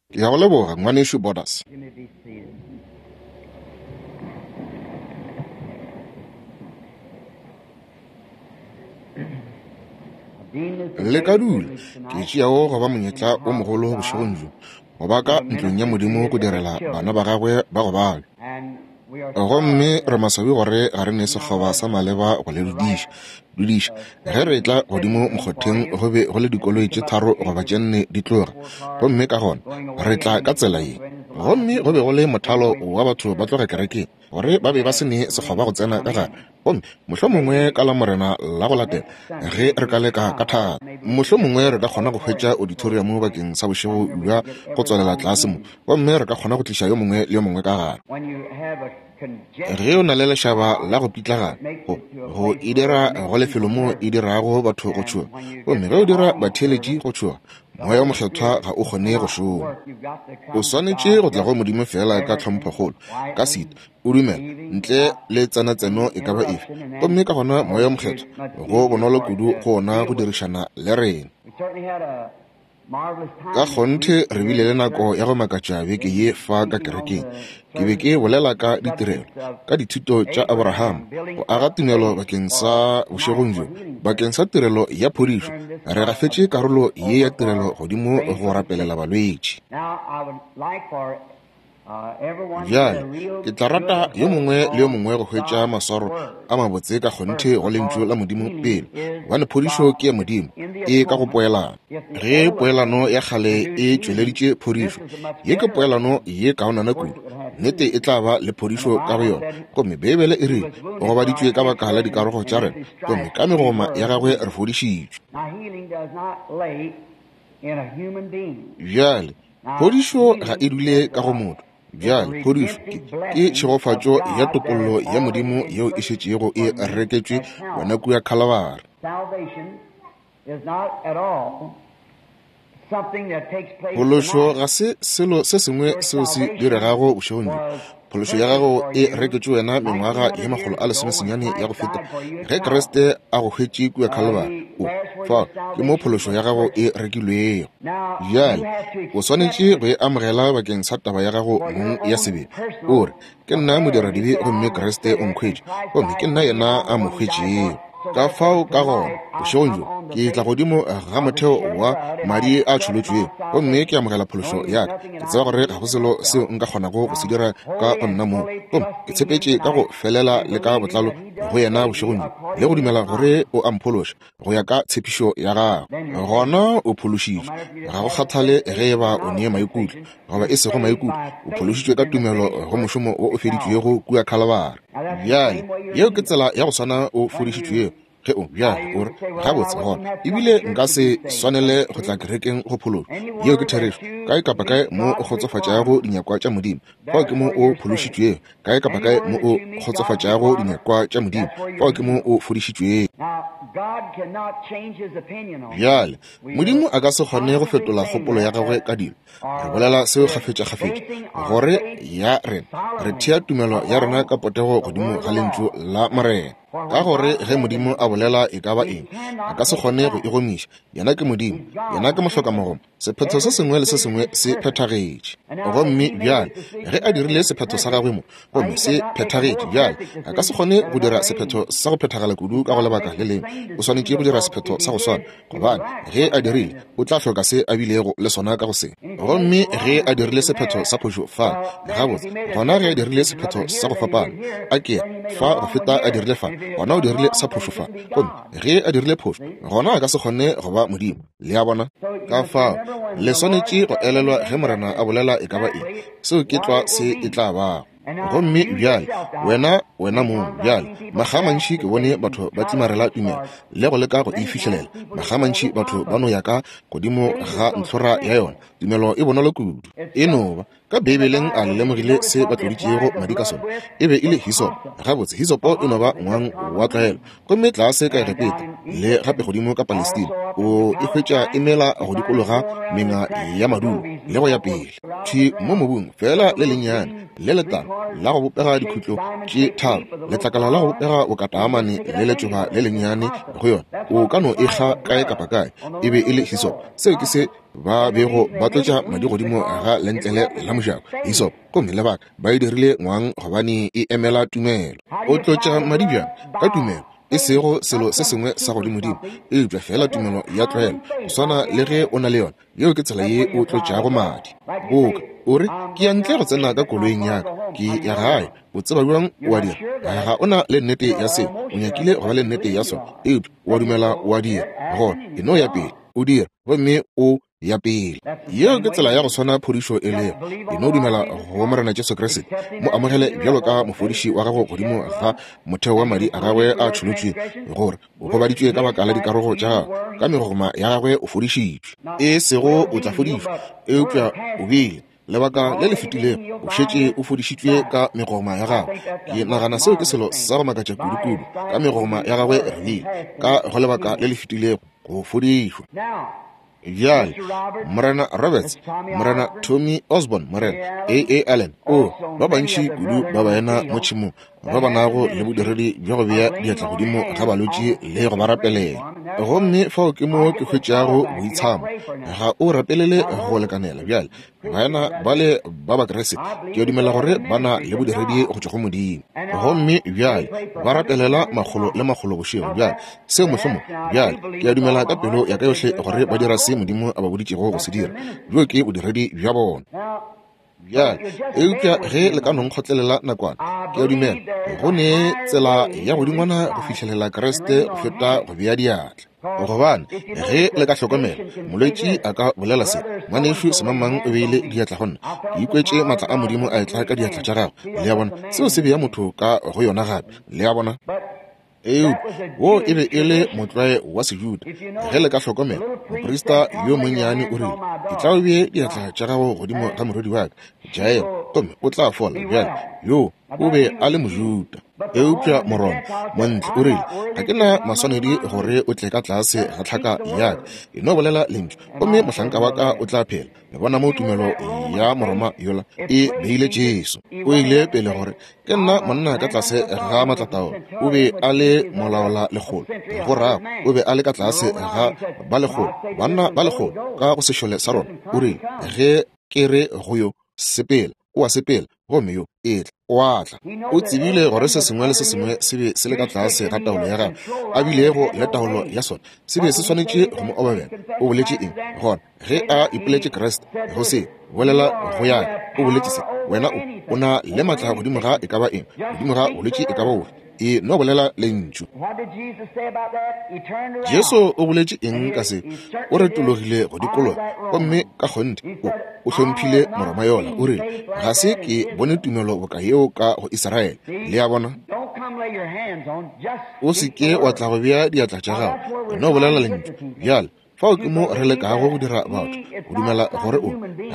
Ke a go leboga, Ngwanešu Borders. You may be seated. Le ka dula. Ke tšeago go ba monyetla o mogolo bošegong bjo, go ba ka ntlong ya Modimo go direla bana ba gagwe ba go babja. Gomme re maswabi gore ga re ne sekgoba sa maleba go le dudiša. Dudiša. Ge re etla godimo mokgotheng go be go le dikoloi tše tharo goba tše nne di tloga, gomme ka gona re tla ka tsela ye. Gomme go be go le mothalo wa batho ba tloga kerekeng, gore ba be ba se ne sekgoba go tsena ka gare. Gomme mohlomongwe ka Lamorena la go latela, ge re ka leka ka thata, mohlomongwe re ka kgona go hwetša auditorium bakeng sa bošego bja go tswalela tlase mo, gomme re ka kgona go tliša yo mongwe le yo mongwe ka gare. Ge o na le lešaba la go pitlagana, go, go e dira go lefelo moo e dirago batho go tšhoga. Gomme ge o dira batheeletši go tšhoga, Moya wo Mokgethwa ga o kgone go šoma. O swanetše go tla go Modimo feela ka tlhomphokgolo, ka setu, o dumela, ntle le tsenatseno e ka ba efe. Gomme ka gona Moya wo Mokgethwa, go bonolo kudu go wona go dirišana le rena. Ka kgonthe re bile le nako ya go makatša beke ye fa ka kerekeng. Ke be ke bolela ka ditirelo, ka dithuto tša Abraham, go aga tumelo bakeng sa bošegong bjo, bakeng sa tirelo ya phodišo. Re gafetše karolo ye ya tirelo godimo go rapelela balwetši. Bjale, ke tla rata yo mongwe le yo mongwe go hwetša maswaro a mabotse ka kgonthe go Lentšu la Modimo pele, gobane phodišo ke ya Modimo, e ka go poelano. Ge poelano ya kgale e tšweleditše phodišo, ye ke poelano ye kaonana kudu. Nnete e tla ba le phodišo ka go yona. Gomme Beibele e rile, O gobaditšwe ka baka la dikarogo tša rena, gomme ka megoma ya gagwe re fodišitšwe. Bjale, Phodišo ga e dule ka go motho. Bjale, phodišo ke, ke tšhegofatšo ya topollo ya Modimo yeo e šetšego e reketšwe wena kua Khalabari. Phološo ga se selo se sengwe seo se diregago bošegong bjo. Phološo ya gago e reketšwe wena mengwaga ye makgolo a lesomesenyane ya go feta ge Kriste a go hwetše kua Khalebari. O fao ke mo phološo ya gago e rekilwego. Bjale o swanetše go e amogela bakeng sa taba ya gago mong ya sebele. O re, Ke nna modiradibe gomme Kriste o nkhwetše, gomme ke nna yena a mo hwetšego. Ka fao ka gona, bošegong bjo, ke tla godimo ga motheo wa madi a tšholotšwego, gomme ke amogela phološo ya ka. Ke tseba gore ga go selo seo nka kgonago go se dira ka go nna mong, gomme ke tshepetše ka go felela le ka botlalo go yena bošegong bjo, le go dumela gore o a mphološa go ya ka tshepišo ya gagwe. Gona o phološitšwe, ga go kgathale ge e ba o ne maikutlo goba e sego maikutlo, o phološitšwe ka tumelo go mošomo wo o feditšwego kua Khalabari. Bjale, yeo ke tsela ya go swana o fodišitšwego. Ge o, bjale, o re, Gabotse, gona, ebile nka se swanele go tla kerekeng go phološwa. Yeo ke therešo. Kae kapa kae mo o kgotsofatšago dinyakwa tša Modimo, fao ke mo o phološitšwego. Kae kapa kae mo o kgotsofatšago dinyakwa tša Modimo, fao ke mo o fodišitšwego. Bjale, Modimo a ka se kgone go fetola kgopolo ya gagwe ka dilo. Re bolela seo kgafetšakgafetša, gore ya rena, re thea tumelo ya rena ka potego godimo ga Lentšu la Morena. Ka gore ge Modimo a bolela e ka ba eng, a ka se kgone go e gomiša. Yena ke Modimo. Yena ke mohlokamogomo. Sephetho se sengwe le se sengwe se phethagetše. Gomme bjale, ge A dirile sephetho sa Gagwe mo, gomme se phethagetše, bjale A ka se kgone go dira sephetho sa go phethagala kudu ka go lebaka le lengwe. O swanetše go dira sephetho sa go swana, gobane ge A dirile, O tla hloka se A bilego le sona ka go se. Gomme ge A dirile sephetho sa phošo fa, gabotse, gona ge A dirile sephetho sa go fapana, a ke fa go feta A dirile fa, gona O dirile sa phošo fa. Gomme ge A dirile phošo, gona A ka se kgone go ba Modimo. Le a bona? Ka fao, le swanetše go elelwa ge Morena a bolela e ka ba eng, seo ke tlwa se e tla bago. Gomme bjale, wena, wena mong, bjale, makga a mantši ke bone batho ba tlimarela tumelo le go leka go e fihlelela. Makga a mantši batho ba no ya ka godimo ga ntlhora ya yona. Tumelo e bonolo kudu. E no ba, Ka Beibeleng a le lemogile se ba tloditšego madi ka sona? E be e le hisopo. Gabotse, hisopo e no ba ngwang wa tlwaelo. Gomme tlase ka Egepeta, le gape godimo ka Palestina, o e hwetša e mela go dikologa menga ya madulo, le go ya pele. Thwi mo mobung, feela le lennyane, le letala la go bopega dikhutlo tše tharo, letlakala la go bopega bokataamane le letšoba le lennyane go yona. O ka no e kga kae kapa kae. E be e le hisopo. Seo ke se. ba bego ba tlotša madi godimo ga lentlele la mojako, hisop, gomme lebaka ba e dirile ngwang gobane e emela tumelo. O tlotša madi bjang? Ka tumelo, e sego selo se sengwe sa godimodimo, eupša feela tumelo ya tlwaelo, go swana le ge o na le yona. Yeo ke tsela ye o tlotšago madi. Boka o re, ke ya ntle go tsena ka koloing ya ka, ke ya gae. O tseba bjang o a dira? Ga o na le nnete ya seo. O nyakile go ba le nnete ya sona, eupša o a dumela o a dira. Gona e no ya pele, o dira, gomme o ya pele. Yeo ke tsela ya go swana phodišo e lego. E no dumela go Morena Jesu Kriste, mo amogele bjalo ka mofodiši wa gago godimo ga motheo wa madi a gagwe a tšholotšwego, gore o gobaditšwe ka baka la dikarogo tša gagwe, ka megogoma ya gagwe o fodišitšwe. E sego o tla fodišwa, eupša o bile lebaka le le fetilego o šetše o fodišitšwe ka megogoma ya gagwe. Ke nagana seo ke selo sa go makatša kudu-kudu. Ka megogoma ya gagwe re bile ka go lebaka le le fetilego go fodišwa. Bjale, Morena Roberts, Morena Tommy Osborn, Morena A. A. Allen, o, ba bantši kudu ba baena mo tšhemong ba ba nago le bodiredi bja go bea diatla godimo ga balwetši le go ba rapelela. Gomme fao ke mo ke hwetšago boitshamo. Ga o rapelele go lekanela. Bjale, baena bale ba Bakriste, ke a dumela gore ba na le bodiredi go tšwa go Modimo. Gomme bjale ba rapelela makgolo le makgolo bošego. Bjale, seo mohlomong, bjale, ke a dumela ka pelo ya ka yohle gore ba dira se Modimo a ba boditšego go se dira. Bjo ke bodiredi bja bona. Bjale, eupša ge le ka no nkgotlelela nakwana, ke a dumela go ne tsela ya godingwana go fihlelela Kriste go feta go bea diatla. Gobane, ge le ka hlokomela, molwetši a ka bolela se, Ngwanešu semangmang o beile diatla go nna, ke ikwetše maatla a Modimo a etla ka diatla tša gagwe. Le a bona, seo se bea motho ka go yona gape. Le a bona? Eupša wo e be e le motlwae wa Sejuda. Ge le ka hlokomela, moprista yo monnyane o rile, Etla o bee diatla tša gago godimo ga morwedi wa ka, Jairo, gomme o tla fola. Bjale, yoo o be a le Mojuda. Eupša Moroma, Montle, o rile, Ga ke na maswanedi gore o tle ka tlase ga tlhaka ya ka. E no bolela lentšu, gomme mohlanka wa ka o tla phela. Le bona mo tumelo ya Moroma yola e beile Jesu. O ile pele gore, Ke nna monna ka tlase ga maatlataolo. O be a le molaola lekgolo. Go rago, o be a le ka tlase ga ba lekgolo, banna ba lekgolo ka go sešole sa Roma. O rile, Ge ke re go yo, sepela, o a sepela, gomme yo, etla, o a tla. O tsebile gore se sengwe le se sengwe se be se le ka tlase ga taolo ya gagwe, a bilego le taolo ya sona, se be se swanetše go mo obamela. O boletše eng gona? Ge a ipoletše Kriste, go se bolela go ya ka, o boletše se, Wena o, o na le maatla godimo ga e ka ba eng, godimo ga bolwetši e ka ba bofe. E no bolela lentšu. Jesu o boletše eng ka se? O retologile go dikologa, gomme ka kgonthe o, o hlomphile Moroma yola. O rile, Ga se ke bone tumelo boka yeo ka go Israele. Le a bona? O se ke wa tla go bea diatla tša gago. E no bolela lentšu. Bjale, Fao ke mo re lekago go dira batho go dumela gore o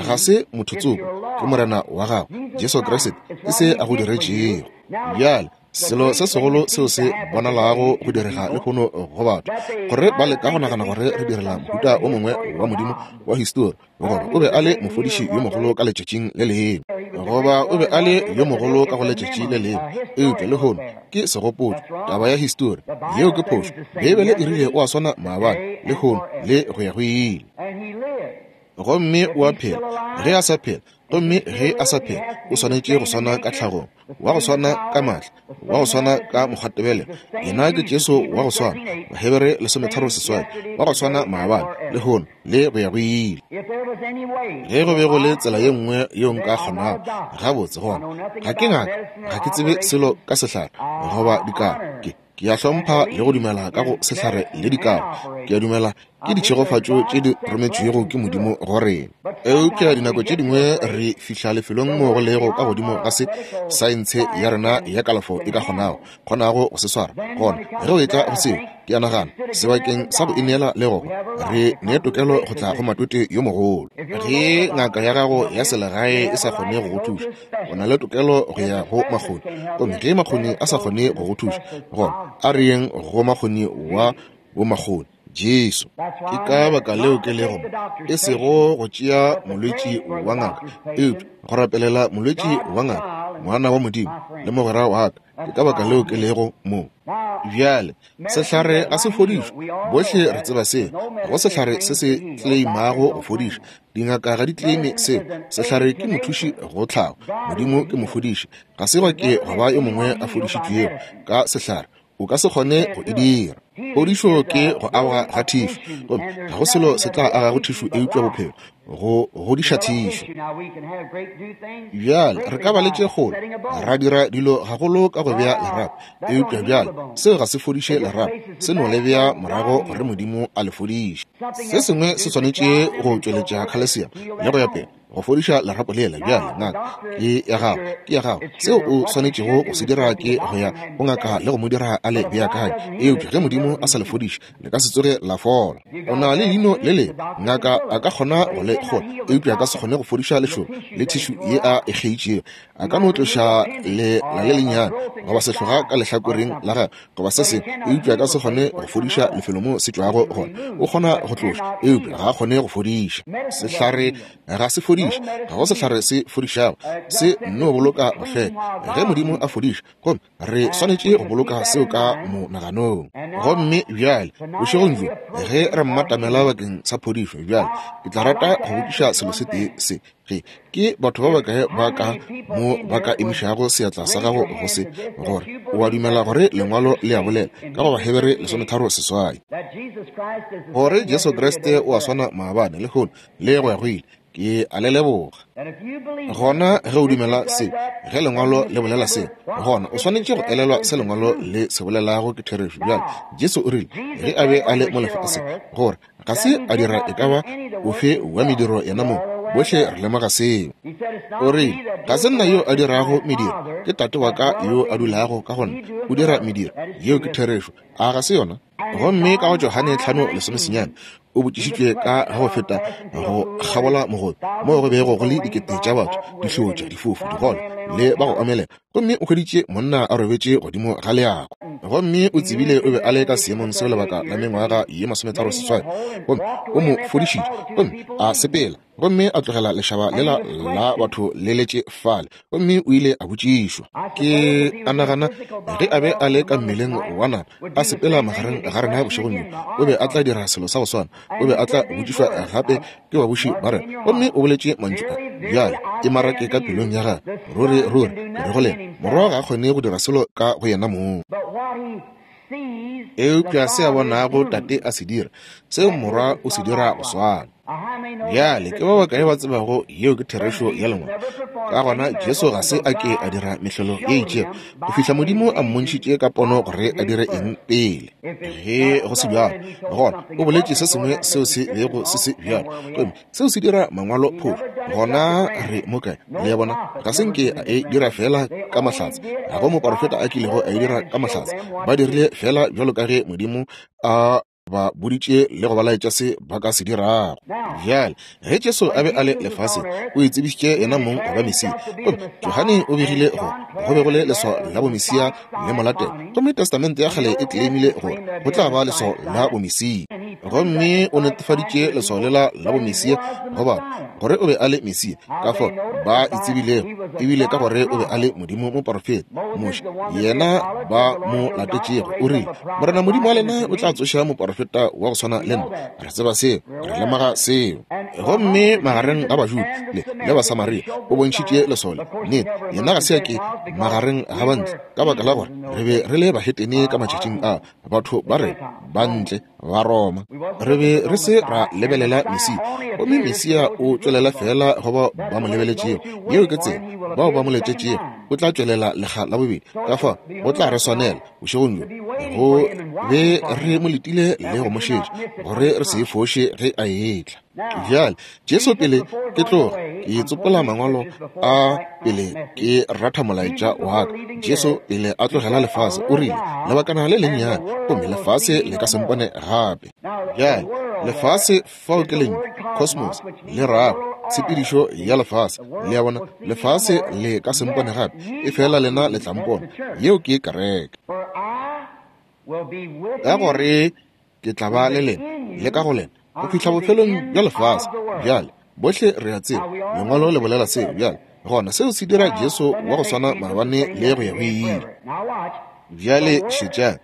ga se motho tsoko, ke Morena wa gago, Jesu Kriste, ke se a go diretšego. Bjale, selo se segolo seo se bonalago go direga lehono go batho, gore ba leka go nagana gore re direla mohuta o mongwe wa Modimo wa histori, goba o be a le mofodiši yo mogolo ka letšatšing le lengwe, goba o be a le yo mogolo ka go letšatši le lengwe, eupša lehono ke segopotšo, taba ya histori. Yeo ke phošo. Beibele e rile o a swana maabane, lehono, le go ya go ile. Gomme o a phela ge a sa phela, gomme ge a sa phela, o swanetše go swana ka tlhagong, wa go swana ka maatla, wa go swana ka mokgwatebelelo. Yena ke Jesu wa go swana, Bahebere 13:8, wa go swana maabane, lehono, le go ya go ile. Ge go be go le tsela ye nngwe yeo nka kgonago, gabotse gona, ga ke ngaka, ga ke tsebe selo ka sehlare goba dikaro. Ke, ke a hlompha le go dumela ka go sehlare le dikaro. Ke a dumela ke ditšhegofatšo tše di rometšwego ke Modimo go rena. Eupša dinako tše dingwe re fihla lefelong moo go lego ka godimo ga se saentshe ya rena ya kalafo e ka kgonago, kgonago go se swara. Gona ge o etla go seo, ke a nagana, sebakeng sa go ineela le go hwa, re ne tokelo go tla go Matwetwe yo mogolo. Ge ngaka ya gago ya selegae e sa kgone go go thuša, o na le tokelo go ya go makgoni. Gomme ge makgoni a sa kgone go go thuša, gona a re yeng go makgoni wa bomakgoni, Jesu. Ke ka baka leo ke lego mo, e sego go tšea molwetši wa ngaka, eupša go rapelela molwetši wa ngaka, ngwana wa Modimo le mogwera wa ka. Ke ka baka leo ke lego mo. Bjale, sehlare ga se fodišwe. Bohle re tseba seo. Ga go sehlare se se tleimago go fodiša. Dingaka ga di tleime seo. Sehlare ke mothuši go tlhago. Modimo ke mofodiši. Ga se gwa ke gwa ba yo mongwe a fodišitšwego ka sehlare. O ka se kgone go e dira. Phodišo ke go agwa ga thišu, gomme ga go selo se tla agago thišu eupša bophelo, go godiša thišu. Bjale, re ka ba le tše kgolo, ra dira dilo gagolo ka go bea lerapo, eupša bjale seo ga se fodiše lerapo, se no le bea morago gore Modimo a le fodiše. Se sengwe se swanetše go tšweletša khalesiamo le go ya pele, go fodiša lerapo lela. Bjale, ngaka ke ya gago, ke ya gago. Seo o swanetšego go se dira ke go ya go ngaka le go mo dira a le beakanye. Eupša ge Modimo a sa le fodiše, le ka se tsoge la fola. O na le leino le lebe, ngaka a ka kgona go le kgola, eupša a ka se kgone go fodiša lešoba le thišu ye a e kgeitšego. A ka no tloša lela le lennyane goba sehloga ka lehlakoreng la gagwe goba se sengwe, eupša a ka se kgone go fodiša lefelo mo se tšwago gona. O kgona go tloša, eupša ga a kgone go fodiša. Sehlare ga se fodiše, ga go sehlare se fodišago, se nno boloka go hlweka. Ge Modimo a fodiša, gomme re swanetše go boloka seo ka monaganong. Gomme bjale, bošegong bjo, ge re mmatamela bakeng sa phodišo, bjale ke tla rata go botšiša selo se tee se, ge ke batho ba bakae ba ka mo ba ka emišago seatla sa gago go se, gore o a dumela gore Lengwalo le a bolela ka go Bahebere 13:8, gore Jesu Kriste o a swana maabane, lehono, le go ya go ile. Ke a le leboga. Gona ge o dumela se, ge Lengwalo le bolela se, gona o swanetše go elelwa se Lengwalo le se bolelago ke therešo. Bjale, Jesu o rile, ge a be a le mo lefaseng, gore ga se a dira e ka ba ofe wa mediro yena mong. Bohle re lemoga seo. O rile, Ga se nna yo a dirago mediro, ke Tate wa ka yo a dulago ka go nna, o dira mediro. Yeo ke therešo, a ga se yona? Gomme ka go Johane 5:19, o botšišitšwe ka go feta go kgabola mogobe moo go bego go le dikete tša batho, dihlotša, difofu, digole le ba go omelela, gomme o hweditše monna a robetše godimo ga leako, gomme o tsebile o be a le ka seemong seo lebaka la mengwaga ye 38, gomme o mo fodišitše, gomme a sepela gomme a tlogela lešaba lela la batho le letše fale, gomme o ile a botšišwa. Ke a nagana ge a be a le ka mmeleng wa nama a sepela magareng ga rena bošegong bjo, o be a tla dira selo sa go swana. O be a tla botšišwa gape ke babuši ba rena, gomme o boletše mantšu a bjale e marake ka pelong ya gagwe, Ruri, ruri, ke re go lena, Morwa ga a kgone go dira selo ka go yena mong. Eupša se a bonago Tate a se dira, seo Morwa o se dira go swana. Bjale ke ba bakae ba tsebago yeo ke therešo ya Lengwalo? Ka gona Jesu ga se a ke a dira mehlolo ye itšego go fihla Modimo a mmontšhitše ka pono gore a dire eng pele. Ge go se bjalo, gona o boletše se sengwe seo se bego se se bjalo, gomme seo se dira Mangwalo phošo. Gona re mo kae? Le a bona, ga se nke a e dira feela ka mahlatse. Ga go moporofeta a kilego a e dira ka mahlatse. Ba dirile feela bjalo ka ge Modimo a ba boditše le go ba laetša se ba ka se dirago. Bjale, ge Jesu a be a le lefaseng, o itsebišitše yena mong go ba Mesia. Gomme Johane o begile gore go be go le leswao la bomesia le mo latela. Gomme Testamente ya Kgale e tleimile gore go tla ba leswao la bomesia. Gomme o netefaditše leswao lela la bomesia go batho, gore o be a le Mesia. Ka fao ba e tsebilego, ebile ka gore o be a le Modimo moporofeta. Moshe, yena ba mo latetšego, o rile, Morena Modimo wa lena o tla tsoša moporofeta wa go swana le nna. Re tseba seo, re lemoga seo. Gomme magareng ga Bajuda le, le Basamaria o bontšhitše leswao le. Nnete, yena ga se a ke magareng ga bantle, ka baka la gore re be re le bahetene ka matšatšing a, batho ba re ba ntle ba Roma. Re be re se ra lebelela Mesia, gomme Mesia o tšwelela feela go bao ba mo lebeletšego. Yeo ke tsela, bao ba mo letetšego, o tla tšwelela lekga la bobedi. Ka fao go tla re swanela bošegong bjo go be re mo letile le go mo šetša, gore re se foše ge a etla. Bjale, Jesu pele ke tloga ke tsopola mangwalo a pele ke ratha molaetša wa ka. Jesu pele a tlogela lefase o rile, lebakana le lennyane gomme lefase le ka se mpone gape. Bjale, lefase fao ke lentšu cosmos le rago tshepedišo ya lefase. Le a bona, lefase le ka se mpone gape, efela lena le tla mpona. Yeo ke kereke. Ka gore ke tla ba le lena le ka go lena go fihla bofelong bja lefase. Bjale, bohle re a tseba Lengwalo le bolela seo. Bjale, Gona seo se dira Jesu wa go swana maabane le go ya go ile. Bjale šetšang.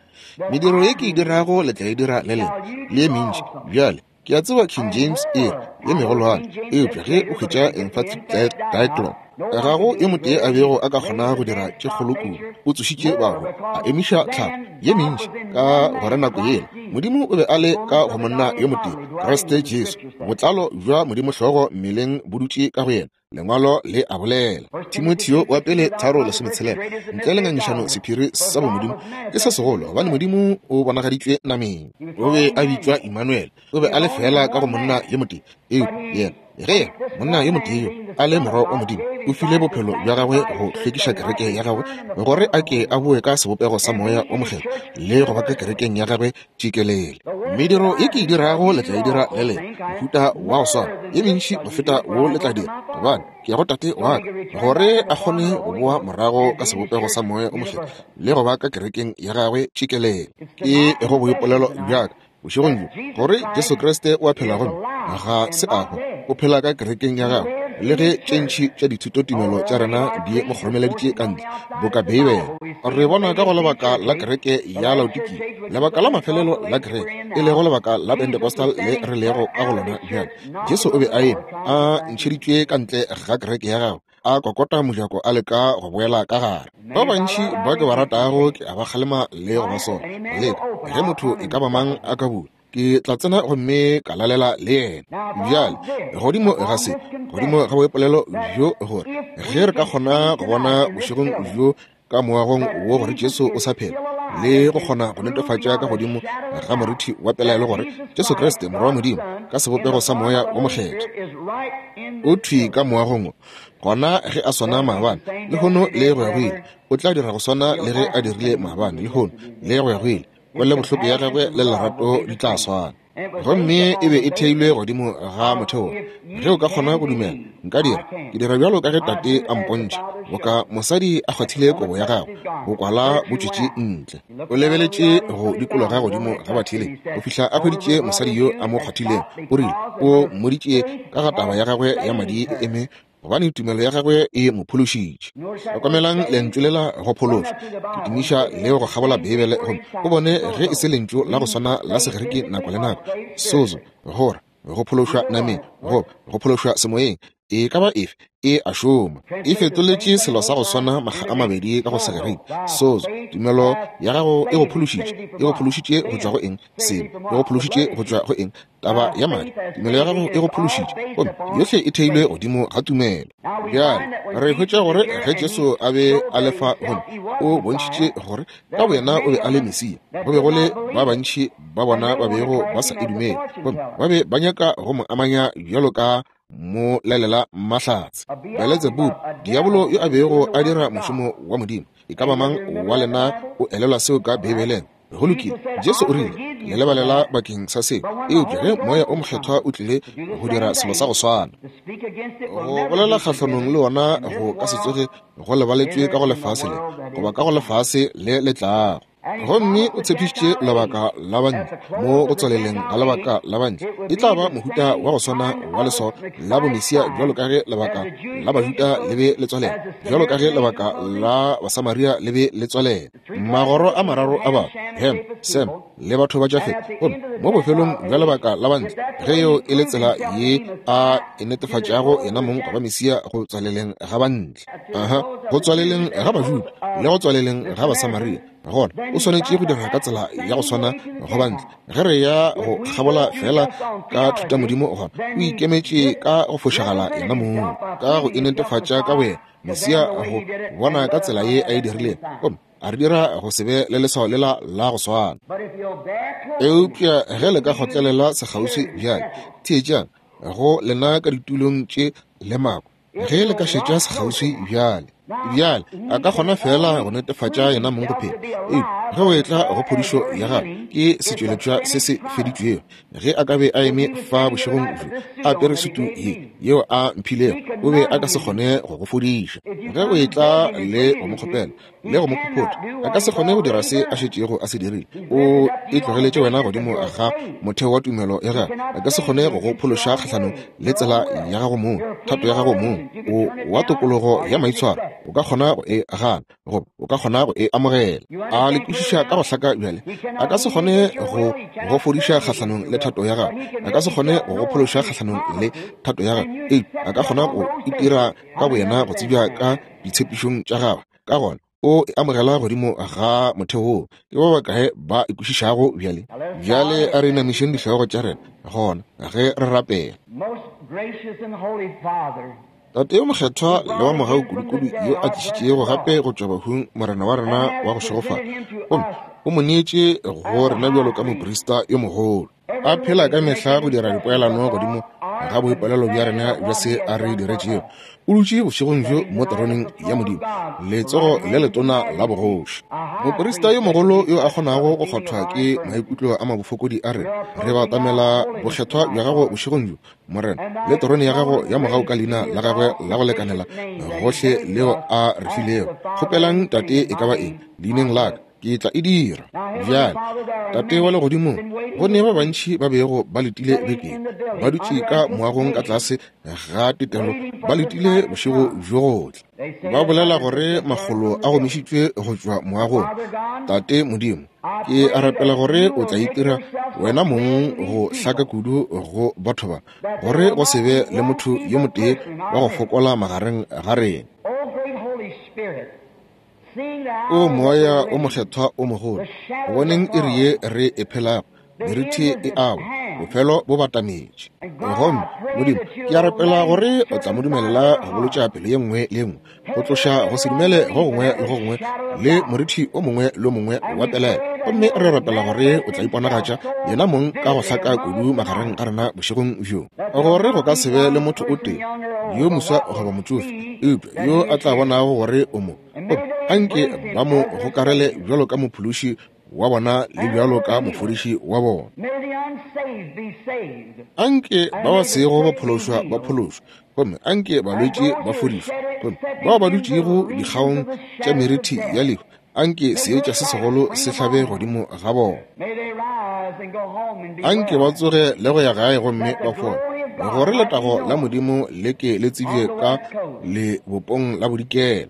Mediro ye ke e dirago le tla e dira le lena, le ye mentši. Bjale, ke a tseba King James e re, ye megolwane, eupša ge o hwetša Emphatic Diaglott, ga go yo motee a bego a ka kgona go dira tše kgolo kudu. O tsošitše bahu, a emiša tlhago ye mentši, ka gore nako yela Modimo o be a le ka go monna yo motee, Kriste Jesu. Botlalo bja Modimo hlogo mmeleng bo dutše ka go yena. Lengwalo le a bolela. Timotheo wa pele 3:16, ntle le ngangišano sephiri sa bomodimo ke se segolo, gobane Modimo o bonagaditšwe nameng. O be a bitšwa Immanuel. O be a le feela ka go monna yo motee, eupša yena, ge yena, monna yo motee yo, a le Morwa wa Modimo, o file bophelo bja gagwe go hlwekiša kereke ya gagwe, gore a ke a boe ka sebopego sa Moya wo Mokgethwa le go ba ka kerekeng ya gagwe tšikelele. Mediro ye ke e dirago le tla e dira le lena, mohuta wa go swana, ye mentši go feta wo le tla dira, gobane ke ya go Tate wa ka, gore a kgone go boa morago ka sebopego sa Moya wo Mokgethwa le go ba ka kerekeng ya gagwe tšikelele. Ke go boipolelo bja ka bošegong bjo, gore Jesu Kriste o a phela gomme ga se a hwa, o phela ka kerekeng ya gagwe, le ge tše ntši tša dithutotumelo tša rena di mo kgoromeleditše ka ntle, boka Beibele. Re bona ka go lebaka la kereke ya Laodikia, lebaka la mafelelo la kereke, e lego lebaka la Pentecostal le re lego ka go lona bjale. Jesu o be a eme, a ntšheditšwe ka ntle ga kereke ya gagwe, a kokota mojako a leka go boela ka gare. Ba bantši ba ke ba ratago ke a ba kgalema le go ba sola. Leka ge motho e ka ba mang a ka bula, ke tla tsena gomme ka lalela le yena. Bjale, godimo ga se, godimo ga boipolelo bjo, gore ge re ka kgona go bona bošegong bjo ka moagong wo gore Jesu o sa phela, le go kgona go netefatša ka godimo ga morithi wa pelaelo gore Jesu Kriste Morwa wa Modimo ka sebopego sa Moya wo Mokgethwa o thwi ka moagong wo, gona ge a swana maabane, lehono le go ya go ile, o tla dira go swana le ge a dirile maabane, lehono le go ya go ile. Kwelobohloko ya gagwe le lerato di tla swana. Gomme e be e theilwe godimo ga motheo. Ge o ka kgona go dumela, nka dira. Ke dira bjalo ka ge Tate a mpontšha, boka mosadi a kgwathile kobo ya gagwe, bokwala bo tšwetše ntle. O lebeletše go dikologa godimo ga batheeletši go fihla a hweditše mosadi yo a mo kgwathilego. O rile, o mmoditše ka ga taba ya gagwe ya madi e eme gobane tumelo ya gagwe e mo phološitše. Hlokomelang lentšu lela go phološwa. Ke tumiša leo go kgabola Beibele gomme o bone ge e se lentšu la go swana la Segerike nako le nako, sozo, gore go phološwa nameng goba go phološwa semoyeng, e ka ba efe e a šoma. E fetoletše selo sa go swana makga a mabedi ka go Segerike, sozo. Tumelo ya gago e go phološitše. E go phološitše go tšwa go eng? Sebe. E go phološitše go tšwa go eng? Taba ya madi. Tumelo ya gago e go phološitše, gomme yohle e theilwe godimo ga tumelo. Bjale re hwetša gore ge Jesu a be a le fa, gomme o bontšhitše gore ka boyena o be a le Mesia, go be go le ba bantši ba bona ba bego ba sa e dumele, gomme ba be ba nyaka go mo amanya bjalo ka mo lalela mahlatse. Beletsebubu, diabolo yo a bego a dira mošomo wa Modimo. E ka ba mang wa lena o elelwa seo ka Beibeleng? Go lokile, Jesu o rile, Le lebalela bakeng sa seo. Eupša ge Moya o Mokgethwa o tlile go dira selo sa go swana, go bolela kgahlanong le wona go ka se tsoge go lebaletšwe ka go lefase le, goba ka go lefase le le tlago. Gomme o tshepišitše lebaka la bantle, mo go tswaleleng ga lebaka la bantle, e tla ba mohuta wa go swana wa leswao la bomesia bjalo ka ge lebaka la Bajuda le be le tswalela, bjalo ka ge lebaka la Basamaria le be le tswalela. Magoro a mararo a batho, Ham, Sem, le batho ba Jafet. Gomme mo bofelong bja lebaka la bantle, ge yeo e le tsela ye a e netefatšago yena mong go ba Mesia go tswaleleng ga bantle, aha, go tswaleleng ga Bajuda le go tswaleleng ga Basamaria, gona o swanetše go dira ka tsela ya go swana go bantle. Ge re ya go kgabola feela ka thutamodimo, gona o ikemetše ka go fošagala yena mong, ka go inetefatša ka boyena Mesia go bona ka tsela ye a e dirilego, gomme a re dira go se be le leswao lela la go swana. Eupša ge le ka kgotlelela sekgauswi bjale, theetšang, go lena ka ditulong tše le mako, ge le ka šetša sekgauswi bjale. Bjale a ka kgona feela go netefatša yena mong go phela. Eupša ge o etla go phodišo ya gagwe, ke setšweletšwa se se feditšwego. Ge a ka be a eme fa bošegong bjo, a apere sutu ye yeo a mphilego, o be a ka se kgone go go fodiša. Ge o etla le go mo kgopela le go mo phophotha, a ka se kgone go dira se a šetšego a se dirile. O e tlogeletše wena godimo ga motheo wa tumelo ya gagwe. A ka se kgone go go phološa kgahlanong le tsela ya gago mong, thato ya gago mong. O wa tokologo ya maitshwaro, o ka kgona go e gana goba o ka kgona go e amogela. A le kwešiša ka go hlaka bjale? A ka se kgone go go fodiša kgahlanong le thato ya gagwe. A ka se kgone go go phološa kgahlanong le thato ya gagwe. Eupša a ka kgona go itira ka boyena go tsebja ka ditshepišong tša gagwe. Ka gona o e amogela godimo ga motheo woo. Ke ba bakae ba e kwešišago bjale? Bjale a re inamišeng dihlogo tša rena gona ge re rapela. Tate yo mokgethwa le wa mogau kudukudu yo a tlišitšego gape go tšwa bahung Morena wa rena wa go šegofala, gomme o mo neetše go rena bjalo ka moprista yo mogolo, a phela ka mehla go dira dipoelano godimo ga boipolelo bja rena bja se a re diretšego. O dutše bošegong bjo mo teroneng ya Modimo, letsogo le letona la bogoši. Moprista yo mogolo yo a kgonago go kgwathwa ke maikutlo a mabofokodi a rena, re batamela bokgethwa bja gago bošegong bjo, Morena, le terone ya gago ya mogau ka leina la gagwe la go lekanela gohle leo a re filego. Kgopelang Tate e ka ba eng leineng la ka, ke tla e dira. Bjale, Tate wa legodimong, go ne ba bantši ba bego ba letile bekeng, ba dutše ka moagong ka tlase ga tetelo, ba letile bošego bjo gohle. Ba bolela gore makgolo a gomišitšwe go tšwa moagong. Tate Modimo, Ke a rapela gore o tla itira wena mong go hlaka kudu go batho ba, gore go se be le motho yo motee wa go fokola magareng ga rena. O Moya o Mokgethwa o mogolo, go boneng iri ye re e phelago, merithi e awa, bofelo bo batametše. Gomme, Modimo, ke a rapela gore o tla mo dumelela go bolotša pelo ye nngwe le ye nngwe, go tloša go se dumele go gongwe le go gongwe le morithi o mongwe le o mongwe wa pelaelo. Gomme re rapela gore o tla iponagatša yena mong ka go hlaka kudu magareng ga rena bošegong bjo, gore go ka se be le motho o tee, yo moswa goba motšofe, eupša yo a tla bonago gore o mo. Gomme anke ba mo gokarele bjalo ka mophološi wa bona le bjalo ka mofodiši wa bona. Anke ba ba sego ba phološwa ba phološwe, gomme anke balwetši ba fodišwe, gomme bao ba dutšego dikgaong tša merithi ya lehu, anke seetša se segolo se hlabe godimo ga bona. Anke ba tsoge le go ya gae gomme ba fole, gore letago la Modimo le ke le tsebje ka lebopong la bodikela.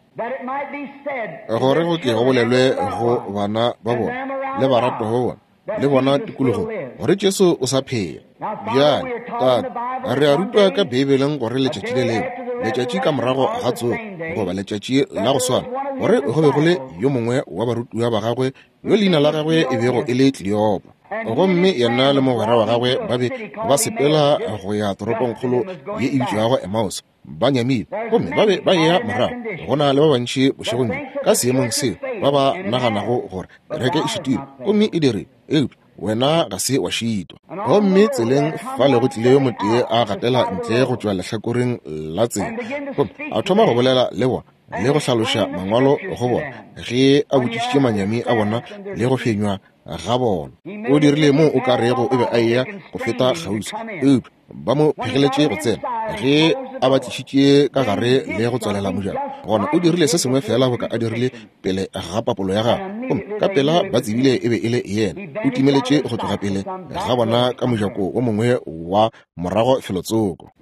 Gore go ke go bolelwe go bana ba bona le baratwa ba bona le bona tikologong gore Jesu o sa phela. Bjale, Tate, re a rutwa ka Beibeleng gore letšatši le lengwe, letšatši ka morago ga tsogo, goba letšatši la go swana, gore go be go le yo mongwe wa barutiwa ba gagwe yo leina la gagwe e bego e le Kleopa. Gomme yena le mogwera wa gagwe ba be ba sepela go ya toropongkgolo ye e bitšwago Emmaus, ba nyamile gomme ba be ba eya morago. Go na le ba bantši bošegong bjo ka seemong seo ba ba naganago gore kereke e šitilwe gomme e dirile, eupša wena ga se wa šitwa. Gomme tseleng fale go tlile yo motee a gatela ntle go tšwa lehlakoreng la tsela gomme a thoma go bolela le bona le go hlaloša mangwalo go bona ge a botšišitše manyami a bona le go fenywa ga bona. O dirile mo o ka rego o be a eya go feta kgauswi, eupša ba mo phegeletše go tsena. Ge a ba tlišitše ka gare le go tswalela mojako, gona o dirile se sengwe feela boka a dirile pele ga papolo ya gagwe, gomme ka pela ba tsebile e be e le yena. O timeletše go tloga pele ga bona ka mojako wo mongwe wa morago felotsoko.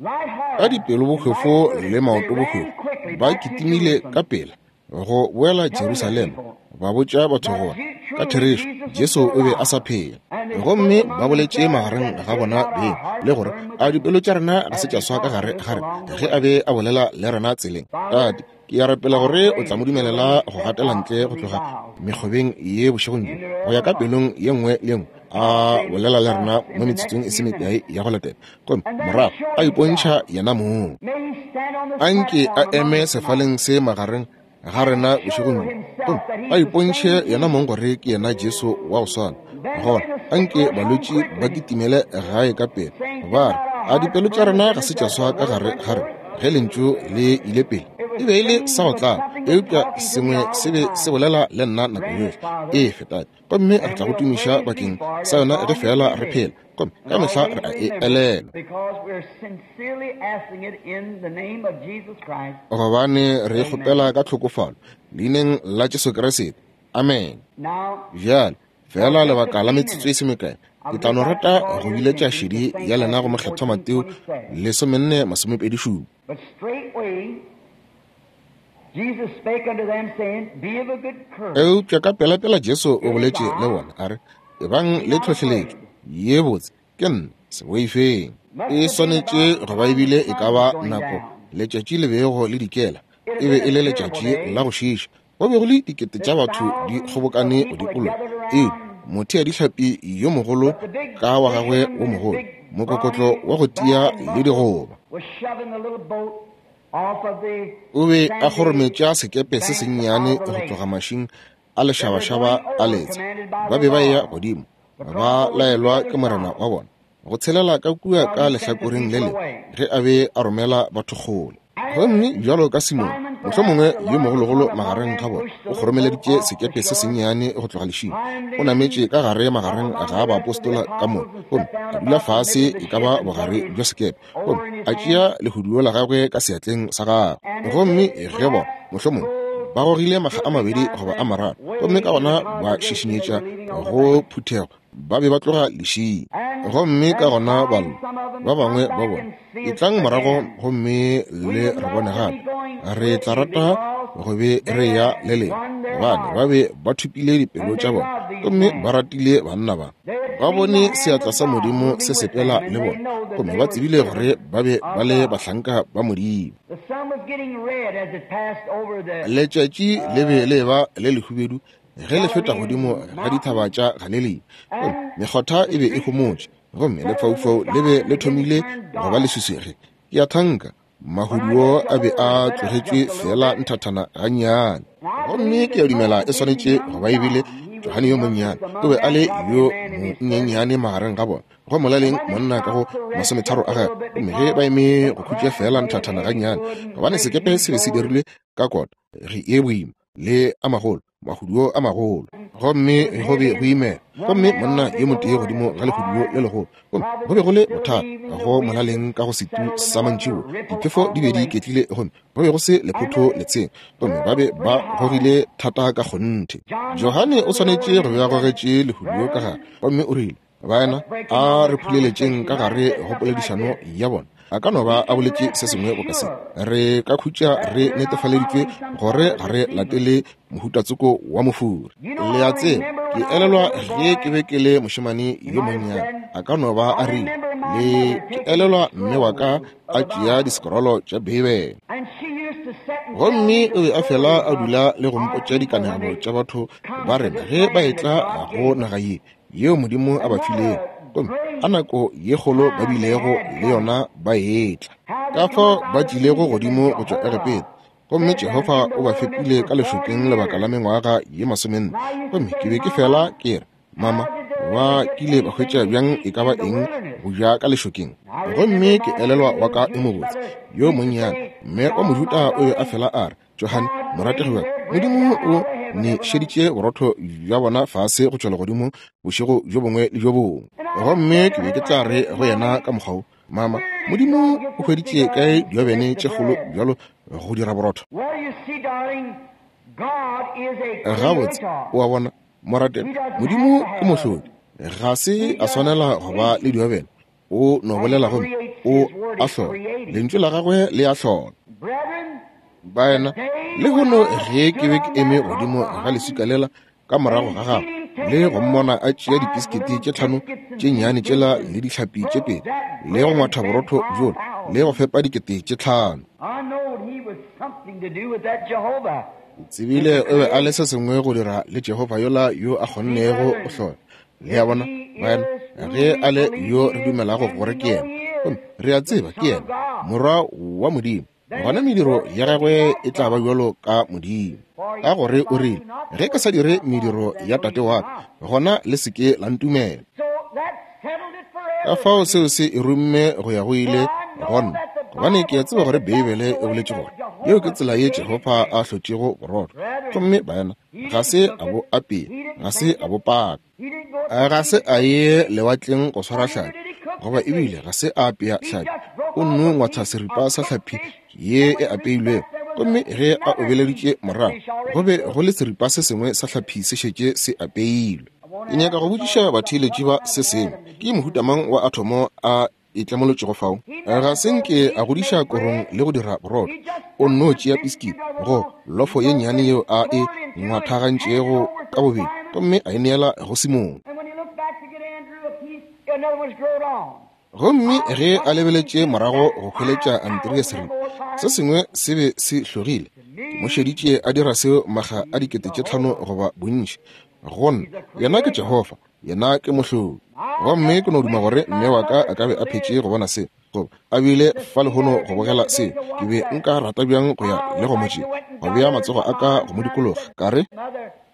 Ka dipelo bohwefo le maoto bohwefo ba kitimile ka pela go boela Jerusalema, ba botša batho gore ka therešo Jesu o be a sa phela. Gomme ba boletše magareng ga bona beng le gore a dipelo tša rena ga se tša swa ka gare ga rena ge a be a bolela le rena tseleng. Tate, ke a rapela gore o tla mo dumelela go gatela ntle go tloga mekgobeng ye bošegong bjo go ya ka pelong ye nngwe le ye nngwe, a bolela le rena mo metsotsong e se mekae ya go latela, gomme morago a ipontšha yena mong. Anke a eme sefaleng se magareng ga rena bošegong bjo, gomme a ipontšhe yena mong gore ke yena Jesu wa go swana. Gona anke balwetši ba kitimele gae ka pele, ba re, A dipelo tša rena ga se tša swa ka gare ga rena ge lentšu le ile pele? E be e le sa go tlala. Eupša sengwe se be se bolela le nna nako yohle e fetate, gomme re tla go tumiša bakeng sa yona ge feela re phela, gomme ka mehla re a e elelwa. Gobane re e kgopela ka tlhokofalo, Leineng la Jesu Kriste. Amene. Bjale, feela lebaka la metsotso e se mekae, ke tla no rata go biletša šedi ya lena go Mokgethwa Mateo 14:27. Eupša ka pelapela Jesu o boletše le bona, a re, Ebang le tlhohleletšo ye botse, ke nna, se boifeng. E swanetše go ba ebile e ka ba nako letšatši le bego le dikela, e be e le letšatši la go šiiša. Go be go le dikete tša batho di kgobokane go dikologa. Ee, motheadihlapi yo mogolo ka wa gagwe wo mogolo, mokokotlo wa go tia le digoba. O be a kgorometša sekepe se sennyane go tloga mašing a lešabašaba a letsha. Ba be ba eya godimo, ba laelwa ke morena wa bona go tshelela ka kua ka lehlakoreng le lengwe ge a be a romela batho kgole. Gomme bjalo ka Simone, mohlomongwe yo mogologolo magareng ga bona, o kgoromeleditše sekepe se sennyane go tloga lešing, o nametše ka gare magareng ga baapostola ka moka, gomme a dula fase e ka ba bogare bja sekepe, gomme a tšea lehuduo la gagwe ka seatleng sa gagwe. Gomme ge bona, mohlomongwe, ba gogile makga a mabedi goba a mararo, gomme ka gona ba šišinyetša go phuthego, ba be ba tloga lešing. Gomme ka gona ba lla, ba bangwe ba bona, Etlang morago gomme le re bone gape. Re tla rata go be re ya le lena. Gobane ba be ba thopile dipelo tša bona, gomme ba ratile banna ba. Ba bone seatla sa Modimo se sepela le bona, gomme ba tsebile gore ba be ba le bahlanka ba Modimo. Letšatši le be le eba le lehubedu ge le feta godimo ga dithaba tša Galilea, gomme mekgotha e be e homotše, gomme lefaufau le be le thomile go ba leswiswi ge, ke a thanka, mahuduo a be a tlogetšwe feela nthathana gannyane. Gomme ke a dumela e swanetše go ba e bile Johane yo monnyane, o be a le yo monyenyane magareng ga bona, go molaleng monna ka go masometharo a gagwe. Gomme ge ba eme go khutša feela nthathana gannyane, gobane sekepe se be se dirilwe ka kota ge e boima, le a magolo, mahuduo a magolo, gomme go be go imela. Gomme monna yo motee godimo ga lehuduo le legolo, gomme go be go le bothata go molaleng ka go setu sa mantšiboa, diphefo di be di iketlile gomme go be go se lephotho letsheng, gomme ba be ba gogile thata ka kgonthe. Johane o swanetše go be a gogetše lehuduo ka gare, gomme o rile, Baena, a re phuleletšeng ka gare go poledišano ya bona. A ka no ba a boletše se sengwe boka se. Re ka khutša re netefaleditšwe gore ga re latele mohutatsoko wa mofuri. Le a tseba, ke elelwa ge ke be ke le mošemane yo monnyane, a ka no ba a rile, le ke elelwa mme wa ka a tšea disekorolo tša Beibele. Gomme o be a fela a dula le go mpotša dikanegelo tša batho ba rena ge ba etla go naga ye yeo Modimo a ba filego, gomme a nako ye kgolo ba bilego le yona ba etla. Ka fao ba tlilego godimo go tšwa Egepeta, gomme Jehofa o ba fepile ka lešokeng lebaka la mengwaga ye masomenne. Gomme ke be ke fela ke re, Mama, ba kile ba hwetša bjang e ka ba eng go ja ka lešokeng? Gomme ke elelwa wa ka yo mobotse yo monnyane, mme wa Mojuda o be a fela a re, Johane, morategi wa ka, Modimo o ne šeditše borotho bja bona fase go tšwa legodimong bošego bjo bongwe le bjo bongwe. Gomme ke be ke tla re go yena ka mokgwa wo, Mama, Modimo o hweditše kae diobene tše kgolo bjalo go dira borotho? Gabotse, o a bona, morategi, Modimo ke mohlodi. Ga se a swanela go ba le diobene. O no bolela gomme o a hlola. Lentšu la gagwe le a hlola. Baena, lehono ge ke be ke eme godimo ga leswika lela ka morago ga gagwe le go mmona a tšea dipisikiti tše tlhano tše nnyane tšela le dihlapi tše pedi le go ngwatha borotho bjola le go fepa 5 000. Tsebile o be a le se sengwe go dira le Jehofa yola yo a kgonnego go hlola. Le a bona, baena, ge a le yo re dumelago gore ke yena, gomme re a tseba ke yena Morwa wa Modimo, gona mediro ya gagwe e tla ba bjalo ka Modimo. Ka gore o rile, Ge ke sa dire mediro ya Tate wa ka, gona le se ke la ntumela. Ka fao seo se e rumme go ya go ile go nna, gobane ke a tseba gore Beibele e boletše gore Yeo ke tsela ye Jehofa a hlotšego borotho. Gomme baena, ga se a bo apea, ga se a bo paka. Ga se a ye lewatleng go swara hlapi, goba ebile ga se a apea hlapi. O nno ngwatha seripa sa hlapi ye e apeilwego, gomme ge a obeleditše morago, go be go le seripa se sengwe sa hlapi se šetše se apeilwe. Ke nyaka go botšiša batheeletši ba se sengwe. Ke mohuta mang wa athomo a e tlemolotšego fao? Ga se nke a godiša korong le go dira borotho. O nno tšea piskiti go lofo ye nnyane yeo a e ngwathagantšego ka bobedi gomme a e neela go Simone. Gomme ge a lebeletše morago go hweletša Andrea seripa, se sengwe se be se hlogile. Ke mo šeditše a dira seo makga a 5000 goba bontši. Go nna, yena ke Jehofa, yena ke Mohlodi. Gomme ke no duma gore mme wa ka a ka be a phetše go bona se, goba a bile fa lehono go bogela se. Ke be nka rata bjang go ya le go mo tšea, go bea matsogo a ka go mo dikologa, ka re,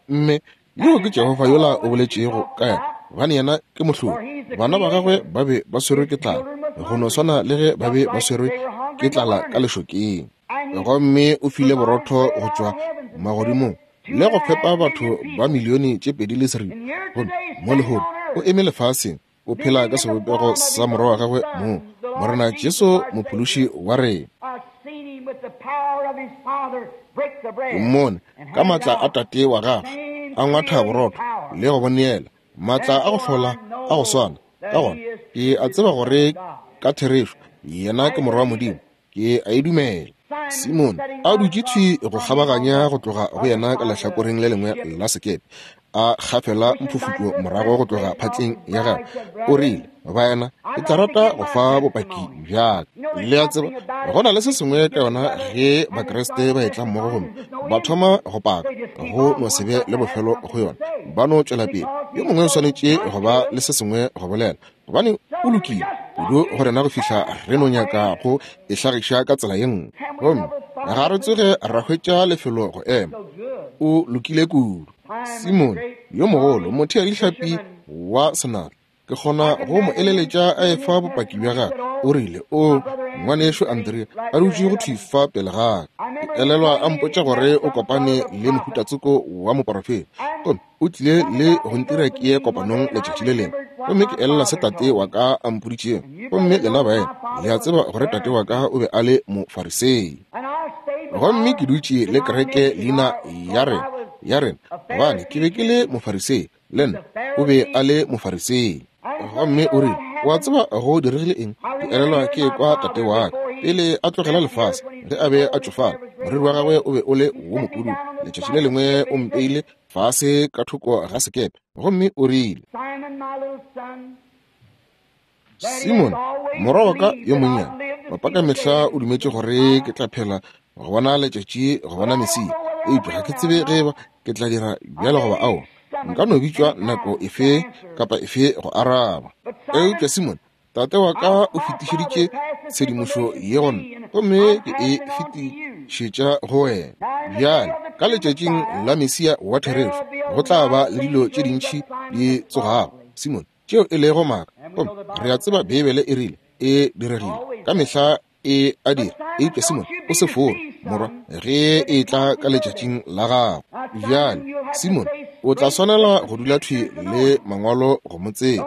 Mme, yoo ke Jehofa yola o boletšego ka yena, gobane yena ke Mohlodi. Bana ba gagwe ba be ba swerwe ke tlala, go no swana le ge ba be ba swerwe ke tlala ka lešokeng. Gomme o file borotho go tšwa magodimong le go fepa batho ba milione tše 2 le seripa. Gomme mo lehono o eme lefaseng, o phela ka sebopego sa Morwa wa gagwe mong, Morena Jesu Mophološi wa rena. Ke mmone ka maatla a Tate wa gagwe a ngwatha borotho le go bo neela, maatla a go hlola a go swana. Ka gona ke a tseba gore ka therešo yena ke Morwa wa Modimo. Ke a e dumela. Simone a dutše thwi go kgabaganya go tloga go yena ka lehlakoreng le lengwe la sekepe, a gafela mphufutšo morago go tloga phatleng ya gagwe, o rile, Baena, ke tla rata go fa bopaki bja ka. Le a tseba, go na le se sengwe ka yona ge Bakriste ba etla mmogo gomme ba thoma go paka, go no se be le bofelo go yona, ba no tšwela pele. Yo mongwe o swanetše go ba le se sengwe go bolela, gobane o lokile kudu go rena go fihla re no nyaka go e hlagiša ka tsela ye nngwe, gomme ga re tsoge ra hwetša lefelo go ema. O lokile kudu. Simone yo mogolo, motheadihlapi wa senatla, ke kgona go mo eleletša a efa bopaki bja gagwe. O rile, O ngwanešo Andrea, a dutše go thwi fa pele ga ka. Ke elelwa a mpotša gore o kopane le mohutatsoko wa moporofeta, gomme o tlile le go ntira ke ye kopanong letšatši le lengwe. Gomme ke elela se tate wa ka a mpoditšego. Gomme lena baena le a tseba gore tate wa ka o be a le Mofarisei. Gomme ke dutše le kereke leina ya rena, ya rena, gobane ke be ke le Mofarisei, le nna o be a le Mofarisei. Gomme o rile, O a tseba go diregile eng? Ke elelwa ke ekwa tate wa ka pele a tlogela lefase, ge a be a tšofala, moriri wa gagwe o be o le wo mopududu. Letšatši le lengwe o mpeile fase ka thoko ga sekepe, gomme o rile, Simon, morwa wa ka yo monnyane, papa ka mehla o dumetše gore ke tla phela go bona letšatši go bona Mesia, eupša ga ke tsebe ge eba ke tla dira bjalo goba aowa. Nka no bitšwa nako efe kapa efe go araba. Eupša Simon, tate wa ka o fetišeditše tshedimošo ye go nna, gomme ke e fetišetša go wena. Bjale, ka letšatšing la Mesia wa therešo, go tla ba le dilo tše dintši di tsogago, Simon, tšeo e lego maaka. Gomme re a tseba Beibele e rile e diregile. Ka mehla e a dira. Eupša Simon, o se fore, morwa, ge e tla ka letšatšing la gago. Bjale, Simon, o tla swanela go dula thwi le Mangwalo go mo tseba.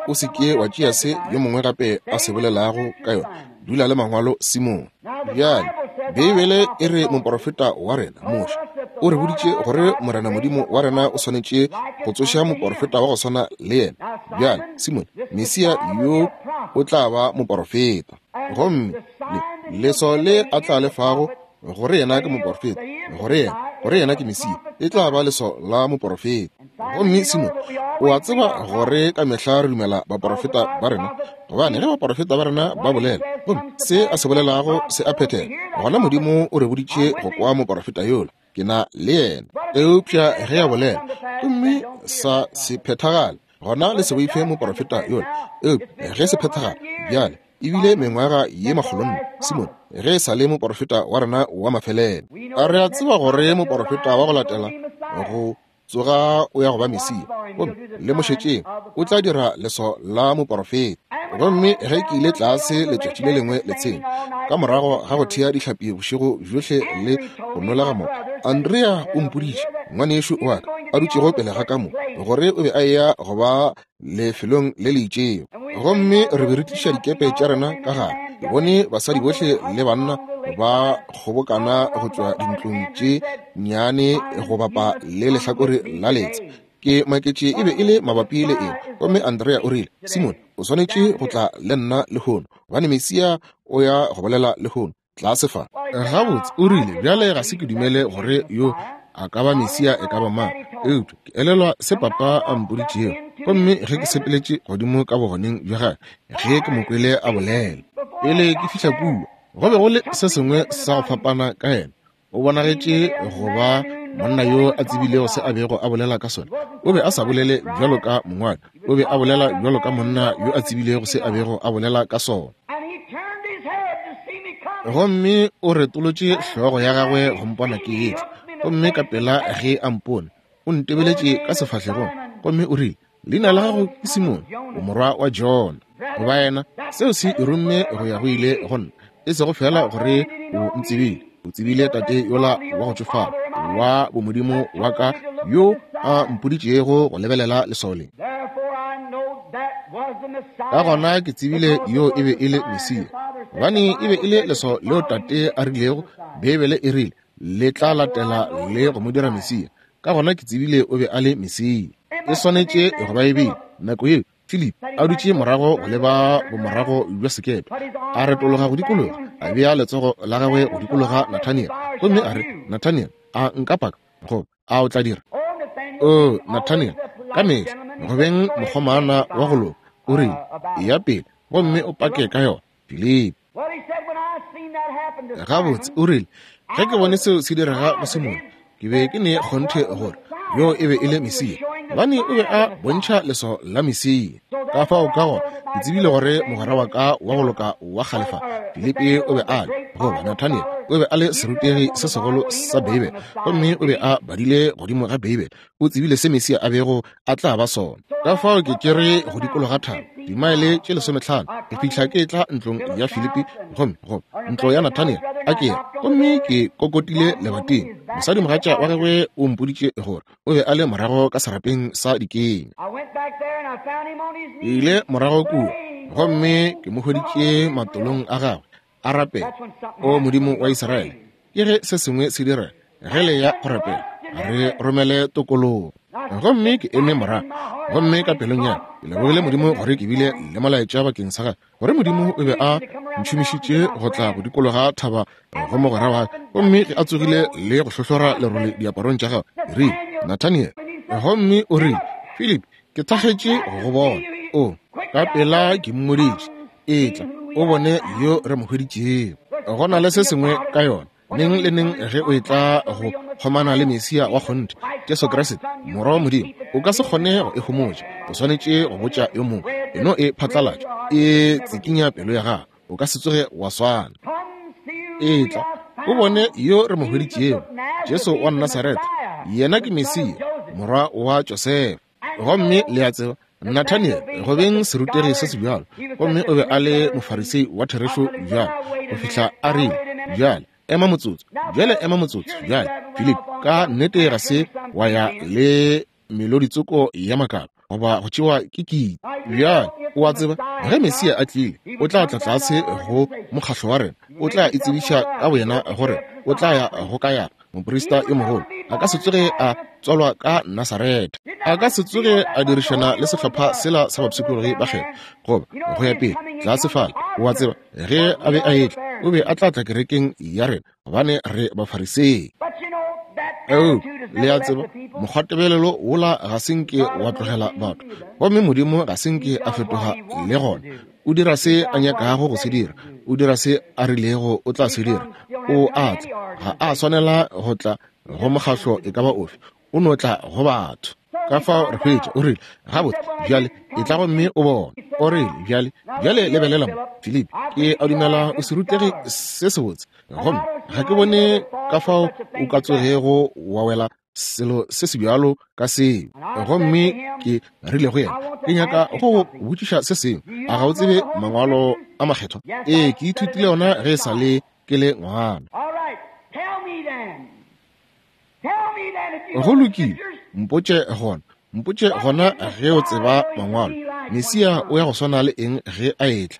O se ke wa tšea se yo mongwe gape a se bolelago ka yona. Dula le Mangwalo, Simon. Bjale, Beibele e re moporofeta wa rena, Moshe, o re boditše gore Morena Modimo wa rena o swanetše go tsoša moporofeta wa go swana le yena. Bjale, Simon, Mesia yo o tla ba moporofeta. Gomme le, leswao le a tla le fago gore yena ke moporofeta, gore yena, gore yena ke Mesia, e tla ba leswao la moporofeta. Gomme Simon, o a tseba gore ka mehla re dumela baporofeta ba rena, gobane ge baporofeta ba rena ba bolela, gomme se a se bolelago se a phethega, gona Modimo o re boditše go kwa moporofeta yola. Ke na le yena. Eupša ge a bolela, gomme sa se phethagale, gona le se boife moporofeta yola. Eupša ge se phethagala, bjale e bile mengwaga ye makgolonne, Simone, ge e sa le moporofeta wa rena wa mafelelo. A re a tseba gore moporofeta wa go latela go Tsoga, o ya go ba Mesia. Gomme le mo šetšeng, o tla dira leswao la moporofeta. Gomme ge ke ile tlase letšatši le lengwe letsheng, ka morago ga go thea dihlapi bošego bjohle le go nolega mo, Andrea o mpoditše, ngwanešu wa ka, a dutšego pele ga ka mo, gore o be a eya go ba lefelong le le itšego. Gomme re be re tliša dikepe tša rena ka gare. Ke bone basadi bohle le banna ba kgobokana go tšwa dintlong tše nnyane go bapa le lehlakore la letsha. Ke maketše e be e le mabapi le eng. Gomme Andrea o rile, Simone, o swanetše go tla le nna lehono, gobane Mesia o ya go bolela lehono, tlase fa. Gabotse, o rile, bjale ga se ke dumele gore yo a ka ba Mesia e ka ba mang, eupša ke elelwa se papa a mpoditšego. Gomme ge ke sepeletše godimo ka bogoneng bja gagwe, ge ke mo kwele a bolela, pele ke fihla kua, go be go le se sengwe sa go fapana ka yena. O bonagetše go ba monna yo a tsebilego se a bego a bolela ka sona. O be a sa bolele bjalo ka mongwadi, o be a bolela bjalo ka monna yo a tsebilego se a bego a bolela ka sona. Gomme o retolotše hlogo ya gagwe go mpona ke etla, gomme ka pela ge a mpone, o ntebeletše ka sefahlegong, gomme o rile, Leina la gago ke Simone, o morwa wa Jona. Goba yena, seo se e romme go ya go ile go nna, e sego fela gore o ntsebile, o tsebile tate yola wa go tšofala wa bomodimo wa ka yo a mpoditšego go lebelela leswao le. Ka gona ke tsebile yo e be e le Mesia, gobane e be e le leswao leo tate a rilego, Beibele e rile, le tla latela le go mo dira Mesia. Ka gona ke tsebile o be a le Mesia. E swanetše go ba e bile nako yeo Philip a dutše morago go leba bomorago bja sekepe, a retologa go dikologa, a bea letsogo la gagwe go dikologa Nathaniel, gomme a re, Nathaniel, a nka paka, goba a o tla dira? O, Nathaniel, ka mehla go beng mokgomana wa go loka, o rile, eya pele gomme o pake ka yona, Philip. Gabotse, o rile, ge ke bone seo se direga go Simone, ke be ke ne kgonthe gore yo e be e le Mesia, gobane o be a bontšha leswao la Mesia. Ka fao ka gona ke tsebile gore mogwera wa ka wa go loka wa kgale fa, Filipi, o be a le, goba Nathaniel, o be a le serutegi se segolo sa Beibele, gomme o be a badile godimo ga Beibele, o tsebile se Mesia a bego a tla ba sona. Ka fao ke tšere go dikologa thaba dimaele tše 15 go fihla ke tla ntlong ya Filipi, gomme go ntlo ya Nathaniel a ke ya, gomme ke kokotile lebating. Mosadimogatša wa gagwe o mpoditše gore o be a le morago ka serapeng sa dikenya. Ke ile morago kua gomme ke mo hweditše matolong a gagwe a rapela, O Modimo wa Israele, ke ge se sengwe se dira, ge le ya go rapela, re romele tokologo. Gomme ke eme morago, gomme ka pelong ya ke lebogile Modimo gore ke bile le molaetša bakeng sa gagwe, gore Modimo o be a ntšhomišitše go tla go dikologa thaba go mogwera wa ka. Gomme ge a tsogile le go hlohlora lerole diaparong tša gagwe, ke rile, Nathaniel. Gomme o rile, Philip, ke thakgetše go go bona. O, ka pela ke mmoditše, Etla o bone yo re mo hweditšego. Go na le se sengwe ka yona, neng le neng ge o etla go kgomana le Mesia wa kgonthe, Jesu Kriste, Morwa wa Modimo, o ka se kgone go e homotša. O swanetše go botša yo mongwe. E no e phatlalatša, e tsikinya pelo ya gago. O ka se tsoge wa swana. Etla o bone yo re mo hweditšego, Jesu wa Nasaretha. Yena ke Mesia, morwa wa Josefa. Gomme le a tseba, Nathaniel, go beng serutegi se se bjalo, gomme o be a le Mofarisei wa therešo bjalo, go fihla a rile, Bjale, ema motsotso. Bjale ema motsotso. Bjale, Philip, ka nnete ga se wa ya le meloditsoko ya makalo goba go tšewa ke kiti. Bjale, o a tseba, ge Mesia a tlile, o tla tla tlase go mokgahlo wa rena. O tla itsebiša ka boyena gore o tla ya go Kayafa, moprista yo mogolo. A ka se tsoge a tswalwa ka Nasaretha. A ka se tsoge a dirišana le sehlopha sela sa bapshikologi ba kgethwa, goba go ya pele, tlase fale. O a tseba, ge a be a etla, o be a tla tla kerekeng ya rena, gobane re Bafarisei. Eupša, le a tseba, mokgwatebelelo wola ga se nke wa tlogela batho, gomme Modimo ga se nke a fetoga le gona. O dira se a nyakago go se dira. O dira se a rilego o tla se dira. O a tla. Ga a swanela go tla go mokgahlo e ka ba ofe. O no tla go batho. Ka fao re hwetša, o rile, Gabotse, bjale, etla gomme o bone. O rile, Bjale, bjale lebelela mo, Filipi. Ke a dumela o serutegi se sebotse. Gomme ga ke bone ka fao o ka tsogego wa wela. selo se se bjalo ka seo. Gomme ke rile go yena, Ke nyaka go go botšiša se sengwe. A ga o tsebe Mangwalo a Makgethwa? Ee, ke ithutile ona ge e sa le ke le ngwana. Go lokile, mpotše gona. Mpotše gona ge o tseba Mangwalo. Mesia o ya go swana le eng ge a etla?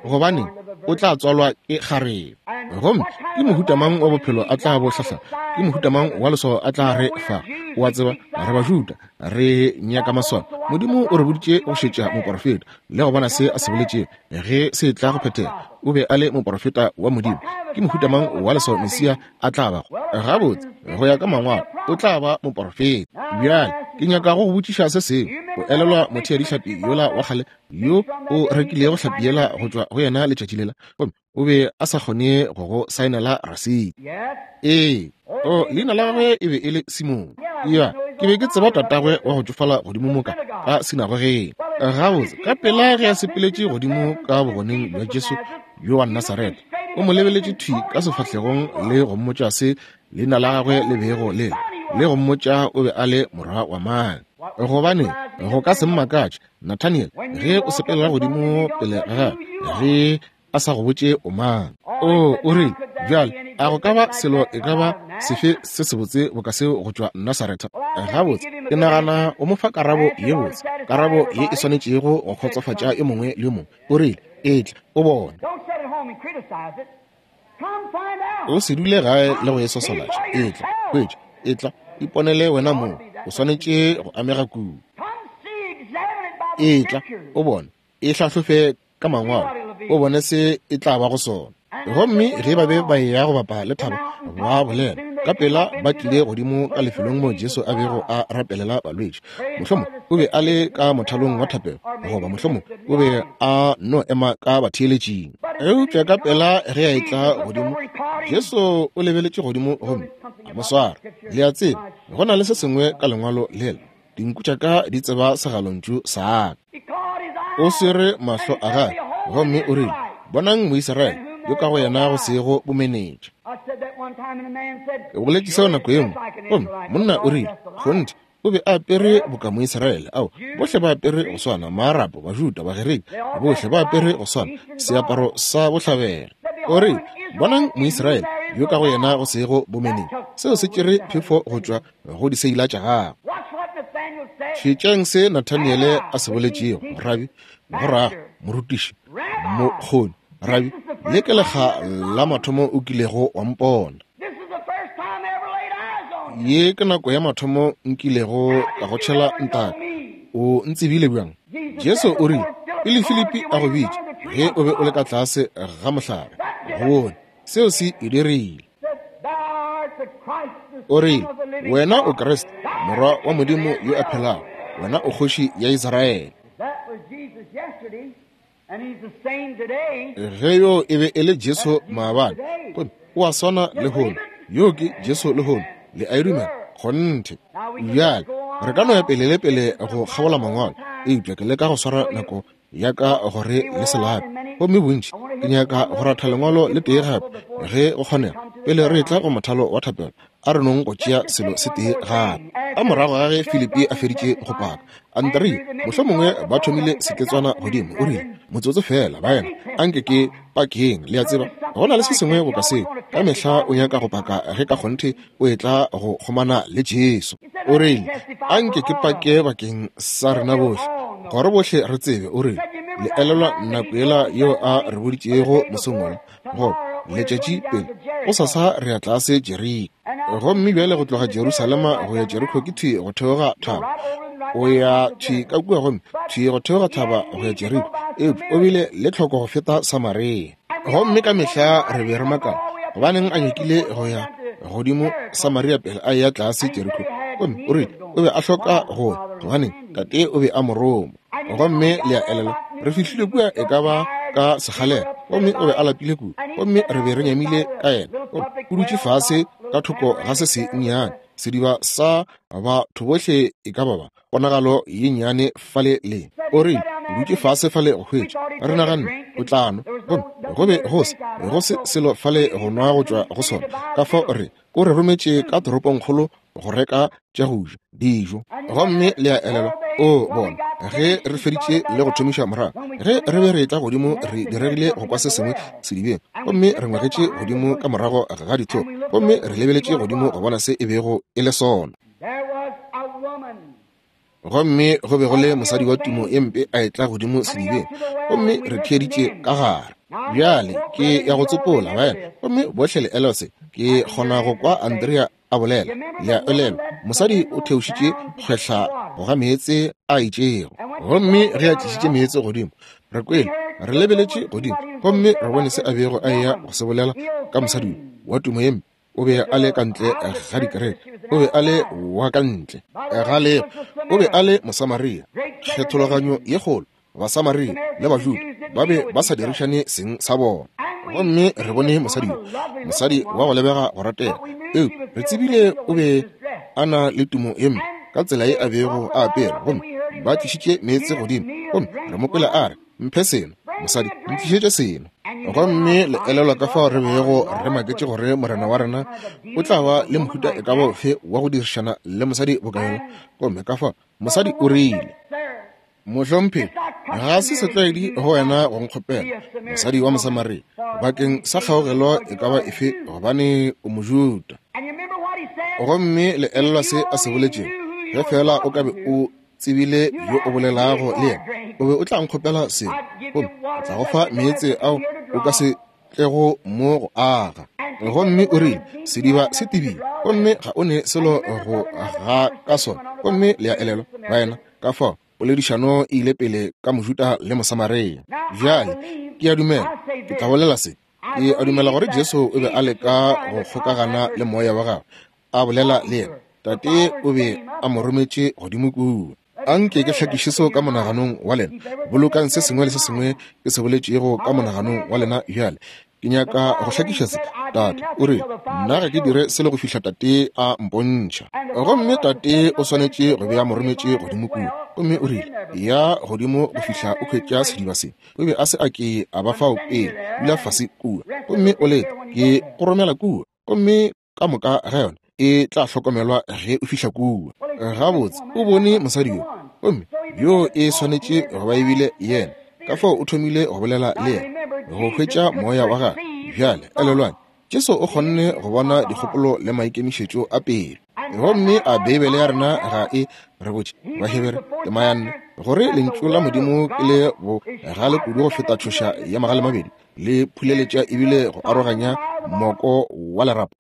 Gobaneng, o tla tswalwa ke kgarebe. Gomme ke mohuta mang wa bophelo a tla bo hlahla? Ke mohuta mang wa leswao a tla re fa? O a tseba, re Bajuda, re nyaka maswao. Modimo o re boditše go šetša moporofeta le go bona se a se boletšego ge se tla go phethega. O be a le moporofeta wa Modimo. Ke mohuta mang wa leswao Mesia a tla bago? Gabotse, go ya ka Mangwalo, o tla ba moporofeta. Bjale, ke nyaka go go botšiša se sengwe. O elelwa motheadihlapi yola wa kgale yo o rekilego hlapi yela go tšwa go yena letšatši lela, gomme o be a sa kgone go go saenela rasiti? Ee. O, leina la gagwe e be e le Simone. Ya, ke be ke tseba tatagwe wa go tšofala godimo moka ka sinagogeng. Gabotse, ka pela ge a sepeletše godimo ka bogoneng bja Jesu yo wa Nasaretha, o mo lebeletše thwi ka sefahlegong le go mmotša se leina la gagwe le bego le le, le go mmotša o be a le morwa wa mang. Gobane go ka se mmakatše, Nathaniel, ge o sepelela godimo pele ga gagwe, ge a sa go botše o mang. O, o rile, bjale, a go ka ba selo e ka ba sefe se sebotse boka seo go tšwa Nasaretha? Gabotse, ke nagana o mo fa karabo ye botse, karabo ye e swanetšego go kgotsofatša yo mongwe le yo mongwe. O rile, Etla, o bone. O se dule gae le go e sosolatša. Etla, hwetša, etla, iponele wena mong. O swanetše go amega kudu. Etla, o bone, e hlahlofe ka Mangwalo, o bone se e tla bago sona. Gomme ge ba be ba eya go bapa le thaba, ba bolela ka pela ba tlile godimo ka lefelong moo Jesu a bego a rapelela balwetši. Mohlomong o be a le ka mothalong wa thapelo, goba mohlomong o be a no ema ka batheeletšing. Eupša ka pela ge a etla godimo, Jesu o lebeletše godimo gomme a mo swara. Le a tseba, go na le se sengwe ka lengwalo lela, Dinku tša ka di tseba segalontšu sa ka. O swere mahlo a gagwe gomme o rile, Bonang Moisraele yo ka go yena go sego bomenetša. Ke boletše seo nako ye nngwe, gomme monna o rile, Kgonthe, o be a apere boka Moisraele. Ao, bohle ba apere go swana, Maarapo, Bajuda, Bagerika, bohle ba apere go swana, seaparo sa bohlabela. O rile, Bonang Moisraele yo ka go yena go sego bomenetša. Seo se tšere phefo go tšwa go diseila tša gagwe. Šetšang se Nathaniele a se boletšego, Rabi, go rago, morutiši, mokgoni, Rabi, le ke lekga la mathomo o kilego wa mpona. Ye ke nako ya mathomo nkilego ka go tšhela ntaka. O ntsebile bjang? Jesu o rile, pele Filipi a go bitša, ge o be o le ka tlase ga mohlare, go bone. Seo se e dirile. O rile, Wena o Kriste, Morwa wa Modimo yo a phelago. Wena o Kgoši ya Israele. Ge yo e be e le Jesu maabane, gomme o a swana lehono. Yo ke Jesu lehono. Le a e dumela? Kgonthe. Bjale, re ka no ya pele le pele go kgabola Mangwalo, eupša ke leka go swara nako ya ka gore le se lape. Gomme bontši ke nyaka go ratha lengwalo le tee gape ge go kgonega pele re etla go mothalo wa thapelo. A re nong go tšea selo se tee gape. Ka morago ga ge Filipi a feditše go paka, Andrea mohlomongwe ba thomile seketswana godimo, o rile, Motsotso feela, baena, anke ke pakeng. Le a tseba, go na le se sengwe boka seo. Ka mehla o nyaka go paka ge ka kgonthe o etla go kgomana le Jesu. O rile, Anke ke pake bakeng sa rena bohle, gore bohle re tsebe. O rile, Le elelwa nako yela yeo a re boditšego mosong wola, goba letšatši pele, gosasa re ya tlase Jeriko. Gomme bjale go tloga Jerusalema go ya Jeriko ke thwi go theoga thaba. O ya thwi ka kua gomme thwi go theoga thaba go ya Jeriko. Eupša o bile le tlhoko go feta Samaria. Gomme ka mehla re be re makala gobaneng a nyakile go ya godimo Samaria pele a eya tlase Jeriko. Gomme o rile o be a hloka go ya, gobaneng tate o be a mo roma. Gomme le a elelwa, re fihlile kua e ka ba ka sekgalela, gomme o be a lapile kudu, gomme re be re nyamile ka yena. Gomme o dutše fase ka thoko ga se se nnyane, sediba sa batho bohle e ka ba ba ponagalo ye nnyane fale le. O rile, O dutše fase fale go hwetša. Re naganne o tla nwa, gomme go be go se, go se selo fale go nwa go tšwa go sona. Ka fao re, o re rometše ka toropongkgolo go reka tša go ja, dijo. Gomme le a elelwa, o bona, ge re feditše le go thomiša morago, ge re be re etla godimo, re diregile go kwa se sengwe sedibeng, gomme re ngwegetše godimo ka morago ga dithoko, gomme re lebeletše godimo go bona se e bego e le sona. Gomme go be go le mosadi wa tumo ye mpe a etla godimo sedibeng, gomme re theeditše ka gare. Bjale ke ya go tsopola, baena, gomme bohle le elelwa se. Ke kgona go kwa Andrea a bolela. Le a elelwa, mosadi o theošitše kgwehla go ga meetse a itšego. Gomme ge a tlišitše meetse godimo, re kwele, re lebeletše godimo, gomme re bone se a bego a eya go se bolela ka mosadi yo wa tumo ye mpe. O be a le ka ntle ga dikereke, o be a le wa ka ntle ga lego, o be a le Mosamaria. Kgethologanyo ye kgolo, Basamaria le Bajuda ba be ba sa dirišane seng sa bona. Gomme re bone mosadi yo, mosadi wa go lebega go ratega, eupša re tsebile o be a na le tumo ye mpe ka tsela ye a bego a apere. Gomme ba tlišitše meetse godimo, gomme re mo kwele a re, Mphe seno, mosadi, ntlišetše seno. Gomme le elelwa ka fao re bego re maketše gore Morena wa rena o tla ba le mohuta e ka ba ofe wa go dirišana le mosadi boka yola. Gomme ka fao mosadi o rile, Mohlomphegi, ga se setlwaedi go wena go nkgopela, mosadi wa Mosamaria, bakeng sa kgaogelo e ka ba efe, gobane o Mojuda. Gomme le elelwa se a se boletšego, ge feela o ka be o tsebile yo o bolelago le yena, o be o tla nkgopela selo, gomme ke tla go fa meetse ao o ka se tlego mo go aga. Gomme o rile, Sediba se tebile, gomme ga o ne selo go ga ka sona. Gomme le a elelwa, baena, ka fao poledišano e ile pele ka Mojuda le Mosamaria. Bjale, ke a dumela, ke tla bolela se. Ke a dumela gore Jesu o be a leka go kgokagana le moya wa gagwe, a bolela le yena. Tate o be a mo rometše godimo kua. Anke ke hlakiše seo ka monaganong wa lena. Bolokang se sengwe le se sengwe ke se boletšego ka monaganong wa lena bjale. Ke nyaka go hlakiša se. Tate o re, Nna ga ke dire selo go fihla Tate a mpontšha. Gomme Tate o swanetše go be a mo rometše godimo kua. Gomme o rile, Ya godimo go fihla o hwetša sediba se. O be a se a ke a ba fao pele. Dula fase kua gomme o lete. Ke go romela kua. Gomme ka moka ga yona e tla hlokomelwa ge o fihla kua. Gabotse, o bone mosadi yo, gomme yo e swanetše go ba e bile yena. Ka fao o thomile go bolela le yena, go hwetša moya wa gagwe. Bjale, elelwang, Jesu o kgonne go bona dikgopolo le maikemišetšo a pelo. Gomme a Beibele ya rena ga e re botše, Bahebere tema ya 4, gore Lentšu la Modimo ke le bogale kudu go feta tšhoša ya magalemabedi, le phuleletša ebile go aroganya moko wa lerapo,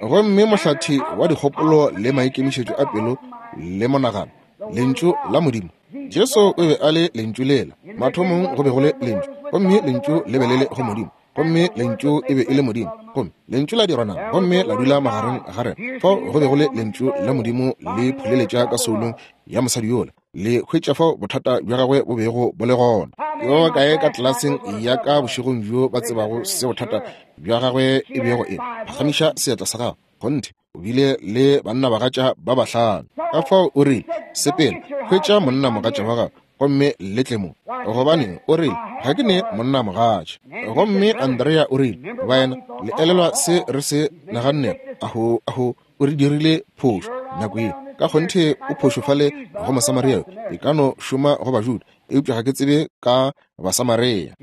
gomme mohlathi wa dikgopolo le maikemišetšo a pelo le monagano, Lentšu la Modimo. Jesu o be a le Lentšu lela. Mathomong go be go le Lentšu, gomme Lentšu le be le le go Modimo, gomme Lentšu e be e le Modimo, gomme Lentšu la dirwa nama gomme la dula magareng ga rena. Fao go be go le Lentšu la Modimo le phuleletša ka soulong ya mosadi yola, le hwetša fao bothata bja gagwe bo bego bo le gona. Ke ba bakae ka tlelaseng ya ka bošegong bjo ba tsebago se bothata bja gagwe e bego e le? Phagamiša seatla sa gago. Kgonthe, o bile le bannabagatša ba bahlano. Ka fao o rile, Sepela, hwetša monnamogatša wa gago, gomme le tle mo. Gobaneng, o rile, ga ke ne monnamogatša. Gomme Andrea o rile, Baena, le elelwa se re se nagannego? Aho, aho, o re dirile phošo nako ye. Ka kgonthe o phošo fale go Mosamaria yo. E ka no šoma go Bajuda, eupša ga ke tsebe ka Basamaria.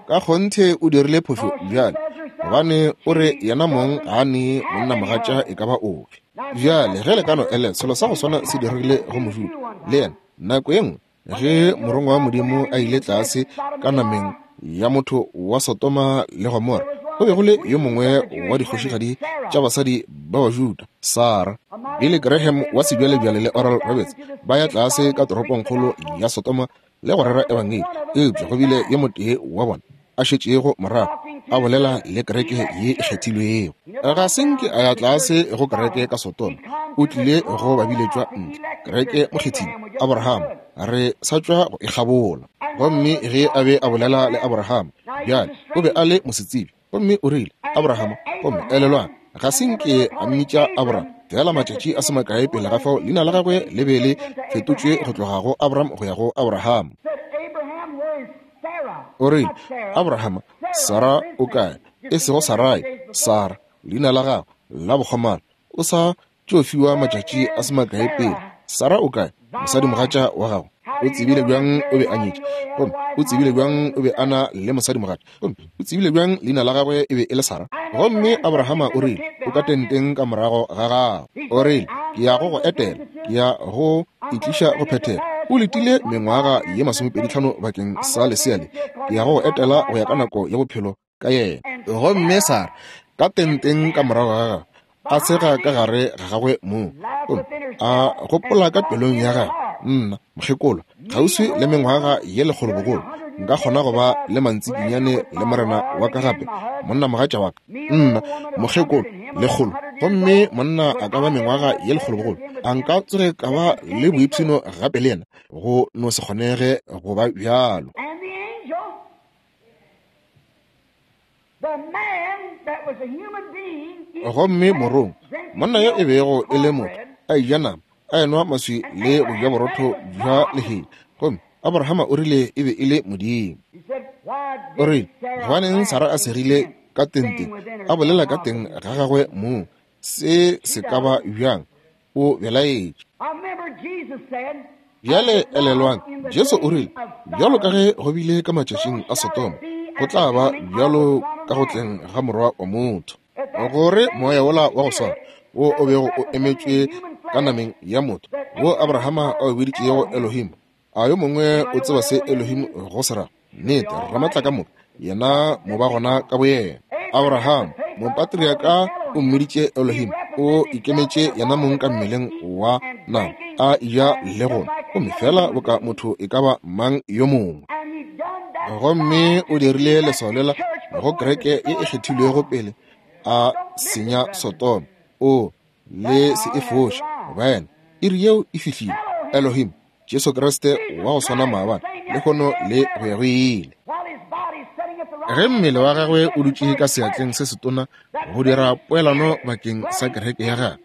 Ka kgonthe o dirile phošo bjale, gobane o re yena mong ga a ne monnamogatša e ka ba ofe. Bjale ge le ka no elelwa, selo sa go swana se diregile go Mojuda le yena nako ye nngwe. Ge morongwa wa Modimo a ile tlase ka nameng ya motho wa Sodoma le Gomora, go be go le yo mongwe wa dikgošigadi tša basadi ba Bajuda, Sara. Billy Graham wa sebjalebjale le Oral Roberts ba ya tlase ka toropongkgolo ya Sodoma le go rera ebangedi, eupša go bile yo motee wa bona a šetšego morago a bolela le kereke ye e kgethilwego. Ga se nke a ya tlase go kereke ka Sodoma, o tlile go babiletšwa ntle, kereke mokgethile, Abraham, re sa tšwa go e kgabola. Gomme ge a be a bolela le Abraham, bjale o be a le mosetsebje, gomme o rile, Abraham, gomme elelwang, ga se nke a mmitša Abraham. Feela matšatši a se makae pele ga fao, leina la gagwe le be le fetotšwe go tloga go Abram go ya go Abraham. O rile, Abraham, Sarah o kae? E sego Sarai, Sarah, leina la gagwe la bokgomana. O sa tšo fiwa matšatši a se makae pele. Sarah o kae? Mosadimogatša wa gago. O tsebile bjang o be a nyetše? Gomme o tsebile bjang o be a na le mosadimogatša? Gomme o tsebile bjang leina la gagwe e be e le Sarah? Gomme Abrahama o rile, O ka tenteng ka morago ga gago. O rile, Ke ya go go etela. Ke ya go e tliša go phethega. O letile mengwaga ye masomepeditlhano bakeng sa lesea le. Ke ya go go etela go ya ka nako ya bophelo ka yena. Gomme Sarah, ka tenteng ka morago ga gagwe, a sega ka gare ga gagwe mong, gomme a gopola ka pelong ya gagwe, Nna, mokgekolo, kgauswi le mengwaga ye lekgolo bogolo, nka kgona go ba le mantsikinyane le morena wa ka gape, monnamogatša wa ka? Nna, mokgekolo, lekgolo, gomme monna a ka ba mengwaga ye lekgolo bogolo, a nka tsoge ka ba le boipshino gape le yena? Go no se kgonege go ba bjalo. Gomme morong, monna yo e bego e le motho, a eja nama, a enwa maswi le go ja borotho bja lehea. Gomme Abrahama o rile e be e le Modimo. O rile, Gobaneng Sarah a segile ka tenteng, a bolela ka teng ga gagwe mong, se se ka ba bjang? O belaetše. Bjale elelwang, Jesu o rile, Bjalo ka ge go bile ka matšatšing a Sodoma, go tla ba bjalo ka go tleng ga Morwa wa motho. Gore moya wola wa go swana wo o bego o emetšwe ka nameng ya motho, wo Abrahama a o biditšego Elohim, A yo mongwe o tseba se Elohim go se ra? Nnete, Ramatlakamoka, yena mobagona ka boyena. Abraham, mopatriaka, o mmiditše Elohim. O ikemetše yena mong ka mmeleng wa nama, a eja le go nwa, gomme feela boka motho e ka ba mang yo mongwe. Gomme o dirile leswao lela go kereke ye e kgethilwego pele a senya Sodoma. O le se e foše, baena. Iri yeo e fihlile. Elohim, Jesu Kriste wa go swana maabane, lehono le go ya go ile. Ge mmele wa gagwe o dutše ka seatleng se setona go dira poelano bakeng sa kereke ya gagwe,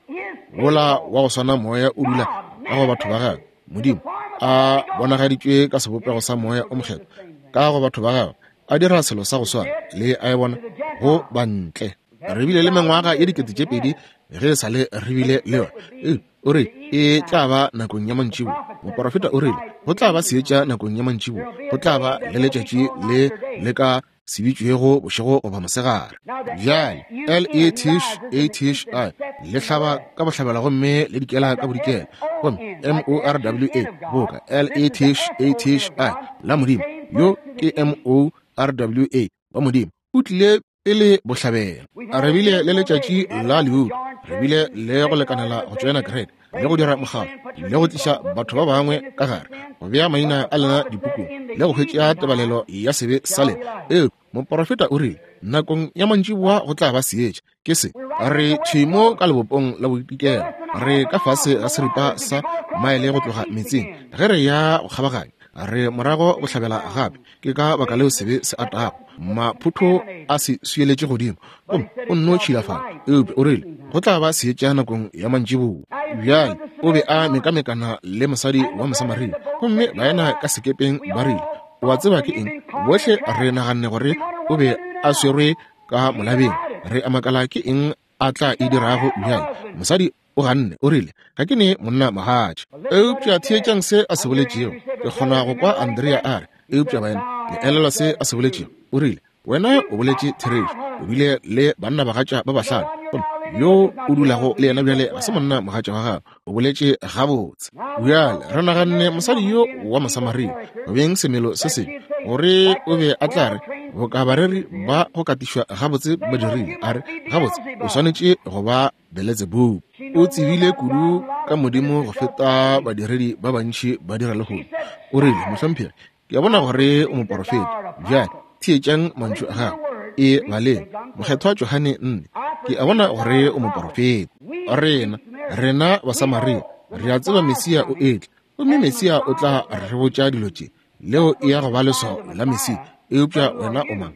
wola wa go swana moya o dula ka go batho ba gagwe. Modimo a bonagaditšwe ka sebopego sa moya o mokgethwa ka go batho ba gagwe, a dira selo sa go swana le a e bona go bantle. Re bile le mengwaga ye 2000 ge e sa le re bile le yona. O re e tla ba nakong ya mantšibo. Moporofeta o rile go tla ba seetša nakong ya mantšibo, go tla ba le letšatši le le ka se bitšwego bošego goba mosegare. Bjale L-E-T-H-A-T-H-I le hlaba ka bohlabela gomme le dikela ka bodikela, gomme M-O-R-W-A boka L-E-T-H-A-T-H-I la Modimo, yo ke M-O-R-W-A wa Modimo, o tlile pele bohlabela. Re bile le letšatši la leutu, re bile le go lekanela go tšoena kereke le go dira mokgatlo le go tliša batho ba bangwe ka gare, go bea maina a lena dipukung le go hwetša tebalelo ya sebe sa lena. Eupša moporofeta o rile nakong ya mantšiboa go tla ba seetša. Ke se re thwi mo ka lebopong la bodikela, re ka fase ga seripa sa maele go tloga metsing ge re ya go kgabaganya, re morago bohlabela gape. Ke ka baka leo sebe se atago, maphotho a se swieletše godimo, gomme o nno tšhilafala. Eupša o rile go tla ba seetša nakong ya mantšiboa. Bjale o be a mekamekana le mosadi wa Mosamaria, gomme baena ka sekepeng ba rile, O a tseba ke eng? Bohle re naganne gore o be a swerwe ka molabeng. Re a makala ke eng a tla e dirago bjale. Mosadi o ganne, o rile, Ga ke ne monna mogatša. Eupša theetšang se a se boletšego. Ke kgona go kwa Andrea a re, Eupša baena, le elelwa se a se boletšego? O rile, Wena o boletše therešo. O bile le banna bagatša ba bahlano, gomme yo o dulago le yena bjale ga se monna mogatša wa gago. O boletše gabotse. Bjale re naganne mosadi yo wa Mosamaria, go beng semelo se sengwe, gore o be a tla re, boka bareri ba go katišwa gabotse ba dirile, a re, Gabotse, o swanetše go ba Beletsebubu. O tsebile kudu ka Modimo go feta badiredi ba bantši ba dira lehono. O rile, Mohlomphegi, ke a bona gore o moporofeta. Bjale, theetšang mantšu a gagwe. E baleng. Mokgethwa Johane 4. Ke a bona gore o moporofeta. Rena, rena Basamaria, re a tseba Mesia o etla, gomme Mesia o tla re botša dilo tše. Leo e ya go ba leswao la Mesia. Eupša wena o mang?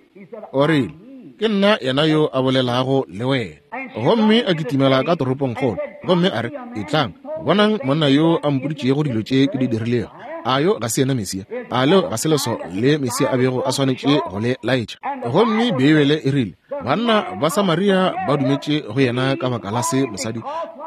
O rile, Ke nna yena yo a bolelago le wena. Gomme a kitimela ka toropongkgolo, gomme a re, Etlang, bonang monna yo a mpoditšego dilo tše ke di dirilego. A yo ga se yena Mesia? A leo ga se leso le Mesia a bego a swanetše go le laetša? Gomme Beibele e rile, Banna ba Samaria ba dumetše go yena ka baka la se mosadi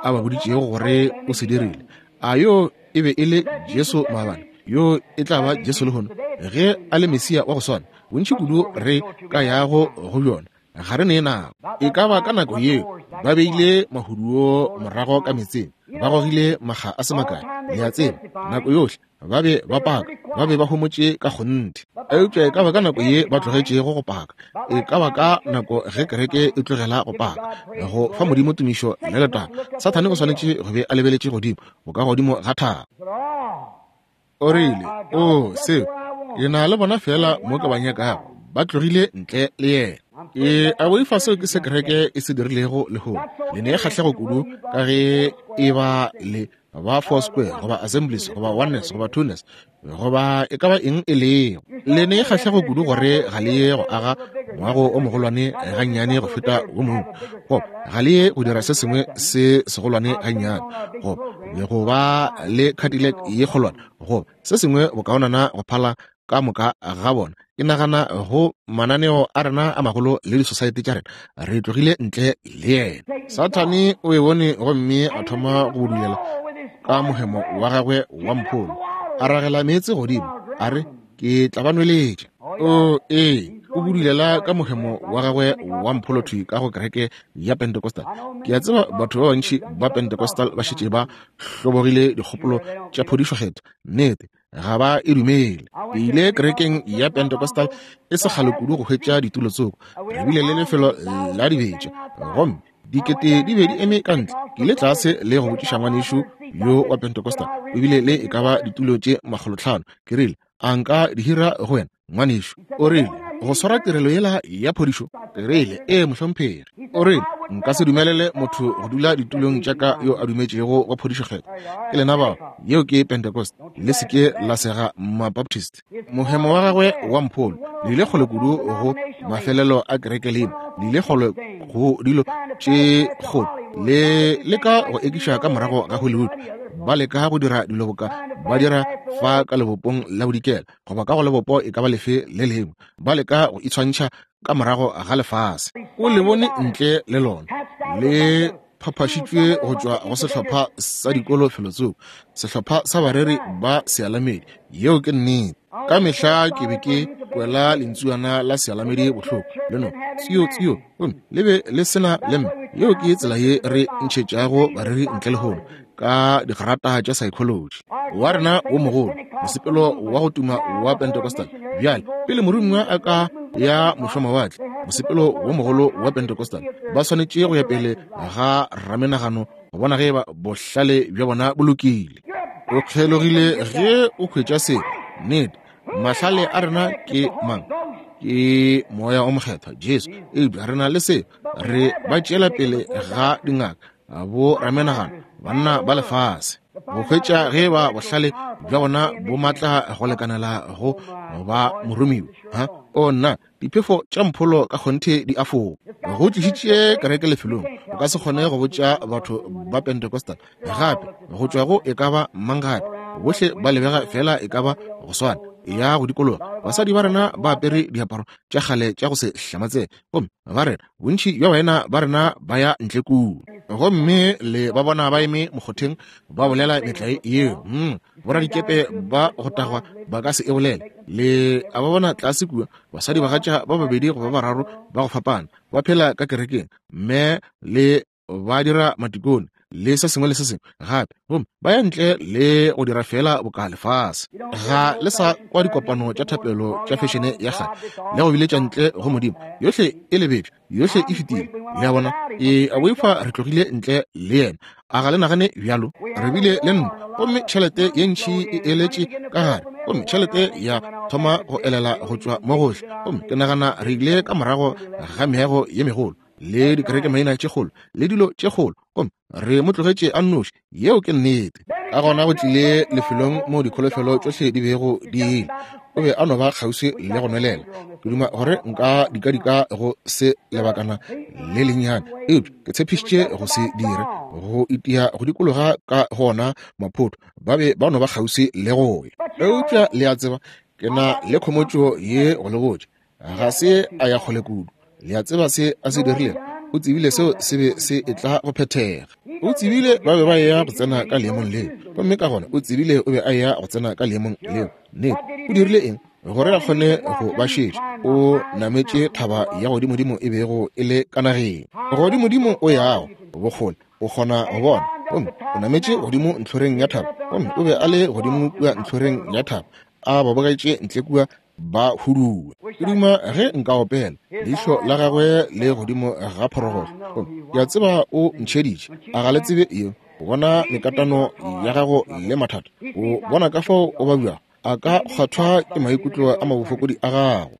a ba boditšego gore o se dirile. A yo e be e le Jesu maabane? Yo e tla ba Jesu lehono, ge a le Mesia wa go swana. Bontši kudu re ka yago go bjona, ga re ne nako. E ka ba ka nako yeo ba beile mahuduo morago ka metseng, ba gogile makga a se makae, le a tseba, nako yohle ba be ba paka, ba be ba homotše ka kgonthe. Eupša e ka ba ka nako ye ba tlogetšego go paka, e ka ba ka nako ge kereke e tlogela go paka, go fa Modimo tumišo le letago, Sathane o swanetše go be a lebeletše godimo, bokagodimo ga thaba. O rile, Oo, seo, ke na le bona feela mo ke ba nyakago. Ba tlogile ntle le yena. Ke a boifa seo ke se kereke e se dirilego lehono. Le ne kgahlego kudu ka ge e ba le ba Foursquare goba Assemblies goba Oneness goba Twoness goba e ka ba eng e lego. Le ne kgahlego kudu gore ga le ye go aga moago o mogolwane gannyane go feta wo mongwe, goba ga le ye go dira se sengwe se segolwane gannyane, goba go ba le Cadillac ye kgolwane, goba se sengwe bokaonana go phala ka moka ga bona. Ke nagana go mananeo a rena a magolo le disosaete tša rena, re tlogile ntle le yena. Sathane o e bone gomme a thoma go budulela ka mohemo wa gagwe wa mpholo, a ragela meetse godimo, a re, Ke tla ba nweletša. O, ee, o budulela ka mohemo wa gagwe wa mpholo thwi ka go kereke ya Pentecostal. Ke a tseba batho ba bantši ba Pentecostal ba šetše ba hlobogile dikgopolo tša phodišo kgethwa. Nnete, ga ba e dumele. Ke ile kerekeng ya Pentecostal e se kgale kudu go hwetša ditulo tsoko. Re bile le lefelo la dibetša, gomme dikete di be di eme ka ntle. Ke ile tlase le go botšiša ngwanešu yo wa Pentecostal, o bile le e ka ba ditulo tše 500. Ke rile, A nka di hira go wena, ngwanešu? O rile, Go swara tirelo yela ya phodišo? Ke rile, Ee, mohlomphegi. O rile, Nka se dumelele motho go dula ditulong tša ka yo a dumetšego go phodišo kgethwa. Ke lena bao, yeo ke Pentecost. Le se ke la sega Mabaptist. Mohemo wa gagwe wa mpholo le ile kgole kudu go mafelelo a kereke lena, le ile kgole go dilo tše kgolo, le leka go ekiša ka morago ga Hollywood, ba leka go dira dilo boka ba dira fa ka lebopong la bodikela goba ka go lebopo e ka ba lefe le lengwe, ba leka go itshwantšha ka morago ga lefase. O le bone ntle le lona, le phaphašitšwe go tšwa go sehlopha sa dikolo felotsoko, sehlopha sa bareri ba sealamedi. Yeo ke nnete. Ka mehla ke be ke kwela lentsuana la sealamedi bohloko, le no tsio tsio, gomme le be le se na le mme. Yeo ke tsela ye re ntšhetšago bareri ntle lehono, ka digrata tša psychology. Wa rena wo mogolo, mosepelo wa go tuma wa Pentecostal. Bjale, pele moromiwa a ka ya mošwamawatle, mosepelo wo mogolo wa Pentecostal, ba swanetše go ya pele ga ramenagano go bona ge eba bohlale bja bona bo lokile. O kgelogile ge o hwetša se. Nnete, mahlale a rena ke mang? Ke Moya o Mokgethwa, Jesu. Eupša re na le se, re ba tšeela pele ga dingaka, bo ramenagano, banna ba lefase, go hwetša ge ba bohlale bja bona bo matla go lekanela go ba moromiwa. Ha? O nna, diphefo tša mpholo ka kgonthe di a foka. Go tlišitše kereke lefelong, o ka se kgone go botša batho ba Pentecostal gape go tšwa go e ka ba mang gape, bohle ba lebega feela e ka ba go swana, ya go dikologa. Basadi ba rena ba apere diaparo tša kgale tša go se hlamatsege, gomme ba rena, bontši bja baena ba rena ba ya ntle kua, gomme le ba bona ba eme mokgotheng ba bolela metlae yeo. Boradikepe ba go tagwa ba ka se e bolele. Le a ba bona tlase kua, basadi bagatša ba babedi goba ba bararo ba go fapana ba phela ka kerekeng, mme le ba dira matikone le se sengwe le se sengwe gape, gomme ba ya ntle le go dira feela boka lefase. Ga le sa kwa dikopano tša thapelo tša fešene ya kgale le go biletša ntle go Modimo. Yohle e lebetšwe, yohle e fetile. Le a bona? E a boifa re tlogile ntle le yena. A ga le nagane bjalo? Re bile le ntwa, gomme tšhelete ye ntši e eletše ka gare, gomme tšhelete ya thoma go elela go tšwa mo gohle, gomme ke nagana re ile ka morago ga meago ye megolo le dikerekemaina tše kgolo le dilo tše kgolo, gomme re mo tlogetše a nnoši. Yeo ke nnete. Ka gona go tlile lefelong moo dikholofelo tšohle di bego di ile. O be a no ba kgauswi le go nwelela. Ke duma gore nka dikadika go se lebakana le lennyane, eupša ke tshepišitše go se dire, go itia go dikologa ka go ona maphoto. Ba be ba no ba kgauswi le go ya. Eupša le a tseba, ke na le khomotšo ye go le botša, ga se a ya kgole kudu. Le a tseba se a se dirilego? O tsebile seo se be se etla go phethega. O tsebile ba be ba eya go tsena ka leemong leo, gomme ka gona o tsebile o be a eya go tsena ka leemong leo. Nnete. O dirile eng? Gore a kgone go ba šetša, o nametše thaba ya godimodimo e bego e le ka nageng. Godimodimo o yago bokgole o kgona go bona, gomme o nametše godimo ntlhoreng ya thaba, gomme o be a le godimo kua ntlhoreng ya thaba, a ba bogetše ntle kua ba huduwe. Ke duma ge nka opela leihlo la gagwe le godimo ga phorogohlo. Gomme ke a tseba o ntšheditše. A ga le tsebe yeo? O bona mekatano ya gago le mathata. O bona ka fao o babjago. A ka kgwathwa ke maikutlo a mabofokodi a gago.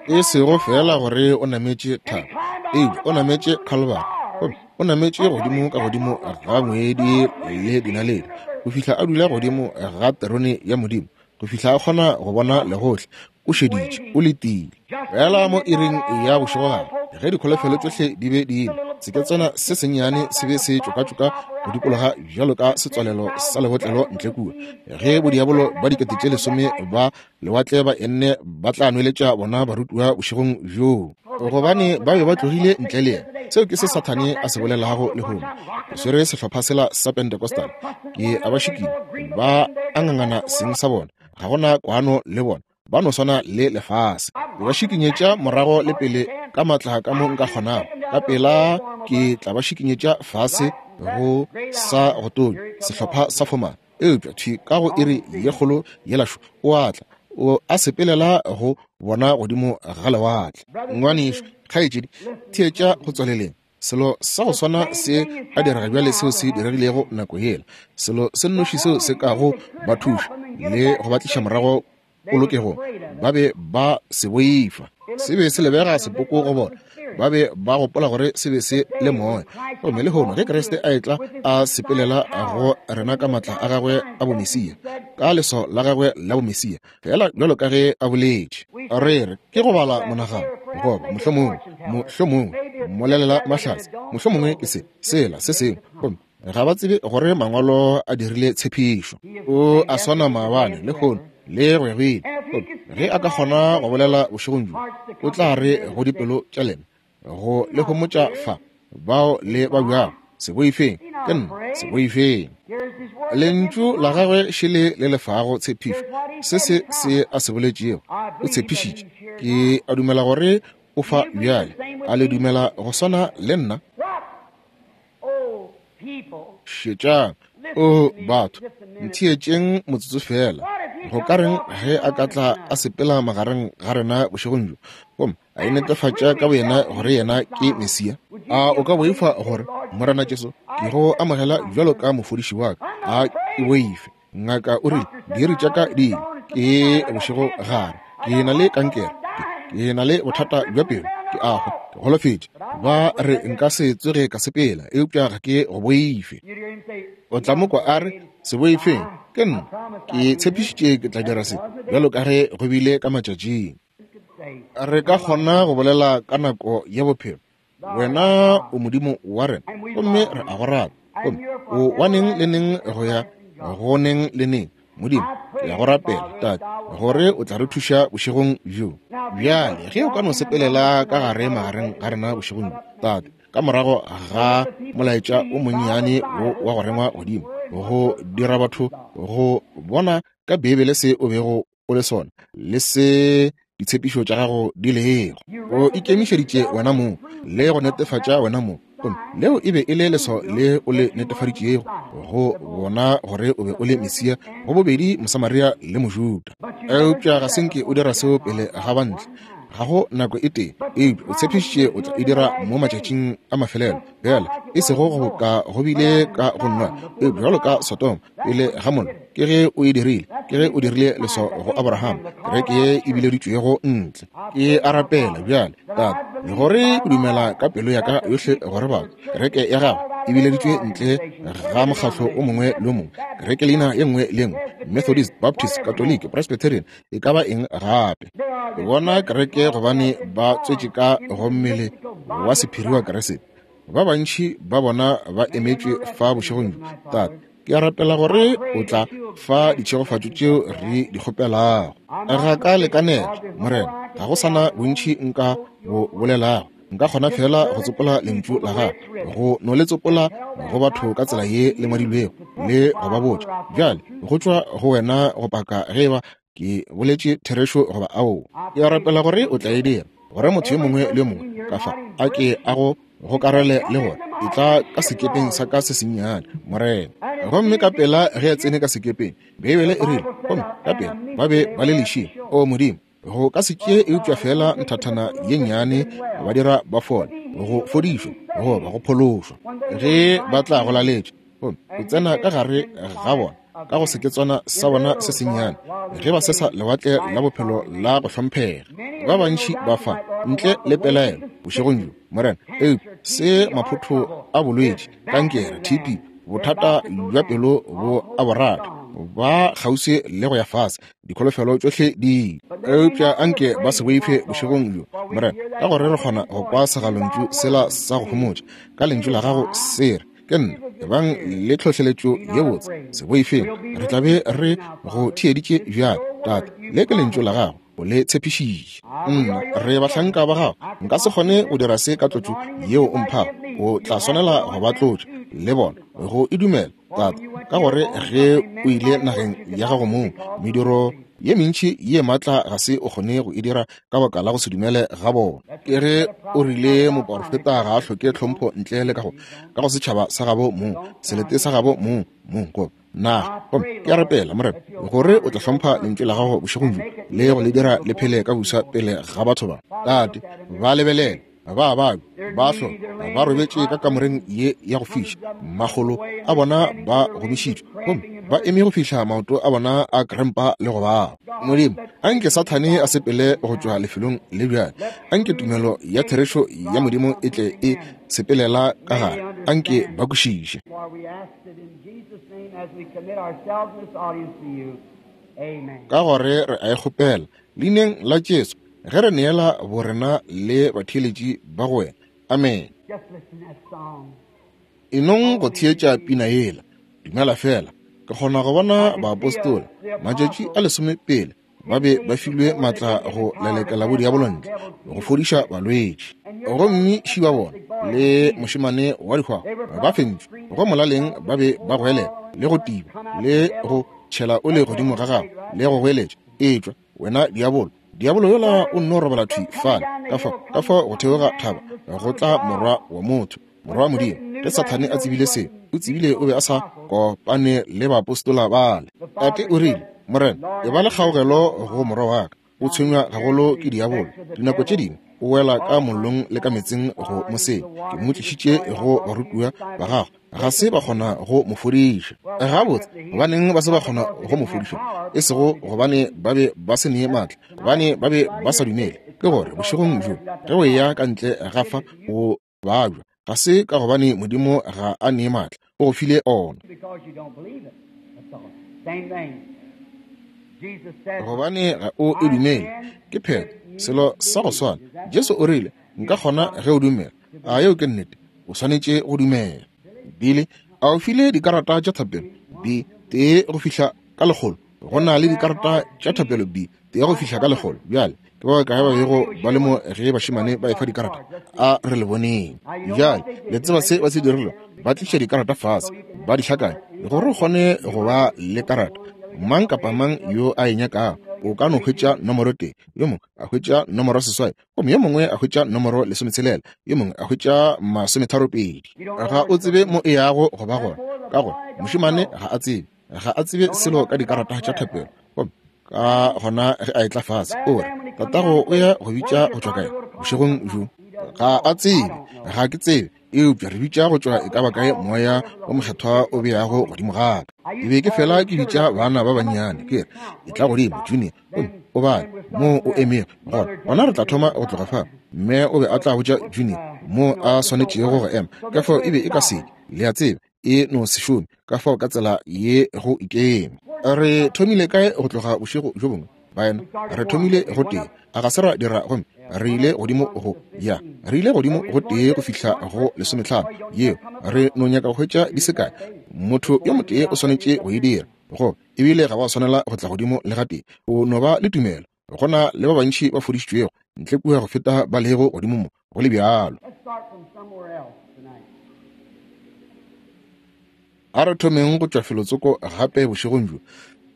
E sego feela gore o nametše thaba, eupša o nametše Calvary, gomme o nametše godimo ka godimo ga ngwedi le dinaledi, go fihla a dula godimo ga terone ya Modimo, go fihla a kgona go bona legohle. O šeditše, o letile. Feela mo iring ya bošegogare, ge dikholofelo tšohle di be di ile, seketswana se sennyane se be se tšokatšoka go dikologa bjalo ka setswalelo sa lebotlelo ntle kua, ge bodiabolo ba 10,000 ba lewatle ba enne ba tla nweletša bona barutiwa bošegong bjoo, gobane ba be ba tlogile ntle le yena. Seo ke se Sathane a se bolelago lehono. Ke swere sehlopha sela sa Pentecostal, ke a ba šikinya, ba a ngangana seng sa bona, ga gona kwano le bona, ba no swana le lefase. Ke ba šikinyetša morago le pele ka matla ka mo nka kgonago, ka pela ke tla ba šikinyetša fase go sa go tonya sehlopha sa fomana. Eupša thwi ka go iri ye kgolo yela šo o a tla, o a sepelela go bona godimo ga lewatle. Ngwanešu, kgaetšedi, theetša go tswaleleng. Selo sa go swana se a direga bjale seo se diregilego nako yela. Selo se nnoši seo se kago ba thuša le go ba tliša morago polokegong, ba be ba se boifa. Se be se lebega sepoko go bona. Ba be ba gopola gore se be se le moya. Gomme lehono ge Kriste a etla a sepelela go rena ka matla a gagwe a bomesia, ka leswao la gagwe la bomesia, feela bjalo ka ge a boletše, re re ke go bala monagano, goba mohlomongwe, mohlomongwe mmolelela mahlatse, mohlomongwe ke se, sela, se sengwe, gomme ga ba tsebe gore mangwalo a dirile tshepišo. O a swana maabane, lehono, le go ya go ile. Ge a ka kgona go bolela bošegong bjo, o tla re go dipelo tša lena, go le homotša fa, bao le ba bjago, se boifeng, ke nna, se boifeng. Lentšu la gagwe šele le lefago tshepišo, se se se a se boletšego, o tshepišitše. Ke a dumela gore o fa bjale. A le dumela go swana le nna? Šetšang, o batho, ntheetšeng motsotso feela. Go ka reng ge a ka tla a sepela magareng ga rena bošegong bjo, gomme a inetefatša ka boyena gore yena ke Mesia? A o ka boifa gore, Morena Jesu, ke go amogela bjalo ka mofodiši wa ka? A ke boife. Ngaka o rile, diiri tša ka di ile, ke bošego gare, ke na le kankere, ke na le bothata bja pelo, ke a hwa, ke golofetše. Ba re nka se tsoge ka sepela, eupša ga ke go boife. O tla mo kwa a re, Se boifeng, ke nna, ke tshepišitše ke tla dira se, bjalo ka ge go bile ka matšatšing. Re ka kgona go bolela ka nako ya bophelo, Wena o Modimo wa rena, gomme re a go rata. Gomme o wa neng le neng go ya go neng le neng. Modimo, ke a go rapela, Tate, gore o tla re thuša bošegong bjo. Bjale, ge o ka no sepelela ka gare magareng ga rena bošegong bjo, Tate, ka morago ga molaetša o monnyane wo wa go rengwa godimo, go dira batho go bona ka Beibele se o bego o le sona le se ditshepišo tša gago di lego. O ikemišeditše wena mong le go netefatša wena mong, gomme leo e be e le leswao le o le netefaditšego go bona gore o be o le Mesia go bobedi Mosamaria le Mojuda. Eupša ga se nke o dira seo pele ga bantle, ga go nako e tee, eupša o tshepišitše o tla e dira mo matšatšing a mafelelo. Bjale, e sego go ka go bile ka go nwa, eupša bjalo ka Sodoma pele ga mollo, ke ge o e dirile, ke ge o dirile leswao go Abraham, kereke ye e bileditšwego ntle. Ke a rapela bjale, Tate, gore ke dumela ka pelo ya ka yohle gore batho, kereke ya gago, e bileditšwe ntle ga mokgatlo o mongwe le o mongwe, kerekeleina ye nngwe le ye nngwe, Methodist, Baptist, Katoliki, Presbyterian, e ka ba eng gape. Ke bona kereke gobane ba tswetše ka go mmele wa sephiri wa Kriste. Ba bantši ba bona ba emetšwe fa bošegong bjo. Tate, ke a rapela gore o tla fa ditšhegofatšo tšeo re di kgopelago. Ga ka lekanela, Morena, ga go sa na bontši nka bo bolelago. Nka kgona feela go tsopola lentšu la gago, go no le tsopola go batho ka tsela ye le ngwadilwego le go ba botša. Bjale go tšwa go wena go paka ge eba ke boletše therešo goba aowa. Ke a rapela gore o tla e dira, gore motho yo mongwe le yo mongwe ka fa a ke a go gokarele le gore etla ka sekepeng sa ka se sennyane, Morena. Gomme ka pela ge a tsene ka sekepeng, Beibele e rile, gomme ka pela ba be ba le lešing. O Modimo, go ka se tšee eupša feela nthathana ye nnyane ba dira ba fole, go fodišwa goba go phološwa. Ge ba tla go laletša, gomme o tsena ka gare ga bona ka go seketswana sa bona se sennyane, ge ba sesa lewatle la bophelo la go hlomphega. Ba bantši ba fa ntle le pelaelo bošegong bjo, Morena, eupša se maphotho a bolwetši, kankere, TB, bothata bja pelo bo a bo rata, ba kgauswi le go ya fase, dikholofelo tšohle di. Eupša anke ba se boife bošegong bjo, Morena, ka gore re kgona go kwa segalontšu sela sa go homotša ka lentšu la gago se re, Ke nna, ebang le tlhohleletšo ye botse, se boifeng, re tla be re go theeditše bjale. Tate, le ke lentšu la gago, o le tshepišitše. Nna, re bahlanka ba gago, nka se kgone go dira se ka tlotšo yeo o mphago, o tla swanela go ba tlotša le bona go e dumela. Tate, ka gore ge o ile nageng ya gago mong, mediro ye mentši ye maatla ga se o kgone go e dira ka baka la go se dumele ga bona. Ke ge o rile moporofeta ga a hloke tlhompho ntle le ka go ka go setšhaba sa gabo mong, selete sa gabo mong, mong goba naga. Gomme ke a rapela, Morena, gore o tla hlompha lentšu la gago bošegong bjo le go le dira le phele ka busa pele ga batho ba. Tate, ba lebelele. Ba babja, ba hloka, ba robetše ka kamoreng ye ya go fiša, makgolo a bona ba gomišitšwe, gomme ba eme go fihla maoto a bona a krempa le go baba. Modimo, anke Sathane a sepele go tšwa lefelong le bjale. Anke tumelo ya therešo ya Modimo e tle e sepelela ka gare. Anke ba kwešiše. Ka gore re a e kgopela, Leineng la Jesu, ge re neela borena le batheeletši ba go wena. Amene. E nong go theetša pina yela, Dumela Feela. Ke kgona go bona baapostola, matšatši a lesome pele, ba be ba filwe matla go lelekela bodiabolo ntle, go fodiša balwetši. Gomme ši ba bona, le mošemane wa dihwago, ba fentšwe, go molaleng ba be ba goelela, le go tiba, le go tšhela oli godimo ga gagwe, le go goeletša, Etšwa, wena diabolo. Diabolo yola o nno robala thwi fale, ka fa, ka fa go theoga thaba, go tla Morwa wa motho, Morwa wa Modimo. Ge Sathane a tsebile seo, o tsebile o be a sa kopane le baapostola bale. Tate o rile, Morena, eba le kgaogelo go morwa wa ka. O tshwenywa gagolo ke diabolo. Dinako tše dingwe o wela ka mollong le ka meetseng go mo senya. Ke mo tlišitše go barutiwa ba gago, ga se ba kgona go mo fodiša. Gabotse, gobaneng ba se ba kgona go mo fodiša? E sego gobane ba be ba se ne maatla, gobane ba be ba sa dumele. Ke gore bošegong bjo, ge o eya ka ntle ga fa, o babja, ga se ka gobane Modimo ga a nee maatla, o go file ona. Gobane ga o e dumele. Ke phetho, selo sa go swana. Jesu o rile, Nka kgona ge o dumela. A yeo ke nnete? O swanetše go dumela. Billy, a o file dikarata tša thapelo B tee go fihla ka lekgolo? Go na le dikarata tša thapelo B tee go fihla ka lekgolo. Bjale, ke ba bakae ba bego ba le mo ge bašemane ba efa dikarata? A re le boneng. Bjale, le tseba se ba se dirile? Ba tliša dikarata fase, ba di hlakanya, gore o kgone go ba le karata. Mang kapa mang yo a e nyakago, o ka no hwetša nomoro tee, yo mongwe a hwetša nomoro 8, gomme yo mongwe a hwetša nomoro 16, yo mongwe a hwetša 32. Ga o tsebe mo e yago go ba gona, ka gore mošemane ga a tsebe, ga a tsebe selo ka dikarata tša thapelo. Gomme ka gona ge a etla fase, o re, Tatago o ya go bitša go tšwa kae bošegong bjo? Ga a tsebe, ga ke tsebe. Eupša re bitša go tšwa e ka ba kae Moya wo Mokgethwa o beago godimo ga ka. Ke be ke fela ke bitša bana ba bannyane, ke re, Etla godimo, Junior, gomme o bale moo o emego gona. Gona re tla thoma go tloga fa. Mme o be a tla botša Junior. moo a swanetšego go ema, ka fao e be e ka se ke, le a tseba, e no se šome, ka fao ka tsela ye go ikeme. Re thomile kae go tloga bošego bjo bongwe, baena? Re thomile go tee, a ga se ra dira? Gomme re ile godimo go ya, re ile godimo go tee go fihla go lesometlhano. Yeo, re no nyaka go hwetša di se kae. Motho yo motee o swanetše go e dira, go ebile ga wa swanela go tla godimo le gatee. O no ba le tumelo. Go na le ba bantši ba fodišitšwego ntle kua go feta ba lego godimo mo, go le bjalo. A re thomeng go tšwa felotsoko gape bošegong bjo.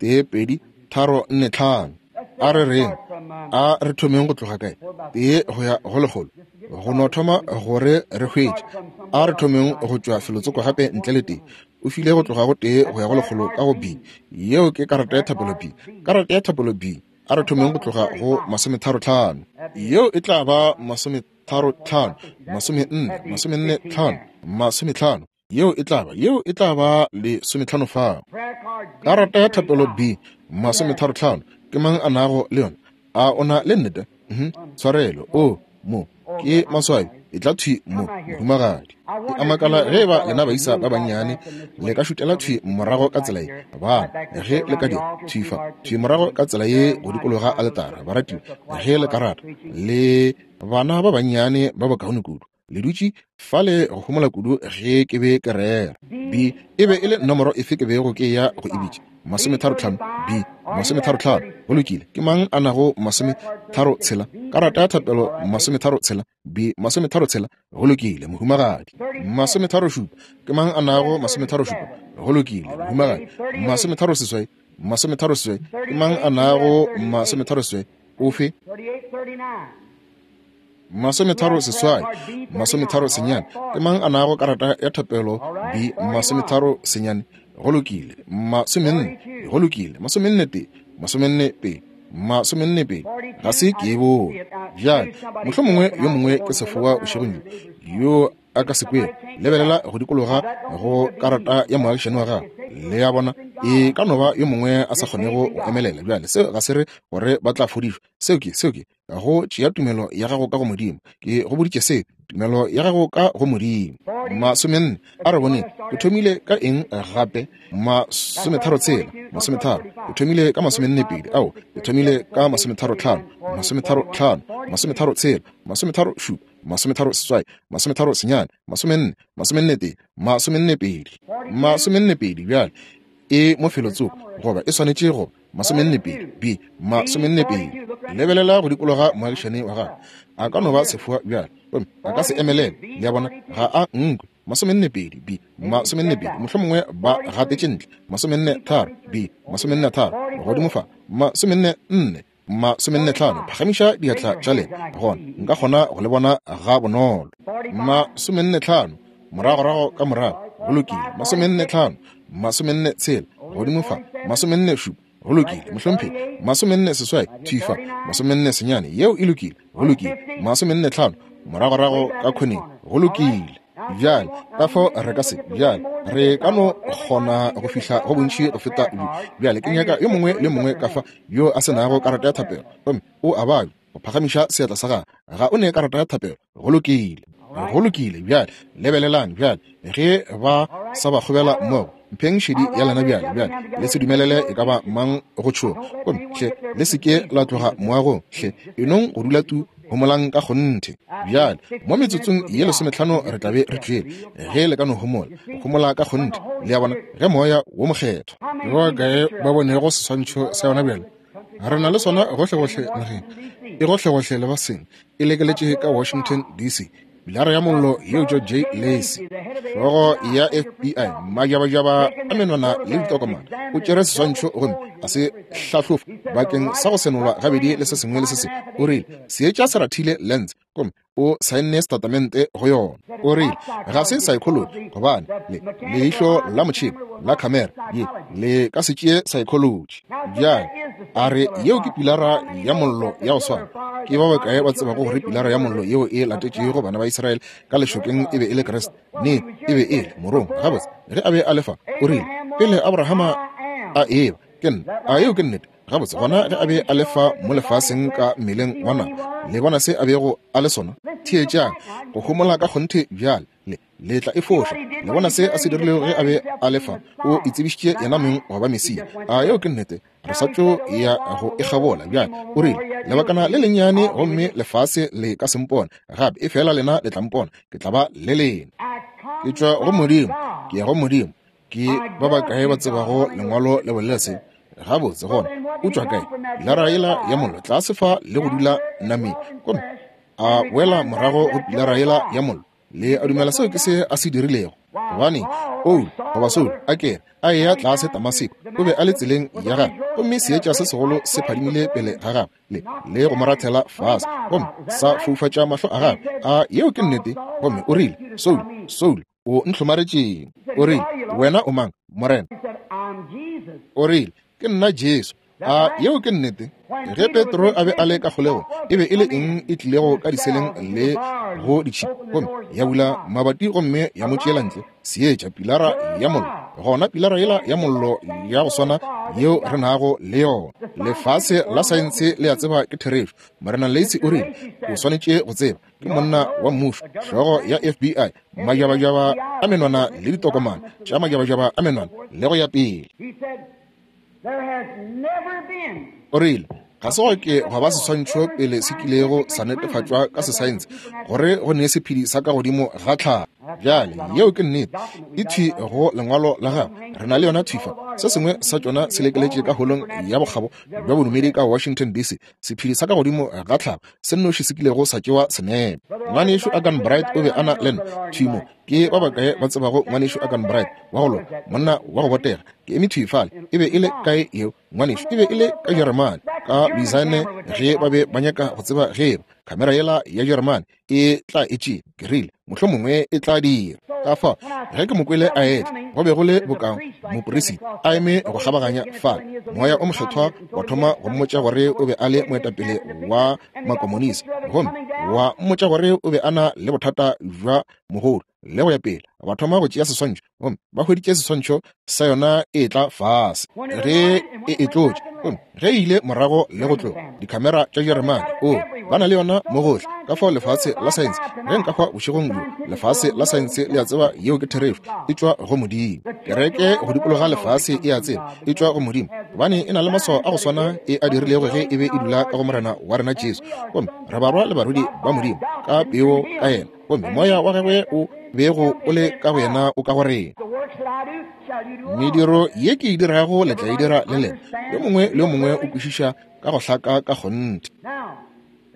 1, 2, 3, 4, 5. A re reng, a re thomeng go tloga kae? Tee go ya go lekgolo, go no thoma gore re hwetše. A re thomeng go tšwa felotsoko gape ntle le tee. O file go tloga go tee go ya go lekgolo ka go B. Yeo ke karata ya thapelo B. Karata ya thapelo B. A re thomeng go tloga go masometharotlhano. Yeo e tla ba masometharotlhano, masomenne, masomenne tlhano, masometlhano. Yeo e tla ba, yeo e tla ba lesometlhano fao. Karata ya thapelo B, masometharotlhano. Ke mang a nago le yona? A o na le nnete? Mhm. Tshwarelo. O, mo, ke maswabi. E tla thwi mo, mohumagadi. Ke a makala ge eba lena baisa ba bannyane le ka šutela thwi morago ka tsela ye, bana, ge le ka dira, thwi fa, thwi morago ka tsela ye go dikologa aletara, baratiwa, ge le ka rata, le bana ba bannyane ba bokaone kudu. Le dutše fale go homola kudu ge ke be ke rera. B e be e le nomoro efe ke bego ke ya go e bitša? Masometharotlhano. B, masometharotlhano. Go lokile. Ke mang a nago masometharotshela? Karata ya thapelo masometharotshela. B, masometharotshela. Go lokile, mohumagadi. Masometharošupa. Ke mang a nago masometharošupa? Go lokile, mohumagadi. Masometharoseswai. Masometharoseswai. Ke mang a nago masometharoseswai? Ofe? Masometharo seswai, 39. Ke mang a nago karata ya thapelo B? 39. Go lokile. 40. Go lokile. 41, 42, 42. Ga se ke e bone. Bjale, mohlomongwe yo mongwe ke sefoa bošegong bjo, yo a ka se kwego. Lebelela go dikologa go karata ya moagišani wa gago. Le a bona, e ka no ba yo mongwe a sa kgonego go emelela. Bjale, seo ga se re gore ba tla fodišwa. Seo ke, seo ke, go tšea tumelo ya gago ka go Modimo. Ke go boditše se, tumelo ya gago ka go Modimo. 40, a re boneng, ke thomile ka eng gape? 36, 30, ke thomile ka 42, ao, ke thomile ka 35, 35, 36, 37, 38, 39, 40, 41, 42, 42. Bjale e mo felotsoko, goba e swanetše go 42, B, 42. Lebelela go dikologa moagišane wa gago. A ka no ba sefoa bjale, gomme a ka se emelele. Le a bona, ga a nkwe. 42, B, 42. Mohlomongwe ba gatetše ntle. 43, B, 43. Godimo fa, 44, 45. Phagamiša diatla tša lena, gona nka kgona go le bona ga bonolo. 45, moragorago ka morago. Go lokile. 45, 46, godimo fa. 47, go lokile, mohlomphegi. 48, thwi fa. 49, yeo e lokile. Go lokile. 45, moragorago ka khoneng. Go lokile. Bjale, ka fao re ka se, bjale, re ka no kgona go fihla go bontši go feta bjo. Bjale ke nyaka yo mongwe le mongwe ka fa yo a se nago karata ya thapelo, gomme o a babja, go phagamiša seatla sa gago. Ga o ne karata ya thapelo. Go lokile. Go lokile. Bjale lebelelang bjale, ge ba sa ba kgobela mmogo, mpheng šedi ya lena bjale. Bjale le se dumelele e ka ba mang go tšhoga, gomme hle le se ke la tloga moagong. Hle enong go dula tu, homolang ka kgonthe. Bjale mo metsotsong ye lesometlhano re tla be re tšwele, ge le ka no homola, go homola ka kgonthe. Le a bona, ge Moya wo Mokgethwa. Ke ba bakae ba bonego seswantšho sa yona bjale? Re na le sona gohlegohle nageng, e gohlegohle lefaseng, e lekeletše ka Washington, DC, pilara ya mollo yeo George J. Lacy, hlogo ya FBI, majabajaba a menwana le ditokomane, o tšere seswantšho gomme a se hlahlofa bakeng sa go senolwa gabedi le se sengwe le se sengwe. O rile, Seetša se rathile lens, gomme o saenne setatamente go yona. O rile, Ga se saekholoji, gobane le leihlo la motšhene la khamera ye le ka se tšee saekholoji. Bjale a re, Yeo ke pilara ya mollo ya go swana. Ke ba bakae ba tsebago gore pilara ya mollo yeo e latetšego bana ba Israele ka lešokeng e be e le Kriste? Nnete, e be e le morongwa. Gabotse, ge a be a le fa, o rile, Pele Abrahama a eba, ke nna. A yeo ke nnete? Gabotse, gona ge a be a le fa mo lefaseng ka mmeleng wa nama, le bona se a bego a le sona? Theetšang, go homola ka kgonthe bjale. Le, le tla e foša. Le bona se a se dirilego ge a be a le fa? O itsebišitše yena mong go ba Mesia. A yeo ke nnete? Re sa tšo ya go e kgabola bjale. O rile, Lebakana le lennyane gomme lefase le ka se mpone gape, efela lena le tla mpona. Ke tla ba le lena. Ke tšwa go Modimo, ke ya go Modimo. Ke ba bakae ba tsebago Lengwalo le bolela se? Gabotse, gona o tšwa kae? Pilara yela ya mollo tlase fa le go dula nameng, gomme a boela morago go pilara yela ya mollo. Le a dumela seo ke se a se dirilego? Gobane Paulo goba Saulo a kere a eya tlase Damaseko, o be a le tseleng ya gagwe, gomme seetša se segolo se phadimile pele ga gagwe le, le go mo rathela fase, gomme sa foufatša mahlo a gagwe. A yeo ke nnete? Gomme o rile, Saulo, Saulo, o ntlhomaretšeng? O rile, Wena o mang, Morena? O rile, Ke nna Jesu. A yeo ke nnete? Ge Petro a be a le ka kgolegong, e be e le eng e tlilego ka diseleng le go ditšhipi gomme ya bula mabati gomme ya mo tšeela ntle? Seetša, pilara ya mollo. Gona pilara yela ya mollo ya go swana yeo re nago le yona. Lefase la saense le a tseba ke therešo. Morena Lacy o rile, O swanetše go tseba. Ke monna wa mmušo, hlogo ya FBI, majabajaba a menwana le ditokomane tša majabajaba a menwana le go ya pele. O rile, Ga se gwa ke gwa ba seswantšho pele se kilego sa netefatšwa ka sesaense gore go ne sephedi sa ka godimo ga tlhago. Bjale, yeo ke nnete. E thwi go lengwalo la gagwe. Re na le yona thwi fa. Se sengwe sa tšona se lekeletše ka holong ya bokgabo bja bodumedi ka Washington, DC, sephedi sa ka godimo ga tlhago se nnoši se kilego sa tšewa senepe. Ngwanešu Agan Bright o be a na le nna thwi mo. Ke ba bakae ba tsebago ngwanešu Agan Bright wa go loka, monna wa go botega? Ke eme thwi fale. E be e le kae yeo, ngwanešu? E be e le ka Jeremane, ka Louisiana, ge ba be ba nyaka go tseba ge eba khamera yela ya Jeremane e tla e tšea. Ke rile, Mohlomongwe e tla dira. Ka fao, ge ke mo kwele a etla, go be go le boka moperisita a eme go kgabaganya fale. Moya o Mokgethwa wa thoma go mmotša gore o be a le moetapele wa makomonisi, gomme wa mmotša gore o be a na le bothata bja mogodu le go ya pele. Ba thoma go tšea seswantšho, gomme ba hweditše seswantšho sa yona e etla fase ge e e tlotše, gomme ge e ile morago le go tloga dikhamera tša Jeremane, o ba na le yona mo gohle. Ka fao lefase la saense, ge nka hwa bošegong bjo, lefase la saense le a tseba yeo ke therešo, e tšwa go Modimo. Kereke go dikologa lefase e a tseba e tšwa go Modimo, gobane e na le maswao a go swana e a dirilego ge e be e dula ka go Morena wa rena Jesu. Gomme re barwa le barwedi ba Modimo ka peo ka yena, gomme moya wa gagwe o bego o le ka go yena o ka go rena. Mediro ye ke e dirago le tla e dira le lena. Yo mongwe le yo mongwe o kwešiša ka go hlaka ka kgonthe.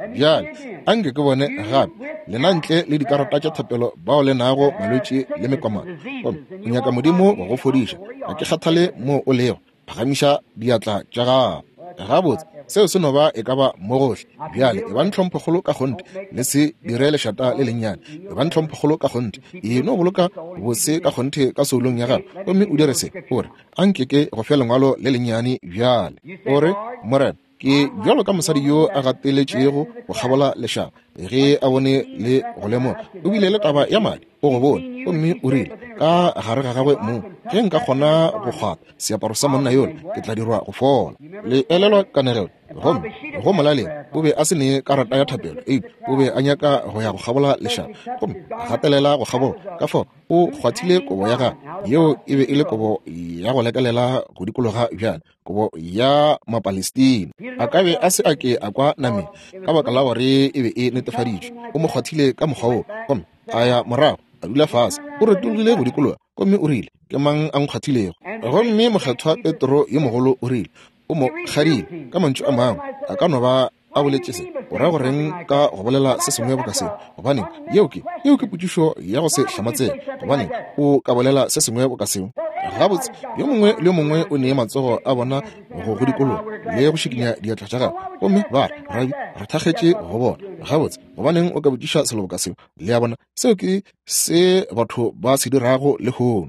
Bjale a nke ke bone gape lena ntle le dikarata tša thapelo bao le nago malwetši le mekomano, gomme o nyaka Modimo go go fodiša. Ga ke kgathale moo o lego, phagamiša diatla tša gago. Gabotse, seo se no ba e ka ba mo gohle. Bjale e bang tlhomphokgolo ka kgonthe, le se dire lešata le lennyane. E bang tlhomphokgolo ka kgonthe, e no boloka bose ka kgonthe ka soulong ya gago, gomme o dire se. O re, A nke ke go fe lengwalo le lennyane bjale. O re, Morena, ke bjalo ka mosadi yo a gateletšego go kgabola lešaba, ge a bone le go lemoga o bile le taba ya madi, o go bone, gomme o rile ka gare ga gagwe mong, ge nka kgona go kgwatha seaparo sa monna yola, ke tla dirwa go fola. Le elelwa kanegelo? Gomme go molaleng o be a se ne karata ya thapelo, eupša o be a nyaka go ya go kgabola lešaba, gomme a gatelela go kgabola. Ka fao o kgwathile kobo ya gagwe, yeo e be e le kobo ya go lekelela go dikologa bjale, kobo ya Mapalestina. A ka be a se a ke a kwa nameng ka baka la gore e be e netefaditšwe. O mo kgwathile ka mokgwa woo, gomme a ya morago a dula fase. O retologile go dikologa gomme o rile, Ke mang a nkgwathilego? Gomme Mokgethwa Petro yo mogolo o rile, O mo kgadile. Ka mantšu a mangwe, a ka no ba a boletše se, o ra go reng ka go bolela se sengwe boka seo? Gobaneng, yeo ke, yeo ke potšišo ya go se hlamatsege. Gobaneng o ka bolela se sengwe boka seo? Gabotse, yo mongwe le yo mongwe o nee matsogo a bona go go dikologa le go šikinya diatla tša gagwe, gomme ba re, Rabi, re thakgetše go bona. Gabotse, gobaneng o ka botšiša selo boka seo? Le a bona, seo ke se batho ba se dirago lehono.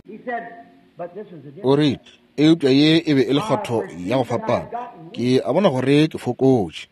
O rile, Eupša ye e be e le kgwatho ya go fapana. Ke a bona gore ke fokotše.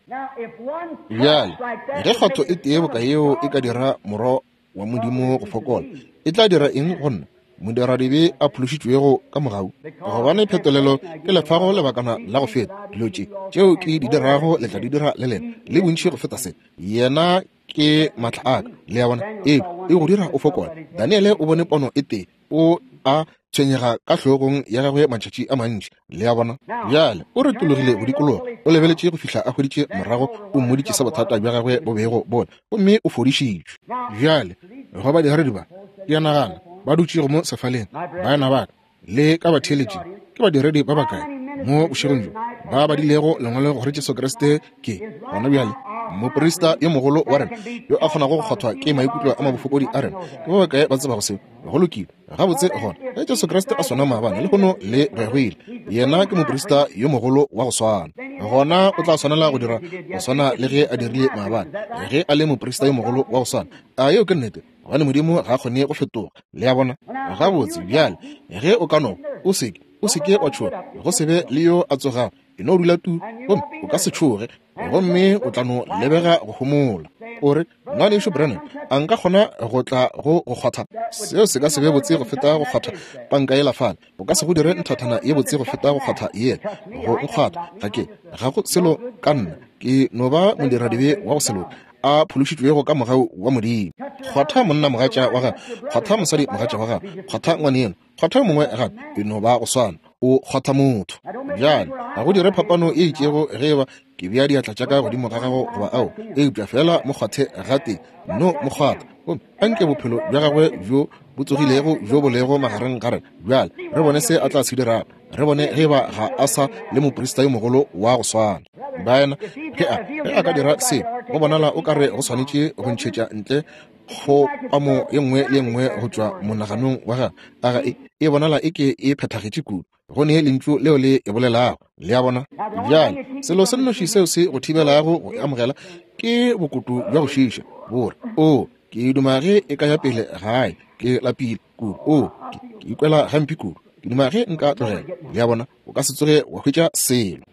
Bjale, ge kgwatho e tee boka yeo e ka dira Morwa wa Modimo go fokola, e tla dira eng go nna? Modiradibe a phološitšwego ka mogau? Gobane phetolelo ke le fago lebakana la go feta, dilo tše tšeo ke di dirago le tla di dira le lena, le bontši go feta se. Yena ke maatla a ka. Le a bona? Ee, e go dira o fokole. Daniele o bone pono e tee, o a tshwenyega ka hlogong ya gagwe matšatši a mantši. Le a bona? Bjale o retologile go dikologa, o lebeletše go fihla a hweditše morago, o mmoditše se bothata bja gagwe bo bego bo le, gomme o fodišitšwe. Bjale go badiredi ba, ke a nagana, ba dutšego mo sefaleng, baena ba ka, le ka batheeletšing, ke badiredi ba bakae mo bošegong bjo ba badilego lengwalo gore Jesu Kriste ke gona bjale moprista yo mogolo wa rena yo a kgonago go kgwathwa ke maikutlo a mabofokodi a rena? Ke ba bakae ba tsebago seo? Go lokile, gabotse gona, ge Jesu Kriste a swana maabane, lehono le go ya go ile, yena ke moprista yo mogolo wa go swana, gona o tla swanela go dira go swana le ge a dirile maabane ge a le moprista yo mogolo wa go swana. A yeo ke nnete? Gobane Modimo ga a kgone go fetoga. Le a bona? Gabotse bjale, ge o ka no, o seke, o seke wa tšhoga, go se be le yo a tsogago, e no dula tu, gomme o ka se tšhoge, gomme o tla no lebega go homola. O re, Ngwanešu Branham, a nka kgona go tla go go kgwatha? Seo se ka se be botse go feta go kgwatha panka yela fale. O ka se go dire nthathana ye botse go feta go kgwatha yela. Go nkgwatha, ga ke, ga go selo ka nna. Ke no ba modiradibe wa go se loke, a phološitšwego ka mogau wa Modimo. Kgwatha monna mogatša wa gago, kgwatha mosadi mogatša wa gago, kgwatha ngwaneno, kgwatha yo mongwe gape, e no ba go swana, o kgwatha motho. Bjale, ga go dire phapano e itšego ge eba ke bea diatla tša ka godimo ga gago goba ao, eupša feela mo kgwathe gatee, no mo kgwatha, gomme anke bophelo bja gagwe bjo bo tsogilego bjo bo lego magareng ga rena bjale, re bone se a tla se dirago, re bone ge eba ga a sa le moprista yo mogolo wa go swana. Baena, ge a, ge a ka dira se, go bonala o ka re go swanetše go ntšhetša ntle kgopamo ye nngwe le ye nngwe go tšwa monaganong wa gagwe. A ga e, e bonala e ke e phethagetše kudu go ne lentšu leo le e bolelago. Le a bona? Bjale, selo se nnoši seo se go thibelago go e amogela ke bokutu bja go šiiša, bo re, O, ke duma ge e ka ya pele gae, ke lapile kudu. O, ke, ke ikwela gampe kudu, ke duma ge nka tlogela. Le a bona? O ka se tsoge wa hwetša selo.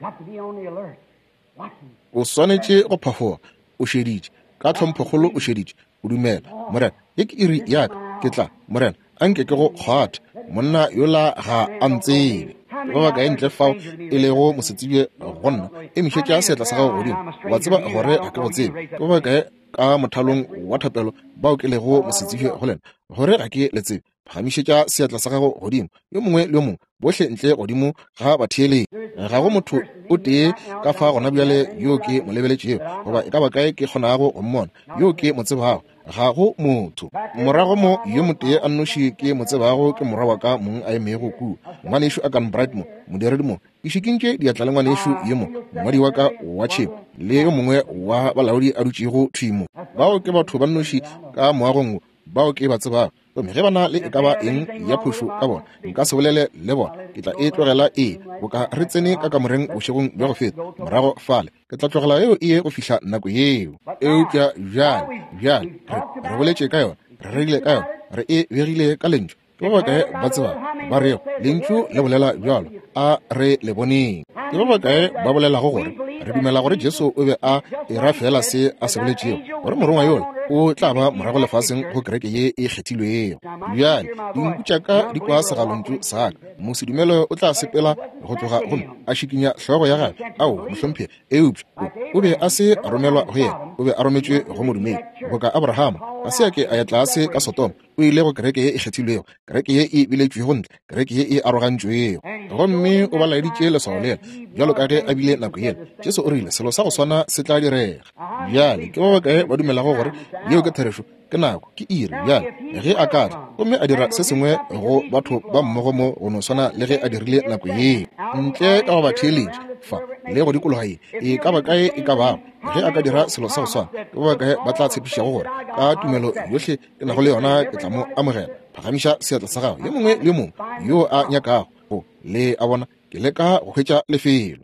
O swanetše go phafoga, o šeditše, ka tlhomphokgolo o šeditše, o dumela, Morena, ye ke iri ya ka, ke tla, Morena, a nke ke go kgwathe. Monna yola ga a ntsebe. Ke ba bakae ntle fao e lego mosetsebje go nna? Emišetša seatla sa gago godimo. Wa tseba gore ga ke go tsebe. Ke ba bakae ka mothalong wa thapelo bao ke lego mosetsebje go lena, gore ga ke le tsebe? Phagamišetša seatla sa gago godimo, yo mongwe le yo mongwe, bohle ntle godimo ga batheeletši. Ga go motho o tee ka fa gona bjale yo ke mo lebeletšego, goba e ka ba kae ke kgonago go mmona, yo ke mo tsebago. Ga go motho. Morago mo, yo motee a nnoši ke mo tsebago ke morwa wa ka mong a emego kua, Ngwanešu Akan Bright mo, modiredi mo. Ke šikintše diatla le ngwanešu yo mo, mongwadi wa ka wa tšhemo, le yo mongwe wa balaodi a dutšego thwi mo. Bao ke batho ba nnoši ka moagong wo bao ke ba tsebago. Gomme ge ba na le e ka ba eng ya phošo ka bona, nka se bolele le bona. Ke tla e tlogela e boka re tsene ka kamoreng bošegong bja go feta, morago fale. Ke tla tlogela yeo e ye go fihla nako yeo. Eupša bjale, bjale, re, re boletše ka yona, re rerile ka yona, re e begile ka Lentšu. Ke ba bakae ba tsebago ba rego Lentšu le bolela bjalo? A re le boneng. Ke ba bakae ba bolelago gore re dumela gore Jesu o be a era feela se a se boletšego, gore morongwa yola o tla ba morago lefaseng go kereke ye e kgethilwego? Bjale, dinku tša ka di kwa segalontšu sa ka. Mosedumele o tla sepela go tloga gomme a šikinya hlogo ya gagwe. Ao, mohlomphegi. Eupša o, o be a se a romelwa go yena, o be a rometšwe go modumedi. Boka Abrahama, ga se a ke a ya tlase ka Sodoma, o ile go kereke ye e kgethilwego, kereke ye e biletšwego ntle, kereke ye e arogantšwego. Gomme o ba laeditše leswao lela, bjalo ka ge a bile nako yela. Jesu o rile selo sa go swana se tla direga. Bjale, ke ba bakae ba dumelago gore yeo ke therešo? Ke nako, ke iri bjale, ge a ka tla gomme a dira se sengwe go batho ba mmogo mo go no swana le ge a dirile nako yeo ntle ka go ba theeletša fa le go dikologa ye e ka ba kae e ka bago. Ge a ka dira selo sa go swana, ke ba bakae ba tla tshepišago gore ka tumelo yohle ke nago le yona ke tla mo amogela? Phagamiša seatla sa gago, yo mongwe le yo mongwe yo a nyakago go. Le a bona, ke leka go hwetša lefelo.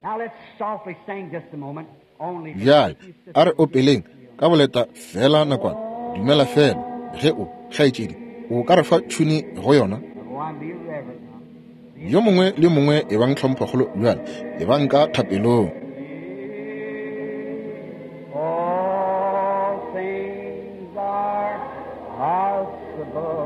Bjale a re opeleng ka boleta feela nakwana. Dumela feela ge o, kgaetšedi, o ka re fa tšhuni go yona. Yo mongwe le yo mongwe ebang tlhomphokgolo bjale, ebang ka thapelong. All things are possible.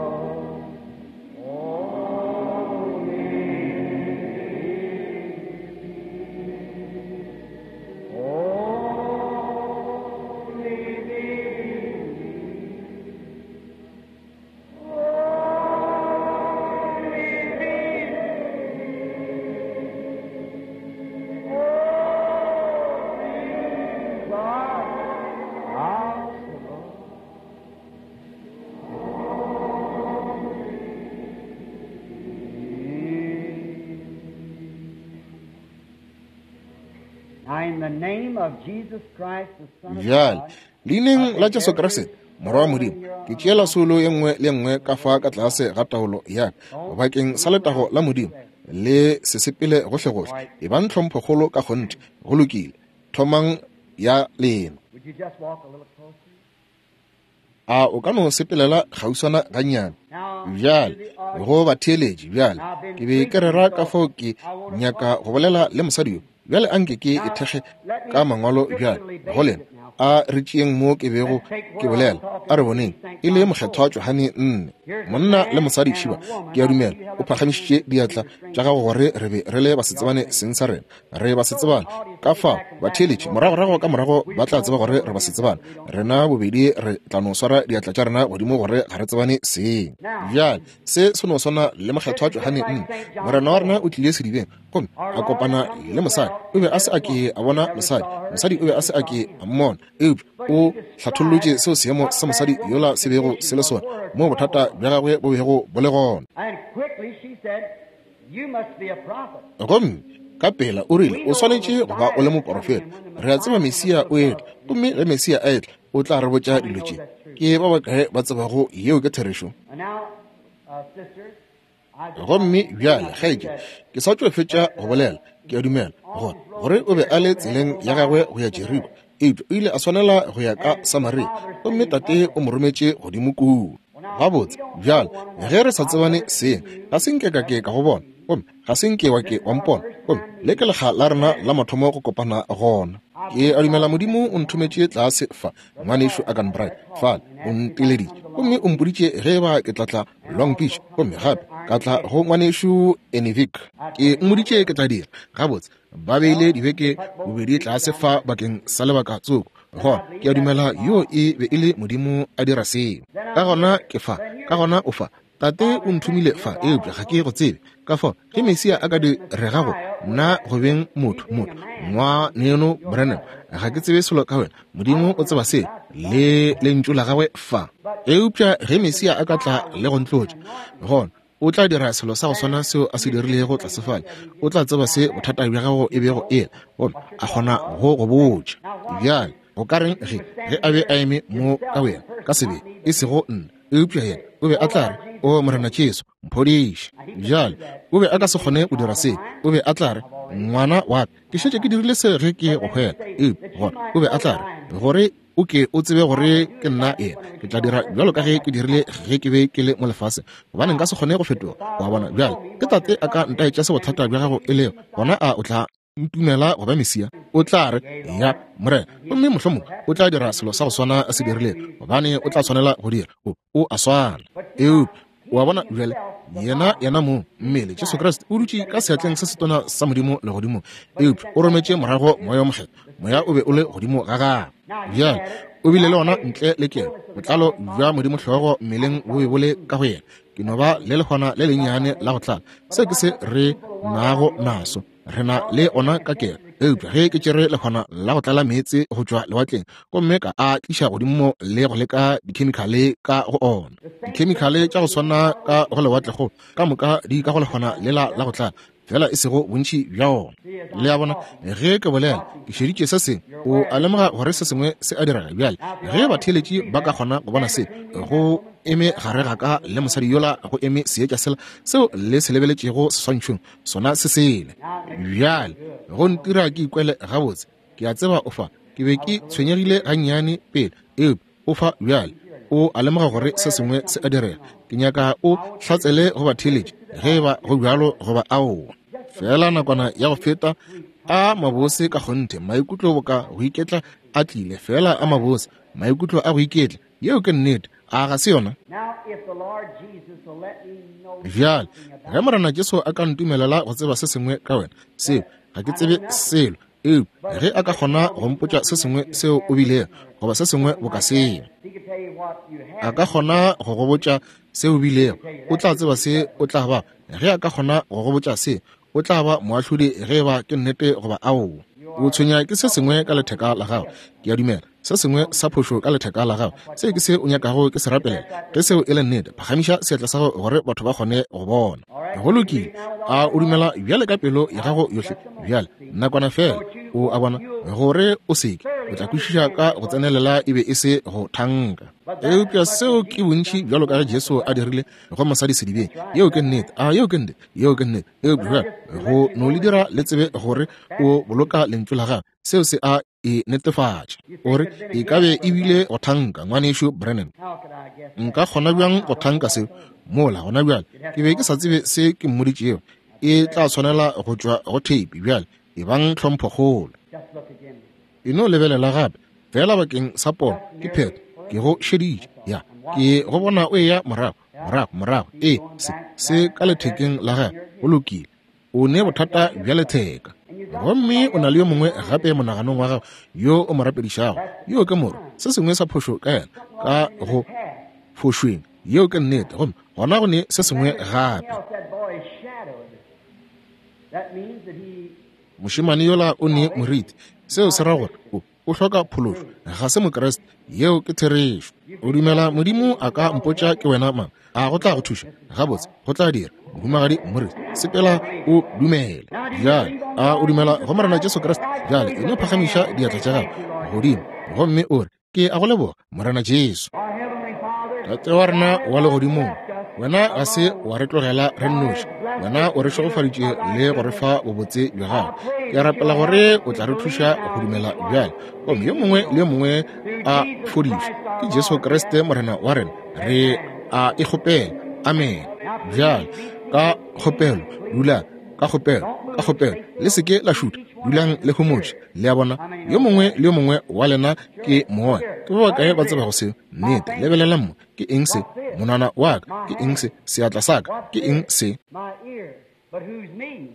Bjale, Leineng la Jesu Kriste, Morwa wa Modimo, ke tšeela soulo ye nngwe le ye nngwe ka fa ka tlase ga taolo ya ka, bakeng sa letago la Modimo, le se sepele gohlegohle. Ebang tlhomphokgolo ka kgonthe. Go lokile. Thomang ya lena. A o ka no sepelela kgauswana gannyane? Bjale, go batheeletši, bjale, ke be ke rera ka fao ke nyaka go bolela le mosadi yo. Bjale anke ke e thekge ka Mangwalo bjale, go lena. A re tšeeng mo ke bego ke bolela. A re boneng, e le Mokgethwa Johane 4. Monna le mosadi šiba, ke a dumela, o phagamišitše diatla tša gago gore re be re le basetsebane seng sa rena. Re basetsebane. Ka fao, batheeletši, moragorago ka morago ba tla tseba gore re basetsebane. Rena bobedi re tla no swara diatla tša rena godimo gore ga re tsebane seng. Bjale, se se no swana le Mokgethwa Johane 4. Morena wa rena o tlile sedibeng gomme a kopana le mosadi. O be a se a ke a bona mosadi, mosadi o be a se a ke a mmona, eupša o hlathollotše seo seemo sa mosadi yola se bego se le sona, moo bothata bja gagwe bo bego bo le gona. Gomme ka pela o rile, O swanetše go ba o le moporofeta. Re a tseba Mesia o etla, gomme ge Mesia a etla, o tla re botša dilo tše. Ke ba bakae ba tsebago yeo ke therešo? Gomme bjale, kgaetšedi, ke sa tšo fetša go bolela, ke a dumela, gore, gore o be a le tseleng ya gagwe go ya Jeriko, eupša o ile a swanela go ya ka Samaria, gomme Tate o mo rometše godimo kua. Gabotse, bjale, ge re sa tsebane seng, ga se nke ka ke ka go bona, gomme ga se nke wa ke wa mpona, gomme le ke lekga la rena la mathomo go kopana gona. Ke a dumela Modimo o nthometše tlase fa, Ngwanešu Arganbright fale o nteleditše gomme o mpoditše ge eba ke tla tla Long Beach, gomme gape ka tla go Ngwanešu Enivik. Ke mmoditše ke tla dira. Gabotse, ba beile dibeke bobedi tlase fa bakeng sa lebaka tsoko. Gona ke a dumela yoo e be e le Modimo a dira seo. Ka gona ke fa, ka gona o fa. Tate o nthomile fa, eupša ga ke go tsebe. Ka fao, ge Mesia a ka direga go nna go beng motho, motho, Ngwaneno Branham, ga ke tsebe selo ka wena. Modimo o tseba se, le Lentšu la Gagwe fa. Eupša ge Mesia a ka tla le go ntlotša, gona O tla dira selo sa go swana seo A se dirilego tlase fale. O tla tseba se bothata bja gago e bego e le, gomme a kgona go go botša. Bjale, go ka reng ge, ge a be a eme mo ka boyena, ka sebele, e sego nna, eupša yena, o be a tla re, O Morena Jesu, mphodiše. Bjale, o be a ka se kgone go dira se. O be a tla re, Ngwana wa ka, ke šetše ke dirile se ge ke go hwela. Eupša gona o be a tla re, Gore o ke o tsebe gore ke nna yena, ke tla dira bjalo ka ge ke dirile ge ke be ke le mo lefaseng, gobane nka se kgone go fetoga. Wa bona? Bjale, ke Tate a ka ntaetša se bothata bja gago e lego, gona a o tla ntumela go ba Mesia? O tla re, Ya, Morena. Gomme mohlomongwe o tla dira selo sa go swana a se dirilego, gobane o tla swanela go dira. O, o a swana. Eupša, o a bona, bjale, Yena, Yena mong, mmele, Jesu Kriste, o dutše ka seatleng se setona sa Modimo Legodimong, eupša o rometše morago Moya wo Mokgethwa. Moya o be o le godimo ga Gagwe. Bjale, O bile le ona ntle le kelo. Botlalo bja Modimo hlogo mmeleng bo be bo le ka go Yena. Ke no ba le lehwana le lennyane la go tlala. Se ke se re nago naso. Re na le ona ka kelo. Eupša ge ke tšere lehwana la go tlala meetse go tšwa lewatleng gomme ka a tliša godimo le go leka dikhemikhale ka go ona, dikhemikhale tša go swana ka go lewatlekgolo ka moka di ka go lehwana lela la go tlala, fela e sego bontši bja ona. Le a bona, ge ke bolela, ke šeditše se sengwe. O a lemoga gore se sengwe se a direga bjale. Ge batheeletši ba ka kgona go bona se, go eme gare ga ka le mosadi yola go eme seetša sela seo le se lebeletšego seswantšhong, sona se sele. Bjale, go ntira ke ikwele gabotse. Ke a tseba o fa. Ke be ke tshwenyegile gannyane pele, eupša o fa bjale. O a lemoga gore se sengwe se a direga. Ke nyaka o hlatsele go batheeletši ge e ba go bjalo goba aowa. Feela nakwana ya go feta, a mabose ka kgonthe, maikutlo boka go iketla a tlile, feela a mabose, maikutlo a go iketla. Yeo ke nnete, a ga se yona? Bjale, ge Morena Jesu a ka ntumelela go tseba se sengwe ka wena, seo, ga ke tsebe selo, eupša ge a ka kgona go mpotša se sengwe seo o bilego, goba se sengwe boka seo, a ka kgona go go botša se o bilego, o tla tseba se o tla ba. Ge a ka kgona go go botša se, o tla ba moahlodi ge e ba ke nnete goba aowa. O tshwenya ke se sengwe ka letheka la gago, ke a dumela, se sengwe sa phošo ka letheka la gago. Se ke se o nyakago ke se rapelela. Ge seo e le nnete, phagamiša seatla sa gago gore batho ba kgone go bona. Go lokile. A o dumela bjale ka pelo ya gago yohle? Bjale, nakwana feela. O a bona, gore o seke, o tla kwešiša ka go tsenelela e be e se go thanka. Eupša seo ke bontši bjalo ka ge Jesu a dirile go mosadi sedibeng. Yeo ke nnete. A yeo ke nnete? Yeo ke nnete. Eupša bjale go no le dira le tsebe gore o boloka lentšu la gagwe, seo se a e netefatša. O re, E ka be e bile go thanka, Ngwanešu Branham. Nka kgona bjang go thanka seo? Mola gona bjale ke be ke sa tsebe se ke mmoditšego. E tla swanela go tšwa go theipi bjale. Ebang tlhomphokgolo. E no lebelela gape, feela bakeng sa pono, ke phetho. Ke go šeditše. Ya, ke go bona o eya morago, morago, morago. Ee, se, se ka lethekeng la gago. Go lokile. O ne bothata bja letheka. Gomme o na le yo mongwe gape monaganong wa gago yo o mo rapedišago. Yo ke moro, se sengwe sa phošo ka yena, ka go phošweng. Yeo ke nnete. Gomme gona go ne se sengwe gape. Mošemane yola o ne moriti. Seo se ra gore o, o hloka phološo. Ga se Mokriste. Yeo ke therešo. O dumela Modimo a ka mpotša ke wena mang? A go tla go thuša? Gabotse, go tla dira. Mohumagadi Morris, sepela o dumele. Bjale, a o dumela go Morena Jesu Kriste? Bjale, e no phagamiša diatla tša gago godimo gomme o re, Ke a go leboga, Morena Jesu. Tate wa rena wa legodimong, wena ga se wa re tlogela re nnoši. Wena o re šegofaditše le go re fa bobotse bja gago. Ke a rapela gore o tla re thuša go dumela bjale, gomme yo mongwe le yo mongwe a fodišwe ke Jesu Kriste Morena wa rena. Re a e kgopela. Amen. Bjale, ka kgopelo, dulang. Ka kgopelo, ka kgopelo, le se ke la šutha. Dulang le homotše. Le a bona, yo mongwe le yo mongwe wa lena ke moya. Ke ba bakae ba tsebago seo? Nnete. Lebelelang mo. Ke eng se? Monwana wa ka. Ke eng se? Seatla sa ka. Ke eng se?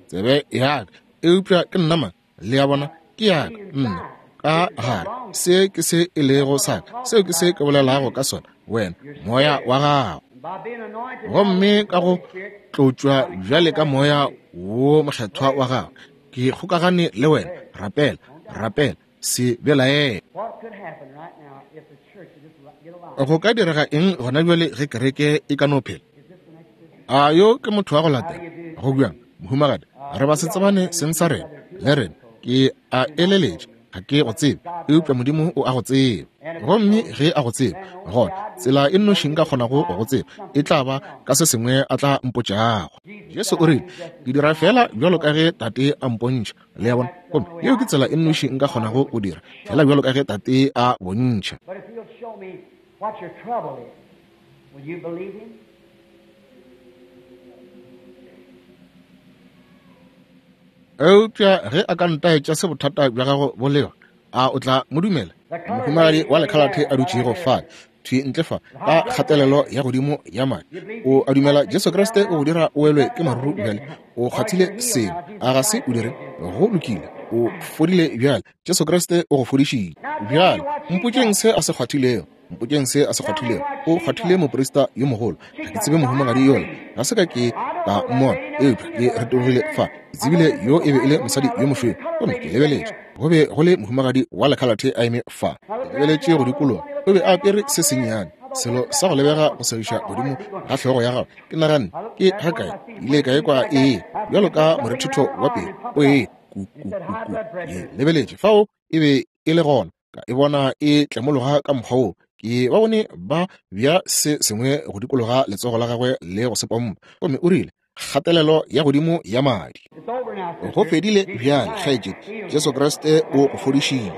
Tsebe ya ka. Eupša ke nna mang? Le a bona, ke ya ka, nna, ka gare. Se ke se e lego sa ka. Seo ke se ke bolelago ka sona, wena, moya wa gago. Gomme ka go tlotšwa bjale ka moya wo mokgethwa wa gago, ke kgokagane le wena. Rapela, rapela, se belaele. Go ka direga eng gona bjale ge kereke e ka no phela? A yo ke motho wa go latela? Go bjang, mohumagadi? Re ba se tsebane seng sa rena le rena. Ke a eleletša ga ke go tsebe, eupša Modimo o a go tseba. Gomme ge a go tseba, gona tsela e nnoši nka kgonago go go tseba e tla ba ka se sengwe a tla mpotšago. Jesu o rile, Ke dira feela bjalo ka ge Tate a mpontšha. Le a bona? Gomme yeo ke tsela e nnoši nka kgonago go dira, feela bjalo ka ge Tate a bontšha. Eupša ge a ka ntaetša se bothata bja gago bo lego, a o tla mo dumela? Mohumagadi wa lekhalathe a dutšego fale, thwi ntle fa, ka kgatelelo ya godimo ya madi. O a dumela Jesu Kriste o go dira o welwe ke maruru bjale? O kgwathile sengwe, a ga se o dire? Go lokile, o fodile bjale. Jesu Kriste o go fodišitše. Bjale mpotšeng se a se kgwathilego. Mpotšeng se a se kgwathilego. O kgwathile moprista yo mogolo. Ga ke tsebe mohumagadi yola. Ga se ka ke ka mmona, eupša ke retologile fa. Ke tsebile yo e be e le mosadi yo mošweu. Gomme ke lebeletše, go be go le mohumagadi wa lekhalathe a eme fa. Ke lebeletše go dikologa. O be a apere se sennyane, selo sa go lebega go segiša godimo ga hlogo ya gagwe. Ke naganne, Ke ga kae ke ile ka ekwa ee, bjalo ka morethetho wa pelo o ee, ku, ku, ku, ku. Ke lebeletše fao e be e le gona. Ka e bona e tlemologa ka mokgwa wo. Ke ba bone ba bja se sengwe go dikologa letsogo la gagwe le go se pompa. Gomme o rile, Kgatelelo ya godimo ya madi. Go fedile bjale, kgaetšedi. Jesu Kriste o go fodišitše.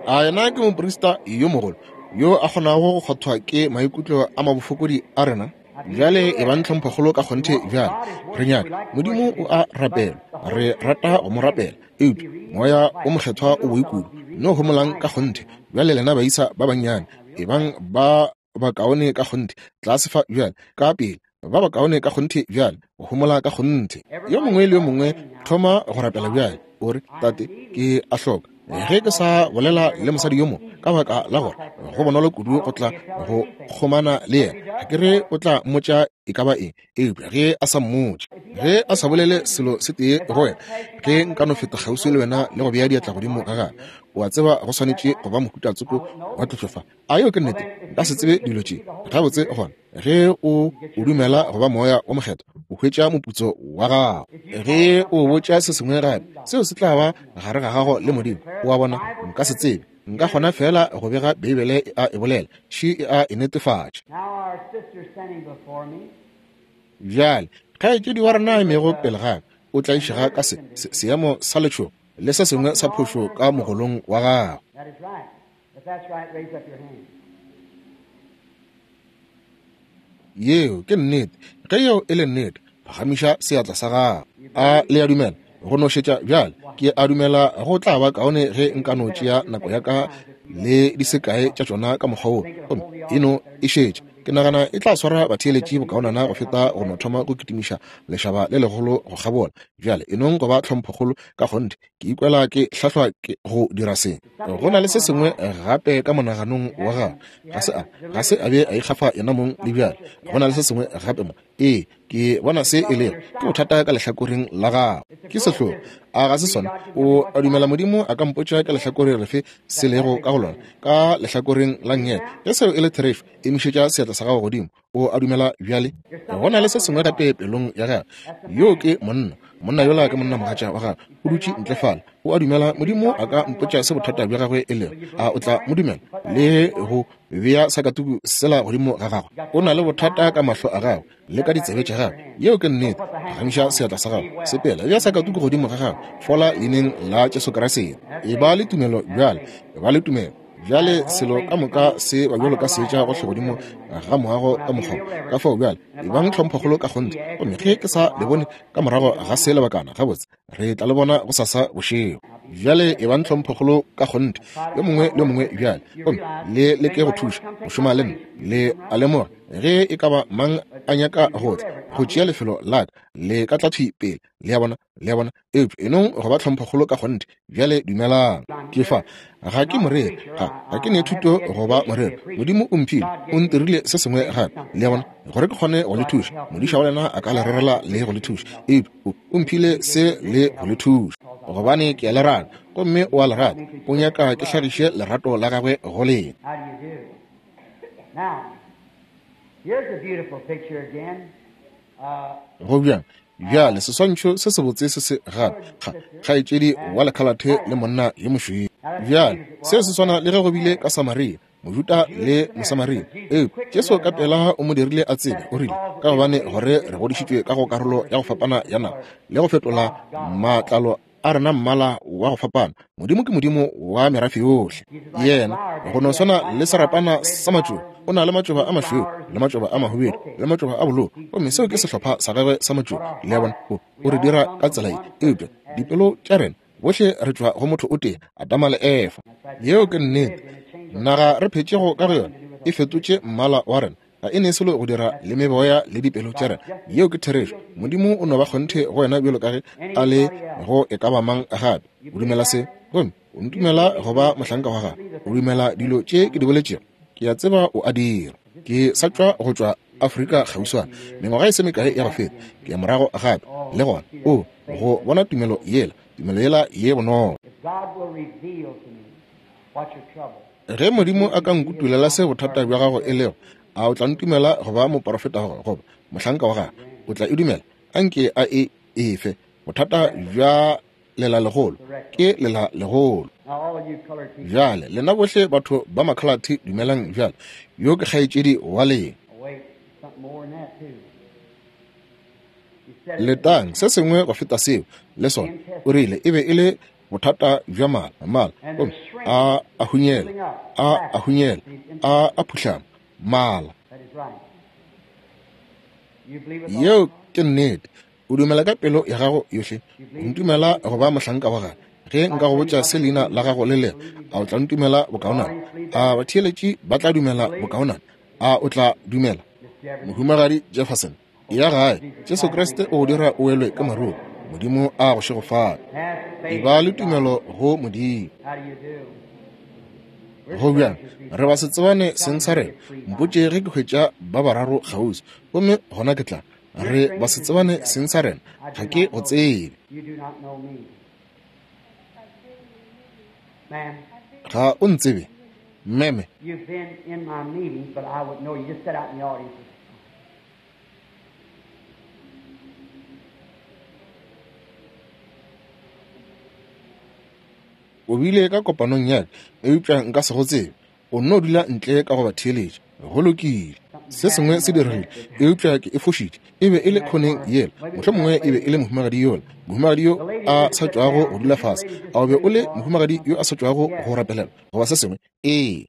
A yena ke moprista yo mogolo yo a kgonago go kgwathwa ke maikutlo a mabofokodi a rena? Bjale e bang tlhomphokgolo ka kgonthe bjale. Re nyaka Modimo o a rapelwa. Re rata go mo rapela. Eupša Moya o Mokgethwa o boi kudu. No homolang ka kgonthe. Bjale lena baisa ba bannyane, e bang ba bakaone ka kgonthe, tlase fa bjale, ka pele, ba bakaone ka kgonthe bjale, go homola ka kgonthe. Yo mongwe le yo mongwe thoma go rapela bjale. O re, Tate, ke a hloka. Ge ke sa bolela le mosadi yo mo, ka baka la gore go bonolo kudu go tla go kgomana le yena. Ga ke re o tla mmotša e ka ba eng, eupša ge a sa mmotše, ge a sa bolele selo se tee go wena, ge nka no feta kgauswi le wena le go bea diatla godimo ga gagwe, o a tseba go swanetše go ba mohuta tsoko wa tlotšo fa. A yeo ke nnete? Nka se tsebe dilo tše gabotse. Gona ge o o dumela go ba Moya wo Mokgethwa, o hwetša moputso wa gago. Ge o botša se sengwe gape, seo se tla ba gare ga gago le Modimo. O a bona? Nka se tsebe. Nka kgona feela go bega Beibele e a e bolela, še e a e netefatša. Bjale, kgaetšedi wa rena a emego pele ga ka, o tlaišega ka se, se, seemo sa letšhogo le se sengwe sa phošo ka mogolong wa gagwe. Yeo ke nnete. Ge yeo e le nnete, phagamiša seatla sa gago. A le a dumela? Go no šetša bjale. Ke a dumela go tla ba kaone ge nka no tšea nako ya ka le di se kae tša tšona ka mokgwa wo, gomme e no e šetša. Ke nagana e tla swara batheeletši bokaonana go feta go no thoma go kitimiša lešaba le legolo go kgabola. Bjale e nong go ba tlhomphokgolo ka kgonthe. Ke ikwela ke hlahlwa ke go dira se. Go na le se sengwe gape ka monaganong wa gagwe. Ga se a, ga se a be a ikgafa yena mong le bjale. Go na le se sengwe gape mo. Ee, ke bona se e lego. Ke bothata ka lehlakoreng la gago. Ke sehlogo, a ga se sona? O a dumela Modimo a ka mpotša ka lehlakore lefe se lego ka go lona? Ka lehlakoreng la nngele. Ge seo e le therešo, emišetša seatla sa gago godimo. O a dumela bjale? Go na le se sengwe gape pelong ya gagwe. Yoo ke monna. Monna yola ke monnamogatša wa gagwe. O dutše ntle fale. O a dumela Modimo a ka mpotša se bothata bja gagwe e lego? A o tla mo dumela le go bea sakatuku sela godimo ga gagwe? O na le bothata ka mahlo a gagwe le ka ditsebe tša gagwe. Yeo ke nnete. Phagamiša seatla sa gago. Sepela, bea sakatuku godimo ga gagwe. Fola leineng la Jesu Kriste. Eba le tumelo bjale. Eba le tumelo. Bjale selo ka moka se ba bjalo ka seetša gohle godimo ga moago ka mokgwa ka fao. Bjale ebang tlhomphokgolo ka kgonthe, gomme ge ke sa le bone ka morago ga se lebakana, gabotse re tla le bona gosasa bošego. Bjale ebang tlhomphokgolo ka kgonthe, yo mongwe le yo mongwe bjale, gomme le leke go thuša go šoma le nna. Le a lemoga, ge e ka ba mang a nyaka go tla go tšea lefelo la ka, le ka tla thwi pele. Le a bona? Le a bona? Eupša enong go ba tlhomphokgolo ka kgonthe. Bjale dumelang. Ke fa. Ga ke moreri. Ga, ga ke ne thuto go ba moreri. Modimo o mphile, o ntirile se sengwe gape, le a bona, gore ke kgone go le thuša. Modiša wa lena a ka le rerela le go le thuša. Eupša o, o mphile se le go le thuša. Gobane ke a le rata, gomme o a le rata. O nyaka ke hlagiše lerato la gagwe go lena. Go bjang? Bjale, seswantšho se sebotse se se gape, kga, kgaetšedi wa lekhalathe le monna yo mošweu. Bjale, seo se swana le ge go bile ka Samaria, Mojuda le Mosamaria. Eupša Jesu ka pela o mo dirile a tsebe, o rile, Ka gobane gore re godišitšwe ka go karolo ya go fapana ya naga, le go fetola matlalo a rena mmala wa go fapana. Modimo ke Modimo wa merafe yohle. Yena, go no swana le serapana sa matšoba, o na le matšoba a mašweu le matšoba a mahubedu le matšoba a bolou, gomme seo ke sehlopha sa gagwe sa matšoba. Le a bona, o, o re dira ka tsela ye. Eupša dipelo tša rena, bohle re tšwa go motho o tee, Adama le Efa. Yeo ke nnete. Naga re phetšego ka go yona e fetotše mmala wa rena. Ga e ne selo go dira le meboya le dipelo tša rena. Yeo ke therešo. Modimo o no ba kgonthe go wena bjalo ka ge a le go e ka ba mang gape. O dumela se, gomme o ntumela go ba mohlanka wa gagwe. O dumela dilo tše ke di boletšego. Ke a tseba o a dira. Ke sa tšwa go tšwa Afrika kgauswana, mengwaga e se mekae ya go feta. Ke ya morago gape, le gona. O, go bona tumelo yela, tumelo yela ye bonolo. Ge Modimo a ka nkutulela se bothata bja gago e lego, a o tla ntumela go ba moporofeta wa gagwe goba mohlanka wa gagwe? O tla e dumela? Anke a e efe. Bothata bja lela legolo ke lela legolo. Bjale, lena bohle batho ba makhalathe dumelang bjale. Yo ke kgaetšedi wa lena. Letang, se sengwe go feta seo, le sona. O rile e be e le bothata bja mala, mala, gomme a a hunyela, a a hunyela, a a phuhlama, mala. Yeo ke nnete. O dumela ka pelo ya gago yohle? O ntumela go ba mohlanka wa gagwe? Ge nka go botša se leina la gago le lego, a o tla ntumela bokaonana? A batheeletši ba tla dumela bokaonana? A o tla dumela? Mohumagadi Jefferson, Ya gae, Jesu Kriste o go dira o welwe ke maruru. Modimo a go šegofatše. Eba le tumelo go Modimo. Go bjang? Re ba se tsebane seng sa rena. Mpotše ge ke hwetša ba bararo kgauswi, gomme gona ke tla. Re ba se tsebane seng sa rena. Ga ke go tsebe. Ga o ntsebe, meme. O bile ka kopanong ya ka, eupša nka se go tsebe. O nno dula ntle ka go ba theeletša. Go lokile. Se sengwe se diregile, eupša ke e fošitše. E be e le khoneng yela. Mohlomongwe e be e le mohumagadi yola, mohumagadi yo a sa tšwago go dula fase. A o be o le mohumagadi yo a sa tšwago go rapelelwa, goba se sengwe? Ee.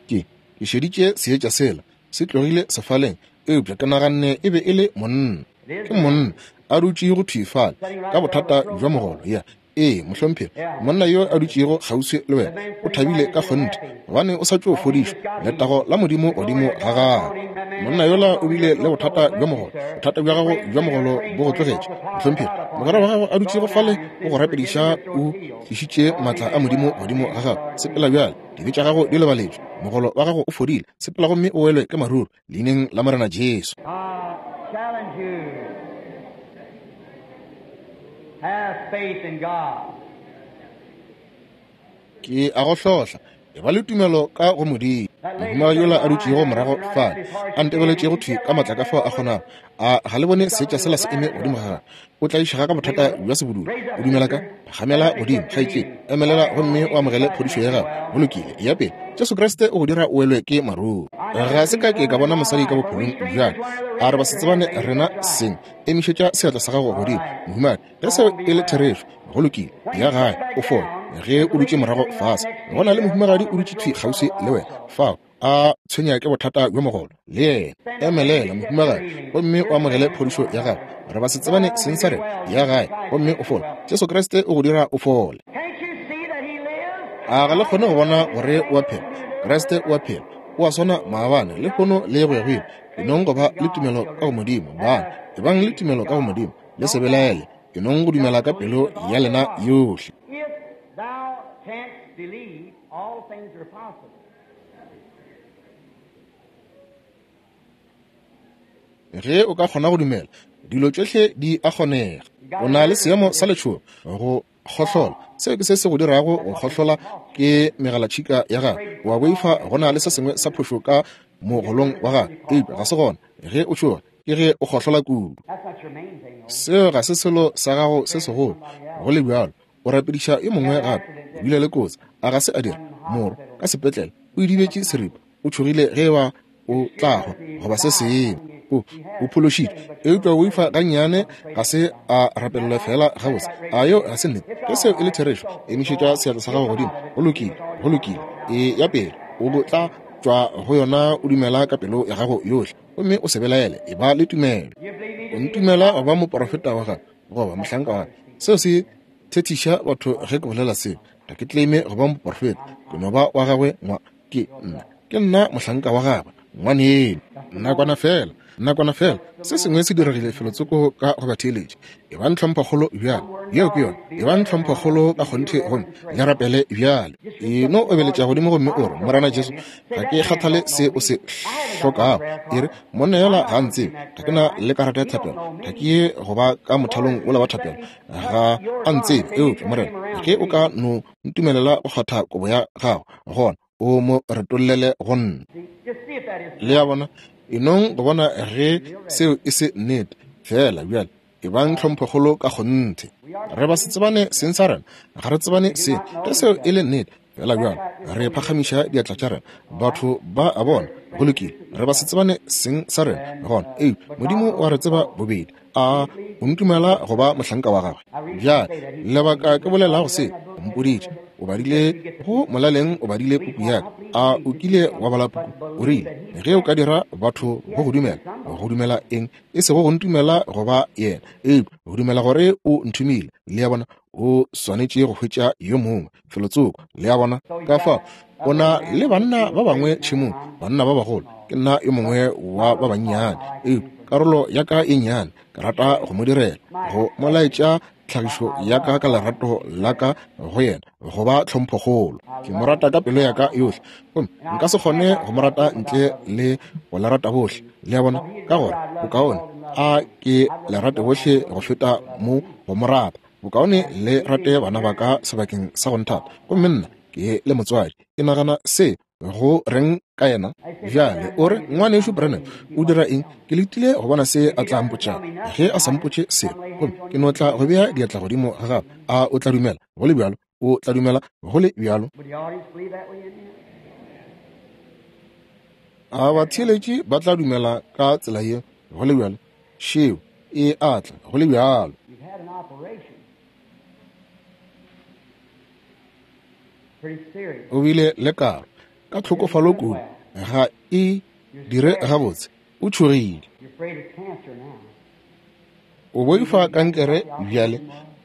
Ke, ke šeditše seetša sela se tlogile sefaleng, eupša ke naganne e be e le monna. Ke monna a dutše go thwi fale ka bothata bja mogolo. Ya, ee, mohlomphegi, monna yo a dutšego kgauswi le wena o thabile ka kgonthe gobane o sa tšo fodišwa. Letago la Modimo godimo ga gagwe. Monna yola o bile le bothata bja mogolo. Bothata bja gago bja mogolo bo go tlogetše, mohlomphegi. Mogwera wa gago a dutšego fale o go rapediša, o tlišitše maatla a Modimo godimo ga gago. Sepela bjale, dibe tša gago di lebaletšwe, mogolo wa gago o fodile. Sepela gomme o welwe ke maruru, leineng la Morena Jesu. Ke a go hlohla, e ba le tumelo ka go Modimo. Mohumagadi yola a dutšego morago fale, a ntebeletšego thwi ka maatla ka fao a kgonago, a ga le bone seetša sela se eme godimo ga gagwe? O tlaišega ka bothata bja sebudula. O dumela ka? Phagamela godimo, kgaetšedi. Emelela gomme o amogele phodišo ya gago. Go lokile. Eya pele. Jesu Kriste o go dira o welwe ke maruru. Ga se ka ke ka bona mosadi ka bophelong bja ka. A re ba se tsebane rena seng. Emišetša seatla sa gago godimo, mohumagadi. Ge seo e le therešo, go lokile. Ya gae, o fole. Ge o dutše morago fase, go na le mohumagadi o dutše thwi kgauswi le wena fao, a tshwenya ke bothata bjo mogolo, le yena. Emelela, mohumagadi, gomme o amogele phodišo ya gago. Re ba se tsebane seng sa rena. Ya gae, gomme o fole. Jesu Kriste o go dira o fole. A ga le kgone go bona gore o a phela? Kriste o a phela. O a swana maabane, lehono le go ya go ile. E nong go ba le tumelo ka go Modimo, bana. Ebang le tumelo ka go Modimo. Le se belaele. E nong go dumela ka pelo ya lena yohle. Ge o ka kgona go dumela, dilo tšohle di a kgonega. O na le seemo sa letšhogo, go kgohlola. Seo ke se se go dirago go kgohlola, ke megalatšhika ya gago. O a boifa go na le se sengwe sa phošo ka mogolong wa gago, eupša ga se gona. Ge o tšhoga, ke ge o kgohlola kudu. Seo ga se selo sa gago se segolo, go le bjalo. O rapediša yo mongwe gape. O bile le kotsi, a ga se a dira? Moro, ka sepetlele, o idibetše seripa. O tšhogile ge eba o tla hwa goba se sengwe. O, o phološitšwe, eupša o boifa gannyane. Ga se a rapelelwa feela gabotse. A yeo ga se nnete? Ge seo e le therešo, emišetša seatla sa gago godimo. Go lokile. Go lokile. E ya pele. O tla tšwa go yona o dumela ka pelo ya gago yohle, gomme o se belaele. Eba le tumelo. O ntumela go ba moprofeta wa gagwe goba mohlanka wa gagwe? Seo se thethiša batho ge ke bolela seo. Ga ke claime go ba moprofeta. Ke no ba wa gagwe ngwa. Ke nna, ke nna mohlanka wa gagwe, ngwaneno. Nakwana feela, nakwana feela, se sengwe se diregile felotsoko ka go batheeletši. Ebang tlhomphokgolo bjale. Yeo ke yona. Ebang tlhomphokgolo ka kgonthe gomme le rapele bjale. E no obeletša godimo gomme o re, Morena Jesu, ga ke kgathale se o se hlokago. E re, monna yola ga a ntsebe. Ga ke na le karata ya thapelo. Ga ke ye go ba ka mothalong wola wa thapelo. Ga a ntsebe. Eupša, Morena, ge o ka no ntumelela go kgwatha kobo ya gago, gona o mo retollele go nna. Le a bona? E nong go bona ge seo e se nnete. Feela bjale ebang tlhomphokgolo ka kgonthe. Re ba se tsebane seng sa rena, ga re tsebane seng. Ge seo e le nnete, feela bjale re phagamiša diatla tša rena. Batho ba a bona, go lokile, re ba se tsebane seng sa rena gona. Eupša Modimo o a re tseba bobedi. A o ntumela go ba mohlanka wa gagwe? Bjale, lebaka ke bolelago se, o mpoditše. O badile go molaleng, o badile puku ya ka. A o kile wa bala puku? O rile, ge o ka dira batho go go dumela. Go dumela eng? E sego go ntumela go ba yena, eupša go dumela gore o nthomile. Le a bona, o swanetše go hwetša yo mongwe felotsoko. Le a bona? Ka fao o na le banna ba bangwe tšhemong, banna ba bagolo. Ke nna yo mongwe wa ba bannyane, eupša karolo ya ka e nnyane, ke rata go mo direla, go mo laetša tlhagišo ya ka ka lerato la ka go yena go ba tlhomphokgolo. Ke mo rata ka pelo ya ka yohle, gomme nka se kgone go mo rata ntle le go le rata bohle. Le a bona? Ka gore bokaone a ke le rate bohle go feta mo go mo rata. Bokaone le rate bana ba ka sebakeng sa go nthata, gomme nna ke le motswadi. Ke nagana se go reng ka yena bjale? O re, Ngwanešu Branham, o dira eng? Ke letile go bona se a tla mpotšago. Ge a sa mpotše selo, gomme ke no tla go bea diatla godimo ga gagwe, a o tla dumela go le bjalo? O tla dumela go le bjalo? A batheeletši ba tla dumela ka tsela ye go le bjalo? Šeo e a tla go le bjalo. O bile le karo ka tlhokofalo kudu, ga e dire gabotse, o tšhogile. O boifa kankere bjale,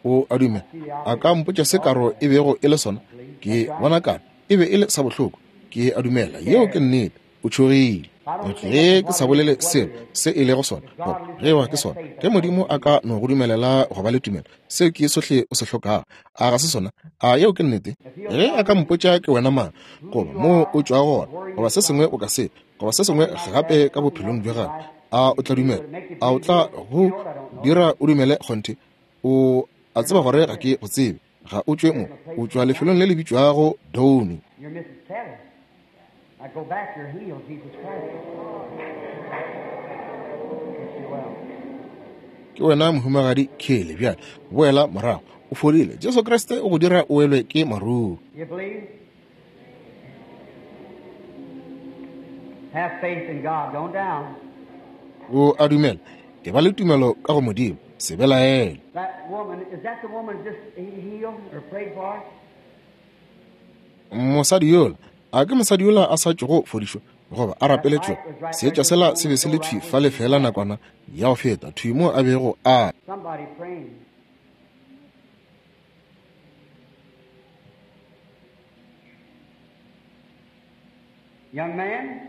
o a dumela. A ka mpotša se karo e bego e le sona? Ke bona karo e be e le sa bohloko. Ke a dumela yeo ke nnete. O tšhogile. Ge ke sa bolele selo se e lego sona, goba ge eba ke sona, ge Modimo a ka no go dumelela go ba le tumelo, seo ke sohle o se hlokago. A ga se sona? A yeo ke nnete? Ge a ka mpotša ke wena mang, goba moo o tšwago gona, goba se sengwe o ka se, goba se sengwe gape ka bophelong bja gago, a o tla dumela? A o tla go dira o dumele kgonthe? O a tseba gore ga ke go tsebe. Ga o tšwe mo. O tšwa lefelong le le bitšwago Downey. Now go back, you're healed, Jesus Christ. Makes you well. Ke wena mohumagadi Kelly bjale. Boela morago. O fodile. Jesu Kriste o go dira o welwe ke maruru. You believe? Have faith in God. Don't down. O a dumela. E ba le tumelo ka go Modimo. Se belaele. That woman, is that the woman just healed or prayed for? Mosadi yola, a ke mosadi yola a sa tšogo fodišwa goba a rapeletšwego? Seetša sela se be se le thwi fale feela nakwana ya go feta, thwi mo a bego a. Somebody praying. Young man,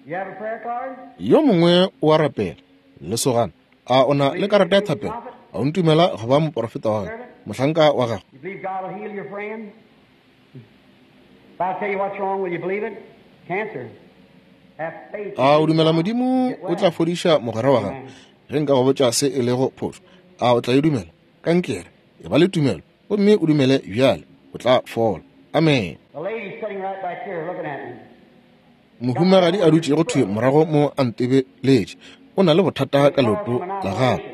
you have a prayer card? Yo mongwe o a rapela, lesogana. A o na le karata ya thapelo? A o ntumela go ba moporofeta wa gagwe, mohlanka wa gagwe? You believe God will heal your friend? If I tell you what's wrong, will you believe it? Cancer. Have faith. A o dumela Modimo o tla fodiša mogwera wa gago? Ge nka go botša se e lego phošo, a o tla e dumela? Kankere. E ba le tumelo gomme o dumele bjale, o tla fola. Amen. The lady sitting right back here looking at me. Mohumagadi a dutšego thwi morago mo a ntebeletše, o na le bothata ka leoto la gagwe,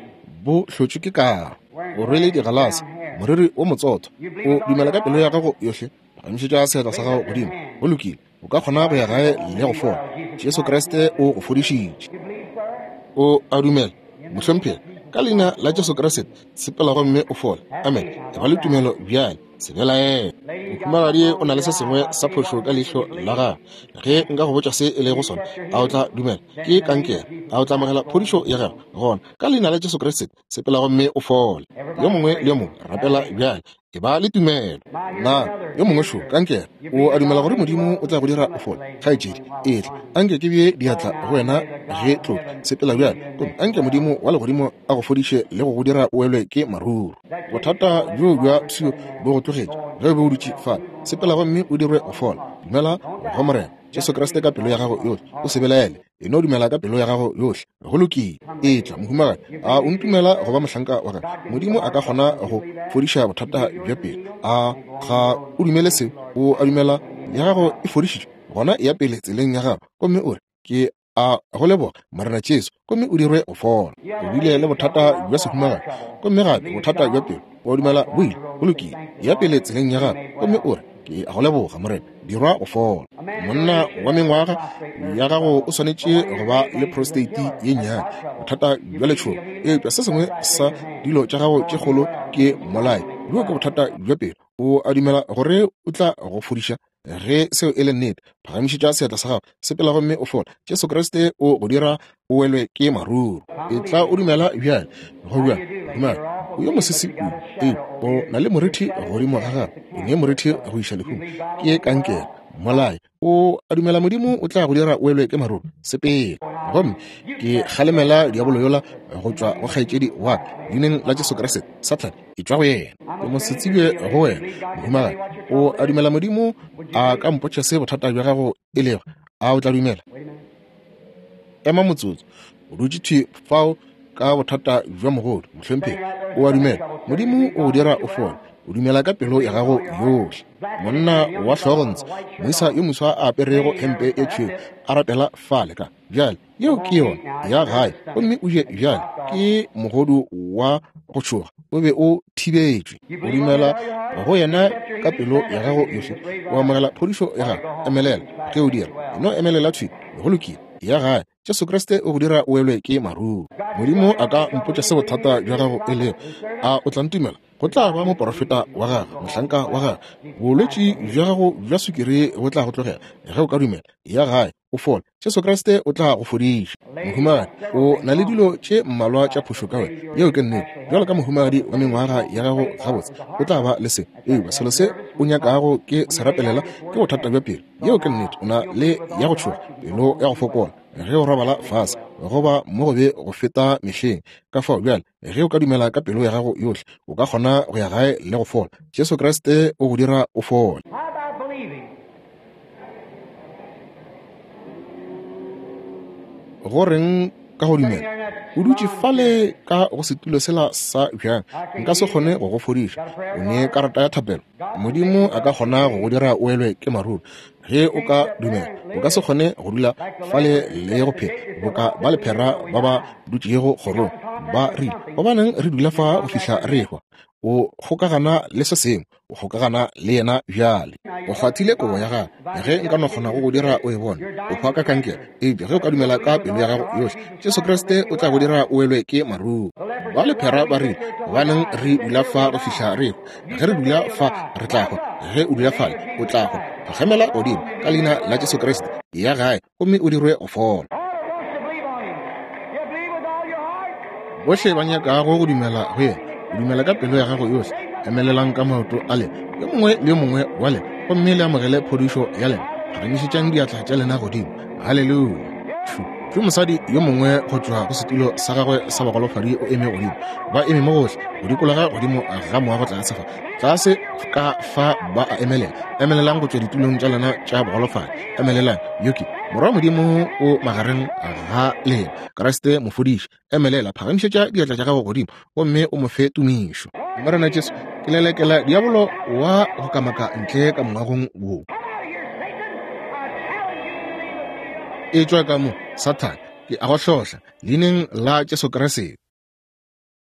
bo hlotšwe ke karo. O rwele digalase, moriri wo motsotho. O dumela ka pelo ya gago yohle? Phagamišetša seatla sa gago godimo. Go lokile, o ka kgona go ya gae le go fola. Jesu Kriste o go fodišitše. You believe, sir? O a dumela, mohlomphegi? Ka leina la Jesu Kriste, sepela gomme o fole. Amen. E ba le tumelo bjale. Se belaele. Mohumagadi o na le se sengwe sa phošo ka leihlo la gagwe. Ge nka go botša se e lego sona, a o tla dumela? Ke kankere. A o tla amogela phodišo ya gago? Gona, ka leina la Jesu Kriste, sepela gomme o fole. Yo mongwe le yo mongwe, rapela bjale. E ba le tumelo. Na yo mongwe šo, kankere, o a dumela gore Modimo o tla go dira o fole? Kgaetšedi, etla. Anke ke bee diatla go wena ge tloga. Sepela bjale, gomme anke Modimo wa legodimo a go fodiše le go go dira o welwe ke maruru. Bothata bjoo bja pshio bo go tlogetše ge o be o dutše fale. Sepela gomme o dirwe go fola. Dumela go Morena Jesu Kriste ka pelo ya gago yohle. O se belaele. E no dumela ka pelo ya gago yohle. Go lokile. Etla, mohumagadi. A o ntumela go ba mohlanka wa gagwe? Modimo a ka kgona go fodiša bothata bja pelo. A ga o dumele seo? O a dumela ya gago e fodišitšwe? Gona eya pele tseleng ya gago gomme o re, Ke a go leboga, Morena Jesu, gomme o dirwe go fola. O bile le bothata bja sehumagadi, gomme gape bothata bja pelo. O a dumela bo ile? Go lokile. Eya pele tseleng ya gago gomme o re, Ke a go leboga, Morena. Dirwa go fola. Monna wa mengwaga ya gago o swanetše go ba le prostate ye nnyane, bothata bja letšhogo. Eupša se sengwe sa dilo tša gago tše kgolo ke mmolai. Bjoo ke bothata bja pelo. O a dumela gore o tla go fodiša? Ge seo e le nnete, phagamišetša seatla sa gago, sepela gomme o fole. Jesu Kriste o go dira o welwe ke maruru. Etla o dumela bjale. Go bjalo, dumela. O yo mosese kudu, eupša o na le morithi godimo ga gago. O ne morithi go iša lehung. Ke kankere, mmolai. O a dumela Modimo o tla go dira o elwe ke maruru? Sepela. Gomme ke kgalemela diabolo yola go tšwa go kgaetšedi wa ka, Leineng la Jesu Kriste. Sathane, etšwa go yena. Ke mosetsebje go wena, mohumagadi. O a dumela Modimo a ka mpotša se bothata bja gago e lego? A o tla dumela? Ema motsotso. O dutše thwi fao ka bothata bja mogodu, mohlomphegi. O a dumela Modimo o go dira o fole? O dumela ka pelo ya gago yohle? Monna wa hlogontshe, moisa yo moswa a aperego hempe e tšhweu, a rapela fale ka bjale. Yeo ke yona ya gae, gomme o je bjale. Ke mogodu wa go tšhoga, o be o thibetšwe. O dumela go yena ka pelo ya gago yohle, o amogela phodišo ya gago. Emelela ge o dira, no emelela thwi. Go lokile, ya gae. Jesu Kriste o go dira o welwe ke maruru. Modimo a ka mpotša se bothata bja gago e lego. A o tla ntumela? Go tla ba moporofeta wa gagwe, mohlanka wa gagwe. Bolwetši bja gago bja sukiri bo tla go tlogela ge o ka dumela. Ya gae, o fole. Jesu Kriste o tla go fodiša. Mohumagadi, o na le dilo tše mmalwa tša phošo ka wena. Yeo ke nnete. Bjalo ka mohumagadi wa mengwaga ya gago gabotse, o tla ba le se. Eupša selo se o nyakago ke se rapelela ke bothata bja pelo. Yeo ke nnete. O na le ya go tšhoga, pelo ya go fokola ge o robala fase, go ba mo gobe go feta mehleng. Ka fao bjale, ge o ka dumela ka pelo ya gago yohle, o ka kgona go ya gae le go fola. Jesu Kriste o go dira o fole. Go reng ka go dumela? O dutše fale ka go setulo sela sa bjang, nka se kgone go go fodiša. O ne karata ya thapelo. Modimo a ka kgona go go dira o elwe ke maruru ge o ka dumela. O ka se kgone go dula fale le go phela boka ba lephera ba ba dutšego kgorong, ba rile, Gobaneng re dula fa go fihla re ehwa? O kgokagana le se sengwe, o kgokagana le yena bjale. O kgwathile kobo ya gagwe. Ge nka no kgona go go dira o e bone, o hwa ka kankere. Eupša ge o ka dumela ka pelo ya gago yohle, Jesu Kriste o tla go dira o welwe ke maruru. Ba lephera ba rile, Gobaneng re dula fa go fihla re ehwa? Ge re dula fa re tla hwa. Ge o dula fale o tla hwa. Phagamela godimo ka leina la Jesu Kriste, ya gae gomme o dirwe go fola. Bohle ba nyakago go dumela go yena, o dumela ka pelo ya gago yohle, emelelang ka maoto a lena, yo mongwe le yo mongwe wa lena, gomme le amogele phodišo ya lena. Phagamišetšang diatla tša lena godimo. Haleluya! Ke mosadi yo mongwe go tšwa go setulo sa gagwe sa bagolofadi o eme godimo. Ba eme mo gohle go dikologa godimo ga moago tlase fa. Tlase ka fa ba a emelela. Emelelang go tšwa ditulong tša lena tša bogolofadi. Emelelang. Yo ke Morwa Modimo o magareng ga lena. Kriste mofodiši. Emelela, phagamišetša diatla tša gago godimo gomme o mo fe tumišo. Morena Jesu, ke lelekela diabolo wa go kamaka ntle ka moagong wo. Etšwa ka mo, Sathane, ke a go hlohla, leineng la Jesu Kriste.